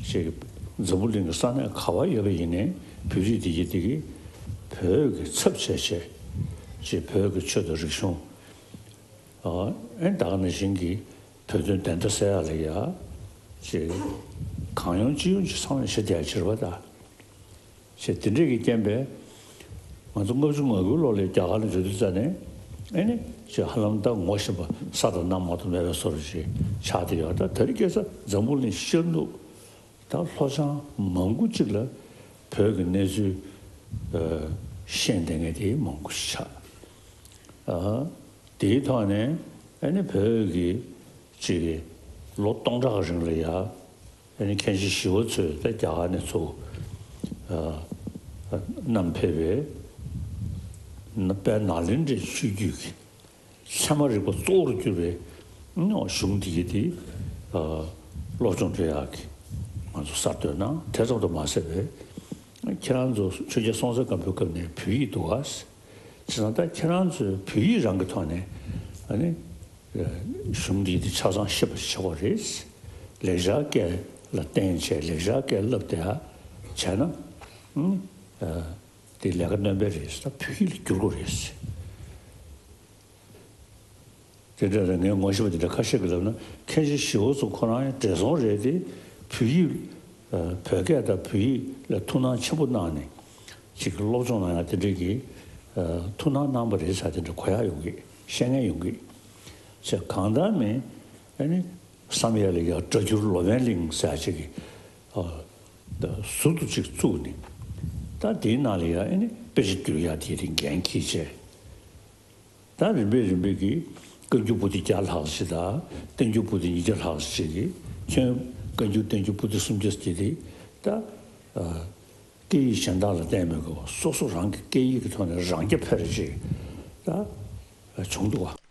ཅིག་འཛམ་བུ་གླིང་གི་ས་གནས་ག་པར་ཡོད་པ་ཡིན་ནའི་བོད་རིགས་དེ་གི་དེ་གི་བོད་ཀྱི་ཚབ་བྱས་བྱས་ཅིག་བོད་ཀྱི་ཆོས་དང་རིག་གཞུང་། ཨ་ཨེ་ད་ག་ནང་བཞིན་གྱི་བོད་དོན་བདེན་མཐའ་གསལ་ཡག་ལ་ཡ་ཅིག་གང་ཡོང་ཅི་ཡོང་ཅིག་ཚང་མས་བྱེད་བསྡད་ཡག་ཅིག་རེད་པ་ད། ཅེས་དེ་འདྲས་ཀྱི་རྐྱེན་པས་ང་ཚོ་ལྔ་བཅུ་ང་དགུའི་ལོ་ལ་རྒྱ་གར་ལ་འགྲོ་དུས་ཙ་ནས་ཨེ་ནི་ཅེས་ཧ་ལམ་ད་ངོ་ཤེས་པ་ས་དང་གནམ་མ་གཏོགས་མེད་པའི་བཟོ་འདྲ་ཅིག་ཆགས་བསྡད་ཡོད། ད་དེ་རིང་ཁ་སང་འཛམ་བུ་གླིང་ཤར་ནུབ་ད་ལྷོ་བྱང་མང་པོ་ཅིག་ལ་བོད་ཀྱི་གནས་ཚུལ་ཨ་ཤེས་བསྡད་མཁན་དེ་མང་པོ་ཞིག་ཆགས། ཨ་དེའི་ཐོག་ནས་ཨེ་ནི་བོད་ཀྱི་ཅིག་ལོ་སྟོང་ཕྲག་གི་རིང་ལ་ཡ་ཨེ་ནི་མཁན་ཆེན་ཞི་བ་འཚོས་ད་རྒྱ་གར་ནས་ཚུར་ཨ་ཨ་བསྣམས་ཕེབས་པའི་ན་དཔལ་ནཱ་ལེནྡྲའི་ཆོས་བརྒྱུད་ཀྱི་ཚད་མ་རིག་པ་གཙོ་བོར་གྱུར་པའི་གཞུང་འདི་གི་དེ་ཨ་སློབ་སྦྱོང་སྤྲོད་ཡག་གི་ང་ཚོ་གསར་གཏོད་གནང་། དེ་ཙམ་དུ་མ་ཟད་པའི་ཁྱེད་རང་ཚོ་ཆོས་རྒྱལ་སྲོང་བཙན་སྒམ་པོའི་སྐབས་ནས་བོད་ཡིག་འདུག་ག། བྱས་ཙང་ད་ཁྱེད་རང་ཚོས་བོད་ཡིག་རང་གི་ཐོག་ནས་ཨ་ནི་གཞུང་འདི་དེ་ཆ་ཚང་ཤེས་པ་ཞིག་བྱེད་དགོས་རེད། ལེགས་སྦྱར་སྐད་ལ་བརྟེན་བྱས་ལེགས་སྦྱར་སྐད་བསླབ་བསྡད་ཡ་བྱས་ན་ཨ་ནི་ཨ་དེ་ལས་ཀ་སྣོན་པ་རེད། ད་བོད་ཡིག་ལ་བསྒྱུར་དགོས་རེད། དེ་འདྲ་རེད། ངས་ངོ་ཤེས་པ་དེ་འདྲ་ཁ་ཤས་ཀྱིས་ལབ་ན་མཁན་ཆེན་ཞི་བ་འཚོ་ཁོ་རང་ཡང་བགྲེས་སོང་རེད་དེ། བོད་ཡིག་ཨ་བོད་སྐད་དང་བོད་ཡིག་ལ་ཐུགས་སྣང་ཆེན་པོ་གནང་ནས་ཅིག་སློབ་སྦྱོང་གནང་ཡག་དེ་འདྲ་གི་ཨ་ཐུགས་སྣང་གནང་བ་རེད་ཟེར་དེ་འདྲ་གོ་ཡག་ཡོང་གི། བཤད་མཁན་ཡོང་གི། ཅེས་གང་ལྟར་མིན་ཨ་ནི་བསམ་ཡས་ལ་ཡ་སྒྲ་སྒྱུར་ལོ་པཎ་གླིང་ཟེར་ཅིག་གི་ཨ་ཟུར་དུ་ཅིག་བཙུགས་ནས་ད་དེའི་ནང་ལ་ཡ་ཨ་ནི་དཔེ་ཆ་བསྒྱུར་ཡག་དེ་རིང་འགན་འཁྱེར་བྱས། ད་རིམ་པས་རིམ་པས་ཀྱིས་ བཀའ་འགྱུར་པོ་ཏི་བརྒྱ་ལྷག་ཞིག་དང་བསྟན་འགྱུར་པོ་ཏི་ཉིས་བརྒྱ་ལྷག་ཞིག་གིས་ཁྱོན་བཀའ་འགྱུར་བསྟན་འགྱུར་པོ་ཏི་སུམ་བརྒྱ་ཞིག་དེ་ད་སྐད་ཡིག་གཞན་དག་ལ་བརྟེན་མེད་པར་སོ་སོ་རང་གི་སྐད་ཡིག་གི་ཐོག་ནས་རང་རྐྱ་འཕེར་ཅིག་ད་བྱུང་འདུག་བ།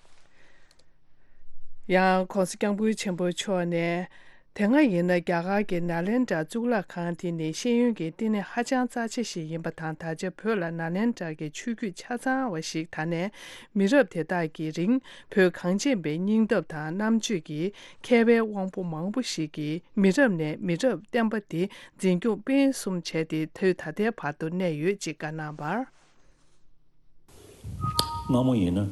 ཡང་༸གོང་ས་༸སྐྱབས་མགོན་ཆེན་པོ་མཆོག་ནས། དེ་སྔ་ཡིན་ན་རྒྱ་གར་གྱི་ནཱ་ལེནྡྲ་གཙུག་ལག་ཁང་དེ་ནི་ཤེས་ཡོན་གྱི་བསྟི་གནས་ཧ་ཅང་རྩ་ཆེ་ཞིག་ཡིན་པ་དང་། ད་ཆ་བོད་ལ་ནཱ་ལེནྡྲ་གི་ཆོས་བརྒྱུད་ཆ་ཚང་བ་ཞིག་དར་ནས་མི་རབས་དེ་དག་གི་རིང་བོད་གངས་ཅན་པའི་སྙིང་སྟོབས་དང་རྣམ་དཔྱོད་ཀྱི་མཁས་པའི་དབང་པོ་མང་པོ་ཞིག་གིས་མི་རབས་ནས་མི་རབས་བསྟན་པ་འདི་འཛིན་སྐྱོང་སྤེལ་གསུམ་བྱས་ཏེ་དུས་ད་ལྟའི་བར་དུ་གནས་ཡོད་ཅེས་བཀའ་གནང་བར། སྔ་མོ་ཡིན་ན་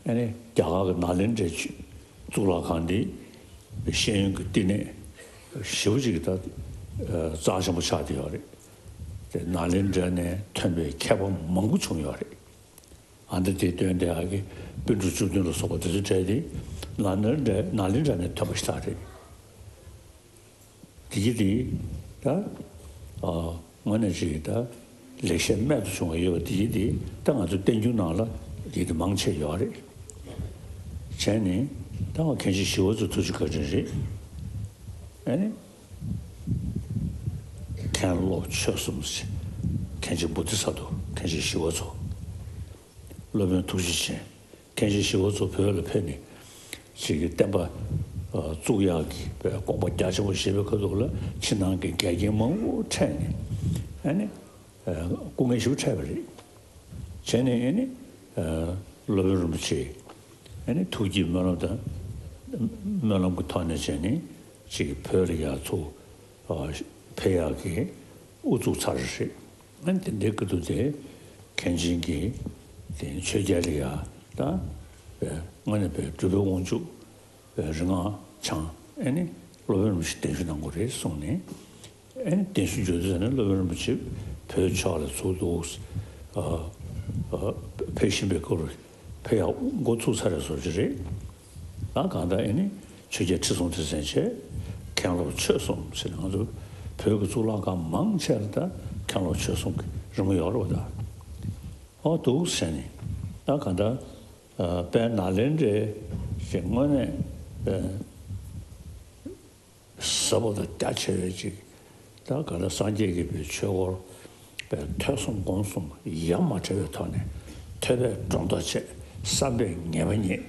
ཨ་ནི་རྒྱ་གར་གྱི་ནཱ་ལེནྡྲའི་ཆོས་གཙུག་ལག་ཁང་འདི་ཤེས་ཡོན་གྱི་བསྟི་གནས་ཞེ་པོ་ཅིག་ད་རྩ་ཆེན་པོ་ཆགས་བསྡད་ཡོད་རེད། དེ་ནཱ་ལེནྡྲ་ནས་ཐོན་པའི་མཁས་པ་མང་པོ་བྱུང་ཡོད་རེད། ཨ་མདོ་སྡེ་བདུན་དེ་ཨ་ཀི་པཎ་གྲུབ་བཅུ་བདུན་ལ་སོགས་པ་དེ་ཚོ་གྲས་དེ་ནཱ་ལེནྡྲ་ནཱ་ལེནྡྲ་ནས་ཐོན་པ་ཞིག་རེད། དེ་གི་དེ་ད་ཨ་དངོས་གནས་ཅིག་ད་ལེགས་བཤད་རྨད་དུ་བྱུང་བ་ཡོད་པ་དེ་གི་དེ་ད་ང་ཚོ་བསྟན་འགྱུར་ནང་ལ་དེ་གི་དེ་མང་ཆེ་ཡོད་རེད། བྱས་ནས་ད་ང་མཁན་ཆེན་ཞི་བ་འཚོ་ཐུགས་རྗེ་བཀའ་དྲིན་རེད། ཨ་ནི། མཁན་སློབ་ཆོས་གསུམ་ཟེར། མཁན་ཆེན་བོ་དྷི་ས་ཏྭ། མཁན་ཆེན་ཞི་བ་འཚོ། སློབ་དཔོན་ཐུགས་རྗེ་ཅན། མཁན་ཆེན་ཞི་བ་འཚོ་བོད་ལ་ཕེབས་ནས་ཅིག་གི་བསྟན་པ་བཙུགས་ཡག་གི་དགོངས་པ་རྒྱ་ཆེན་པོ་བཞེས་པའི་ཁ་ཐུག་ལ་ཕྱི་ནང་གི་འགལ་རྐྱེན་མང་པོ་འཕྲད་ནས་ཨ་ནི་སྐུ་ངལ་ཞེ་པོ་འཕྲད་པ་རེད། བྱས་ནས་ཨ་ནི་སློབ་དཔོན་རིན་པོ་ཆེ་ཨ་ནི་ཐུགས་ཀྱི་སྨོན་ལམ་དང་སྨོན་ལམ་གྱི་ཐོག་ནས་བྱས་ནས་ཅིག་བོད་ལ་ཡར་ཚུར་ཕེབས་ཡག་གི་དབུ་བཙུགས་ཚར་རེད། ཨ་ནི་དེ་འདྲའི་སྐབས་དུ་དེ་མཁན་ཆེན་གྱིས་དེ་ཆོས་རྒྱལ་ལ་ཡར་ད་དངོས་གནས་པའི་སྒྲུབ་པའི་དབང་ཕྱུག་རིག་སྔགས་འཆང་ཨ་ནི་སློབ་དཔོན་རིན་པོ་ཆེ་གདན་ཞུ་གནང་དགོས་རེད་གསུངས་ནས། ཨེ་གདན་ཞུ་མཇུག་བསྡུ་ནས་སློབ་དཔོན་རིན་པོ་ཆེ་བོད་ཕྱོགས་ལ་ཚུར་འདུག་ཨ་ཨ་ཕེབས་བཞིན་པའི་སྐོར་ཕེབས་ཡག་འགོ་ཚུགས་ཚར་བའི་བཟོ་ཅིག་རེད། ད་གང་ལྟར་ཨེ་ནི་ཆོས་རྒྱལ་ཁྲི་སྲོང་ལྡེ་བཙན་བྱས། མཁན་སློབ་ཆོས་གསུམ་ཟེར་ནས་ང་ཚོ་བོད་ཀྱི་གཙུག་ལག་ཁང་མང་ཆེ་ལ་ད་མཁན་སློབ་ཆོས་གསུམ་གྱི་རི་མོ་ཡོད་རེད་བ། ད་ཨོ་འདུག་ཟེར་ནས་ད་གང་ལྟར་ཨ་དཔལ་ནཱ་ལེནྡྲའི་ཞེས་དངོས་གནས་ཨ། ཟབ་པོ་དང་རྒྱ་ཆེ་བའི་ཅིག་ད་ག་ལ་སངས་རྒྱས་ཀྱི་པའི་ཆོས་སྐོར་པའི་ཐོས་བསམ་སྒོམ་གསུམ་ཡ་མ་བྲལ་བའི་ཐོག་ནས་ཐོས་པས་སྒྲོ་འདོགས་བཅད། བསམ་པས་ངེས་པ་རྙེད།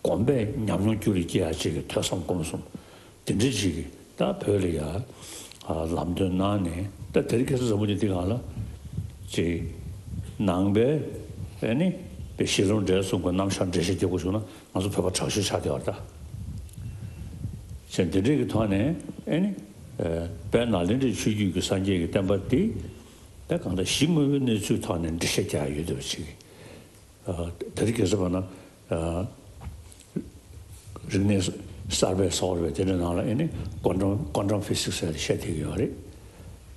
སྒོམ་པས་ཉམས་མྱོང་རྒྱུད་ལ་སྐྱེ་ཡག་ཅིག་གི་ཐོས་བསམ་སྒོམ་གསུམ་དེ་འདྲ་ཅིག་གི་ད་བོད་ལ་ཡ་ལམ་སྟོན་གནང་ནས་ད་དེ་རིང་ཁ་སང་བཟང་པོ་ཅིག་འདི་གང་ལ་ཅིག་ནང་པའི་ཨ་ནི་པའི་གཞི་ལམ་འབྲས་གསུམ་གྱི་རྣམ་གཞག་འགྲེལ་བཤད་རྒྱག་དགོས་བྱུང་ན། ང་ཚོ་བོད་པ་དྲག་ཤོས་ཆགས་བསྡད་པ་རེད་ད། བྱས་འདི་འདྲའི་གི་ཐོག་ནས་ཨེ་ནི། དཔལ་ནཱ་ལེནྡྲའི་ཆོས་བརྒྱུད་ཀྱི་སངས་རྒྱས་ཀྱི་བསྟན་པ་འདི། ད་གང་ལྟར་གཞི་དངོས་པོའི་གནས་ཚུལ་ཐོག་ནས་འགྲེལ་བཤད་རྒྱག་ཡ་ཡོད་བསྡད་པ་ཅིག་དེ་རིང་ཁ་སང་བྱས་ན། རིག་གནས་གསར་པའི་སོགས་རེད་པས་དེ་འདྲའི་ནང་ལ་ཨེ་ནི་ཀོན་ཊམ་ཀོན་ཊམ་ཕི་སིག་སི་ཟེར་ཏེ་བཤད་བསྡད་ཀྱི་ཡོད་རེད།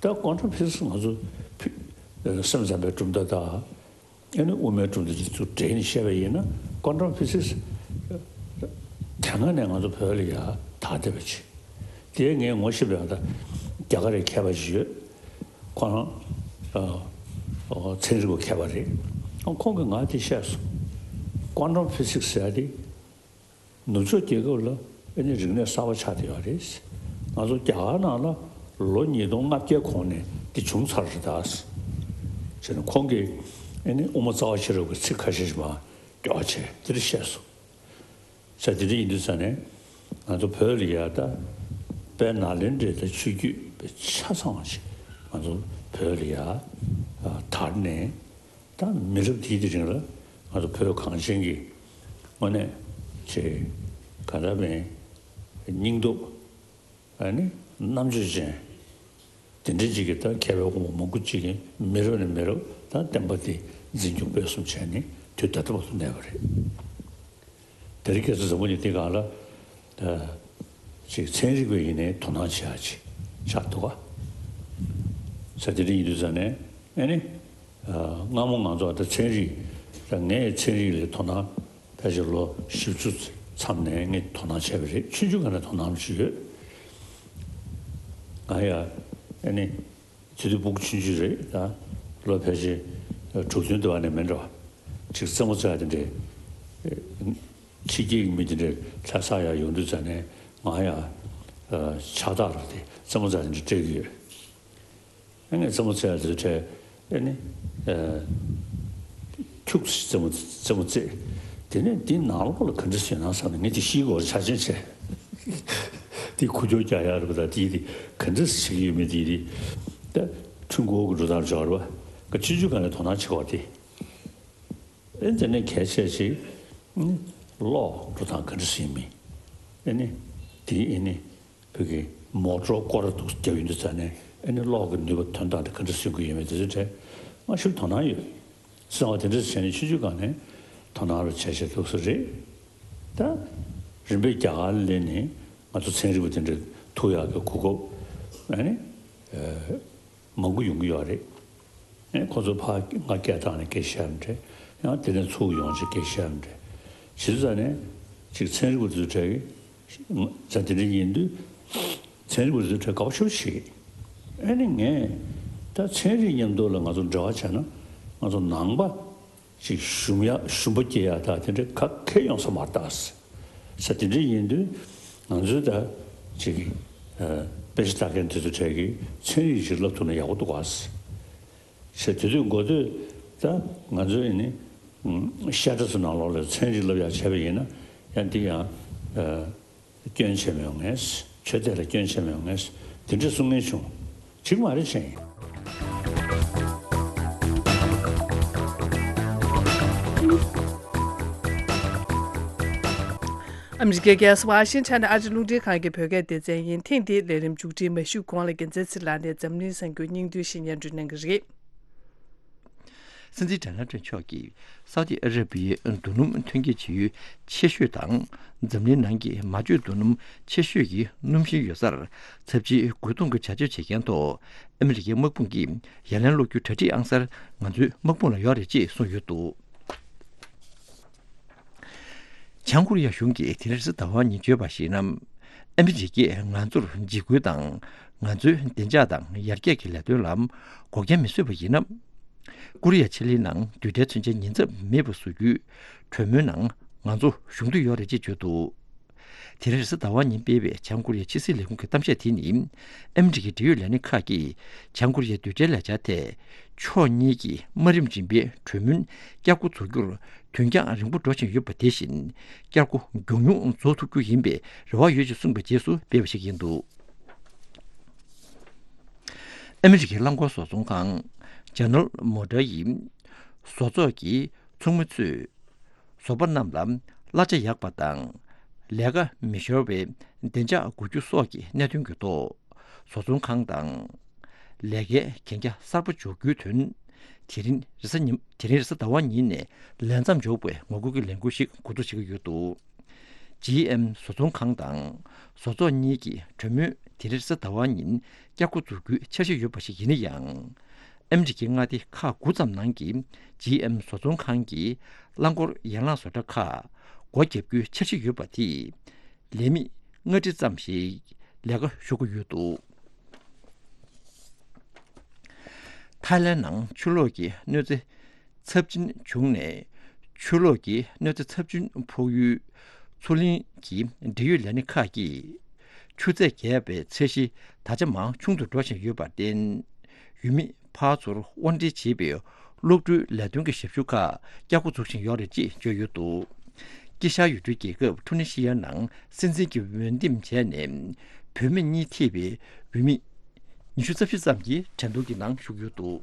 ད་ཀོན་ཊམ་ཕི་སིག་སི་ང་ཚོ་ཕི་སེམས་ཙམ་པའི་གྲུབ་མཐའ་དང་། ཨ་ནི་དབུ་མའི་གྲུབ་མཐའ་གཅིག་ཏུ་འདྲེས་ནས་བཤད་པ་ཡིན་ན་ཀོན་ཊམ་ཕི་སིག་སི་དེ་སྔ་ནས་ང་ཚོ་བོད་ལ་ཡ་དར་བསྡད་པ་ཅིག་དེ་ངས་ངོ་ཤེས་པའི་ད་རྒྱ་གར་རི་མཁས་པ་ཅིག་ཡོད། ཁོ་རང་ཨ་ཨ་ཚན་རིག་པ་མཁས་པ་རེད། ཨ་ཁོང་གིས་ང་དེ་བཤད་སོང་། ཀོན་ཊམ་ཕི་སིག་སི་ཟེར་ཡ་དེ། ནུབ་ཕྱོགས་རྒྱལ་ཁབ་ལ་ཨ་ནི་རིག་གནས་གསར་པ་ཆགས་བསྡད་ཡོད་རེད། ང་ཚོ་རྒྱ་གར་ནང་ལ་ལོ་ཉིས་སྟོང་ལྔ་བརྒྱའི་གོང་ནས་འདི་བྱུང་ཚར་རེད་ད། བྱས་ནས་ཁོང་གིས་ཨ་ནི་དབུ་མ་རྩ་བ་ཤེས་རབ་ཀྱི་ཚིག་ཁ་ཤས་ཤིག་མར་སྐྱོར་བ་བྱས་འདི་འདྲ་བཤད་སོང་། བྱས་འདི་འདྲ་ཡིན་དུས་ཙང་ནས་ང་ཚོ་བོད་ལ་ཡ་ད་དཔལ་ནཱ་ལེནྡྲའི་ད་ཆོས་བརྒྱུད་པའི་ཆ་ཚང་བ་ཞིག་ང་ཚོ་བོད་ལ་ཡ་དར་ནས། ད་མི་རབས་འདིའི་དེ་རིང་ལ་ང་ཚོ་བོད་གངས་ཅན་གྱི་དངོས་གནས་ཆེ་ག་འདྲ་མེད་སྙིང་སྟོབས་ཨ་ནི་རྣམ་དཔྱོད་ཅན་དེ་འདྲ་ཅིག་གི་ད་མཁས་པའི་དབང་པོ་མང་པོ་ཅིག་གིས་མི་རབས་ནས་མི་རབས་ད་བསྟན་པ་འདི་འཛིན་སྐྱོང་སྤེལ་གསུམ་བྱས་ནས་དུས་ད་ལྟ་བར་དུ་གནས་པ་རེད། དེ་རིང་ཁ་སང་བཟང་པོ་ནི་དེ་གང་ལ། ཅིག་ཚན་རིག་པ་ཡིན་ནའི་དོ་སྣང་བྱེད་ཡ་ཅིག་ཆགས་འདུག་ག་ས་དེ་འདྲ་ཡིན་དུས་ཙང་ནས་ཨ་ནི། སྔ་མོ་ང་ཚོ་ད་ཚན་རིག་ད་ངས་ཚན་རིག་ལ་དོ་སྣང་ཕལ་ཆེར་ལོ་བཞི་བཅུ་མཚམས་ནས་ངས་དོ་སྣང་བྱས་པ་རེད། ཆུང་ཆུང་སྒང་ནས་དོ་སྣང་ཅིག་ཡོད། ང་ཡ་ཨ་ནི། དེ་དུས་སྤུ་གུ་ཆུང་ཆུང་རེད་ད། ལོ་ཕལ་ཆེར་དྲུག་བདུན་དུ་བ་ནས་མིན་འགྲོ། ཅིག་རྩེད་མོ་རྩེ་ཡ་དེ་འདྲས། ཕྱི་རྒྱལ་གྱི་མི་དེ་འདྲ་ལྷ་ས་ཡར་ཡོང་དུས་ཙ་ནས་ང་ཡང་ཕྱག་རྟགས་རེད་དེ་རྩེད་མོ་རྩེ་དེ་འདྲ་སྤྲད་ཀྱི་ཡོད། ཨ་ནི་རྩེད་མོ་རྩེ་ཡ་དེ་ཚོ་འཕྲད་ཨ་ནི་ཁྱུག་ཙམ་རྩེད་མོ་རྩེད་མོ་རྩེ། དེ་ནས་འདི་ནང་ལོགས་ལ་ག་འདྲ་ཟེར་ན་བསམ་ནས་ངས་དེ་ཤེས་དགོས་ཆ་ཆེན་བྱས། དེ་ཁུ་སྐྱོར་རྒྱག་ཡ་རེད་པ་ད་དེ་དེ་ག་འདྲ་བྱེད་ཀྱི་ཡོད་མེད་དེ་དེ་ད་ཁྲུན་གོ་གི་འགྲོ་སྟངས་འཇོག་རེད་པ་ཆུང་ཆུང་སྒང་ནས་དོ་སྣང་བྱེད་དགོས་དེ། ཨེ་དེ་ནས་གལ་ཆེ་ཞིག་གློག་འགྲོ་སྟངས་ག་འདྲ་ཟིན་མིན། ཨེ་ནི་དེ་ཨེ་ནི་བོད་ཀྱི་མོ་ཊོར་སྐོར་ར་འདུག་རྒྱབ་ཡོང་དུས་ཙ་ནས་ཨེ་ནི་གློག་གི་ནུས་པ་ཐོན་སྟངས་དེ་ག་འདྲ་ཟིན་དགོས་ཡོད་མེད་དེ་ཚོའི་གྲས་ང་ཞིག་དོ་སྣང་ཡོད། སེམས་པ་དེ་འདྲ་བྱས་ནས་ཆུང་ཆུང་སྒང་ནས་དོ་སྣང་རུ་བྱས་བྱས་ཐུག་ས་རེད། ད་རིམ་པས་རྒྱ་གར་ལ་སླེབས་ནས་ང་ཚོ་ཚན་རིག་པ་དེ་འདྲ་ཐུག་ཡག་གི་གོ་སྐབས་ཨེ་ནི། མང་པོ་ཡོང་གི་ཡོད་རེད། ཨེ་ཁོ་ཚོ་ཕར་ང་སྐད་བཏང་ནས་སྐད་བཤད་མི་འདྲ། ཡང་དེ་ནས་ཚུར་ཡོང་ཅིག་སྐད་བཤད་མི་འདྲ། བྱེད་དུས་ཙ་ནས་ཅིག་ཚན་རིག་པ་ཚོའི་གྲས་ཀྱི་ཙ་དེ་འདྲ་ཡིན་དུས་ཚན་རིག་པ་ཚོའི་གྲས་དགའ་པོ་ཞེ་པོ་ཞིག་ཨེ་ནི་ངས་ད་ཚན་རིག་མཉམ་དུ་ལ་ང་ཚོ་འབྲེལ་བ་བྱས་ན་ང་ཚོ་ནང་པ། ཅིག་ཞུམ་ཡ་ཞུམ་པ་སྐྱེ་ཡ་ད་དེ་འདྲ་ག་གེ་ཡོང་ས་མ་རེད་ད། ས་དེ་འདྲ་ཡིན་དུས་ང་ཚོས་ད་ཅིག་ཨ་དཔེ་ཆ་ལྟ་མཁན་དེ་ཚོ་གྲས་ཀྱིས་ཚན་རིག་ཅིག་བསླབ་ཐུབ་ན་ཡག་པོ་འདུག་ག་ས་དེ་དུས་འགོ་དུས་ད་ང་ཚོས་ཨ་ནི་ཨུམ་བཤད་གྲྭ་ཚོ་ནང་ལོགས་ལ་ཚན་རིག་བསླབ་ཡ་བྱས་པ་ཡིན་ན་ཡང་འདི་ཡང་ཨ། སྐྱོན་ཆེ་མི་ཡོང་ངེས། ཆོས་དད་ལ་སྐྱོན་ཆེ་མི་ཡོང་ངེས། དེ་འདྲ་གསུང་མཁན་བྱུང་། གཅིག་མ་རེད་ཅན། ཨ་མི་རི་ཀའི་རྒྱལ་ས་ཝ་ཤིང་ཊོན་ཨ་རི་རླུང་འཕྲིན་ཁང་གི་བོད་སྐད་སྡེ་ཚན་ཡིན། ཐེངས་འདིའི་ལས་རིམ་མཇུག་སྒྲིལ་མ་ཞུས་གོང་ལ་རྒྱལ་མཚན་ཚེ་ལགས་ནས་འཛམ་གླིང་གསར་འགྱུར་སྙིང་བསྡུས་ཤིག་སྙན་སྒྲོན་གནང་གི་རེད། སྲིད་འཛིན་ཌོ་ནལ་ཊམ་མཆོག་གིས་སའུ་ཏི་ཨ་ར་བི་ཡའི་རྡོ་སྣུམ་ཐོན་སྐྱེད་བྱེད་ཡུལ་ཆེ་ཤོས་དང་འཛམ་གླིང་ནང་གི་མ་བཅོས་རྡོ་སྣུམ་ཆེ་ཤོས་ཀྱི་སྣུམ་ཞིང་ཡོད་སར་ཚབས་ཆེའི་རྒོལ་རྡུང་གི་བྱ་སྤྱོད་བྱེད་མཁན་ཐོག་ཨ་མི་རི་ཀའི་དམག་དཔུང་གིས་ཡ་ལན་སློག་རྒྱུ་གྲ་སྒྲིག་ཨང་གསར་ང་ཚོའི་དམག་དཔུང་ལ་ཡོད་རེད་ཅེས་གསུངས་ཡོད་འདུག། བྱང་ཀོ་རི་ཡ་གཞུང་གིས་དེ་རིང་རེས་གཟའ་ཟླ་བ་ཉིན་བརྗོད་པར་གཞིགས་ན། ཨ་མི་རི་ཀས་ང་ཚོར་འཇིགས་སྐུལ་དང་། ང་ཚོའི་བདེ་འཇགས་དང་ཡར་རྒྱས་ཀྱི་ལས་དོན་ལ་འགོག་རྐྱེན་མི་བཟོས་པ་ཡིན་ན། ཀོ་རི་ཡ་ཕྱེད་ལེབ་ནང་རྡུལ་ཕྲན་མཚོན་ཆའི་ཉེན་ཚབས་མེད་པ་བཟོ་རྒྱུའི་གྲོས་མོལ་ནང་ང་ཚོ་ཞུགས་འདོད་ཡོད་རེད་ཅེས་བརྗོད་འདུག། དེ་རིང་རེས་གཟའ་ཟླ་བ་ཉིན་སྤེལ་བའི་བྱང་ཀོ་རི་ཡའི་ཕྱི་སྲིད་ལས་ཁུངས་ཀྱི་གཏམ་བཤད་དེ་ནི། ཨ་མི་རི་ཀའི་འབྲེལ་ཡོད་ལས་སྣེ་ཁག་གིས་བྱང་ཀོ་རི་ཡའི་རྡུལ་ཕྲན་ལས་འཆར་ཐད། ཕྱོགས་གཉིས་ཀྱི་དམའ་རིམ་རིམ་པའི་གྲོས་མོལ་བསྐྱར་འགོ་འཛུགས་རྒྱུར། དུས་འགྱངས་རིང་པོ་འགྲོ་བཞིན་ཡོད་པ་དེ་བཞིན། བསྐྱར་འགོ་མགྱོགས་མྱུར་རྫོགས་ཐུབ་རྒྱུ་ཡིན་པའི་རེ་བ་ཡོད་ཅེས་གསུངས་པའི་རྗེས་སུ་སྤེལ་བ་ཞིག་ཡིན་འདུག། ཨ་མི་རི་ཀའི་རླངས་འཁོར་བཟོ་ཚོང་ཁང་ཇེ་ནེ་རལ་མོ་ཊར་ཡི་བཟོ་ཚོགས་ཀྱི་ཚོགས་མི་ཚོས་བཟོ་པ་རྣམས་ལ་གླ་ཆ་ཡག་པ་དང་། ལས་ཀ་མི་ཤོར་བའི་བདེ་འཇགས་དགོས་རྒྱུ་སོགས་ཀྱི་གནད་དོན་གྱི་ཐོག་བཟོ་ཚོང་ཁང་དང་། ལས་ཀའི་གན་རྒྱ་གསར་པ་འཇོག་རྒྱུའི་དོན། དེ་རིང་རེས་གཟའ་ཉིན། དེ་རིང་རེས་གཟའ་ཟླ་བ་ཉིན་ནས་ལས་མཚམས་འཇོག་པའི་ངོ་རྒོལ་གྱི་ལས་འགུལ་ཞིག་འགོ་འཛུགས་བྱེད་ཀྱི་ཡོད་འདུག། ཇི་ཨེམ་བཟོ་ཚོང་ཁང་དང་བཟོ་ཚོགས་གཉིས་ཀྱི་གྲོས་མོལ་དེ་རིང་རེས་གཟའ་ཟླ་བ་ཉིན་བསྐྱར་འགོ་འཛུགས་རྒྱུའི་འཆར་གཞི་ཡོད་པ་ཞིག་ཡིན་ན་ཡང་། ཨ་མི་རི་ཀའི་མངའ་སྡེ་ཁག་དགུ་ཙམ་ནང་གི་ཇི་ཨེམ་བཟོ་ཚོང་ཁང་གི་རླངས་འཁོར་ཡན་ལག་བཟོ་གྲྭ་ཁག་སྒོ་བརྒྱབ་རྒྱུའི་འཆར་གཞི་ཡོད་པ་དེས། ལས་མི་ལྔ་ཁྲི་ཙམ་ཞིག་ལས་ཀ་ཤོར་གྱི་ཡོད་འདུག། ཐའི་ལན་ནང་ཆུ་ལོག་གི་གནོད་འཚེ་ཚབས་ཆེན་བྱུང་ནས། ཆུ་ལོག་གི་གནོད་འཚེ་ཚབས་ཆེན་ཕོག་ཡུལ་མཚོ་གླིང་གི་འབྲེལ་ཡོད་ལས་སྣེ་ཁག་གིས། ཆུ་ཚད་བརྒལ་བའི་ཚད་གཞི་ད་ཆ་མང་ཆུང་དུ་འགྲོ་བཞིན་ཡོད་པར་བརྟེན། ཡུལ་མི་ཕར་ཚུར་དབོར་འདྲེན་བྱེད་པའི་གློག་འཕྲུལ་ལས་དོན་གྱི་ཞབས་ཞུ་ཁག་བསྐྱར་འགོ་འཛུགས་བཞིན་ཡོད་རེད་ཅེས་བརྗོད་ཡོད་འདུག། དཀྱིལ་ཤར་ཡུལ་གྲུའི་རྒྱལ་ཁབ་ཁྲུ་ནི་ཤི་ཡ་ནང་སྲིད་འཛིན་གྱི་འོས་འདེམས་བྱས་ནས། བུད་མེད་གཉིས་ཐེ་བའི་འོས་མི་ཉི་ཤུ་རྩ་བཞི་ཙམ་གྱིས་འགྲན་བསྡུར་གྱི་ནང་ཞུགས་ཡོད་འདུག།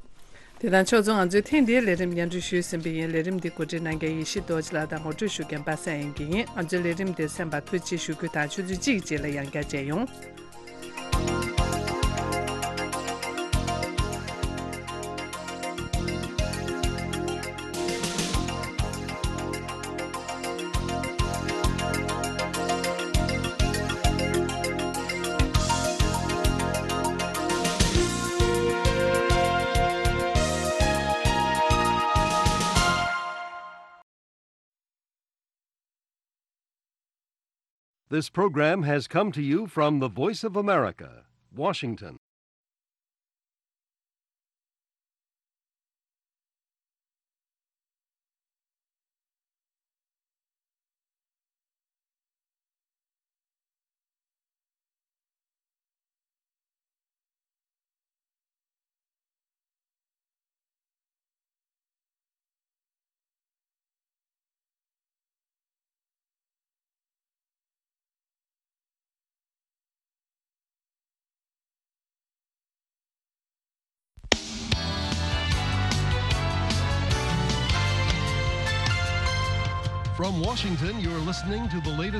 དེ་དང་ཕྱོགས་མཚུངས་ང་ཚོས་ཐེངས་འདིའི་ལས་རིམ་སྙན་སྒྲོན་ཞུས་ཟིན་པ་ཡིན། ལས་རིམ་འདི་གོ་སྒྲིག་གནང་མཁན་ཡེ་ཤེས་རྡོ་རྗེ་ལགས་དང་ངོ་སྤྲོད་ཞུ་མཁན་པ་སངས་དབྱངས་སྐྱིད་ཡིན། ང་ཚོའི་ལས་རིམ་འདིར་གསན་པར་ཐུགས་རྗེ་ཆེ་ཞུ་རྒྱུ་དང་ཆུ་ཚོད་གཅིག་རྗེས་ལ་ཡང་བསྐྱར་མཇལ་ཡོང་། This program has come to you from the Voice of America, Washington. From Washington, you're listening to the latest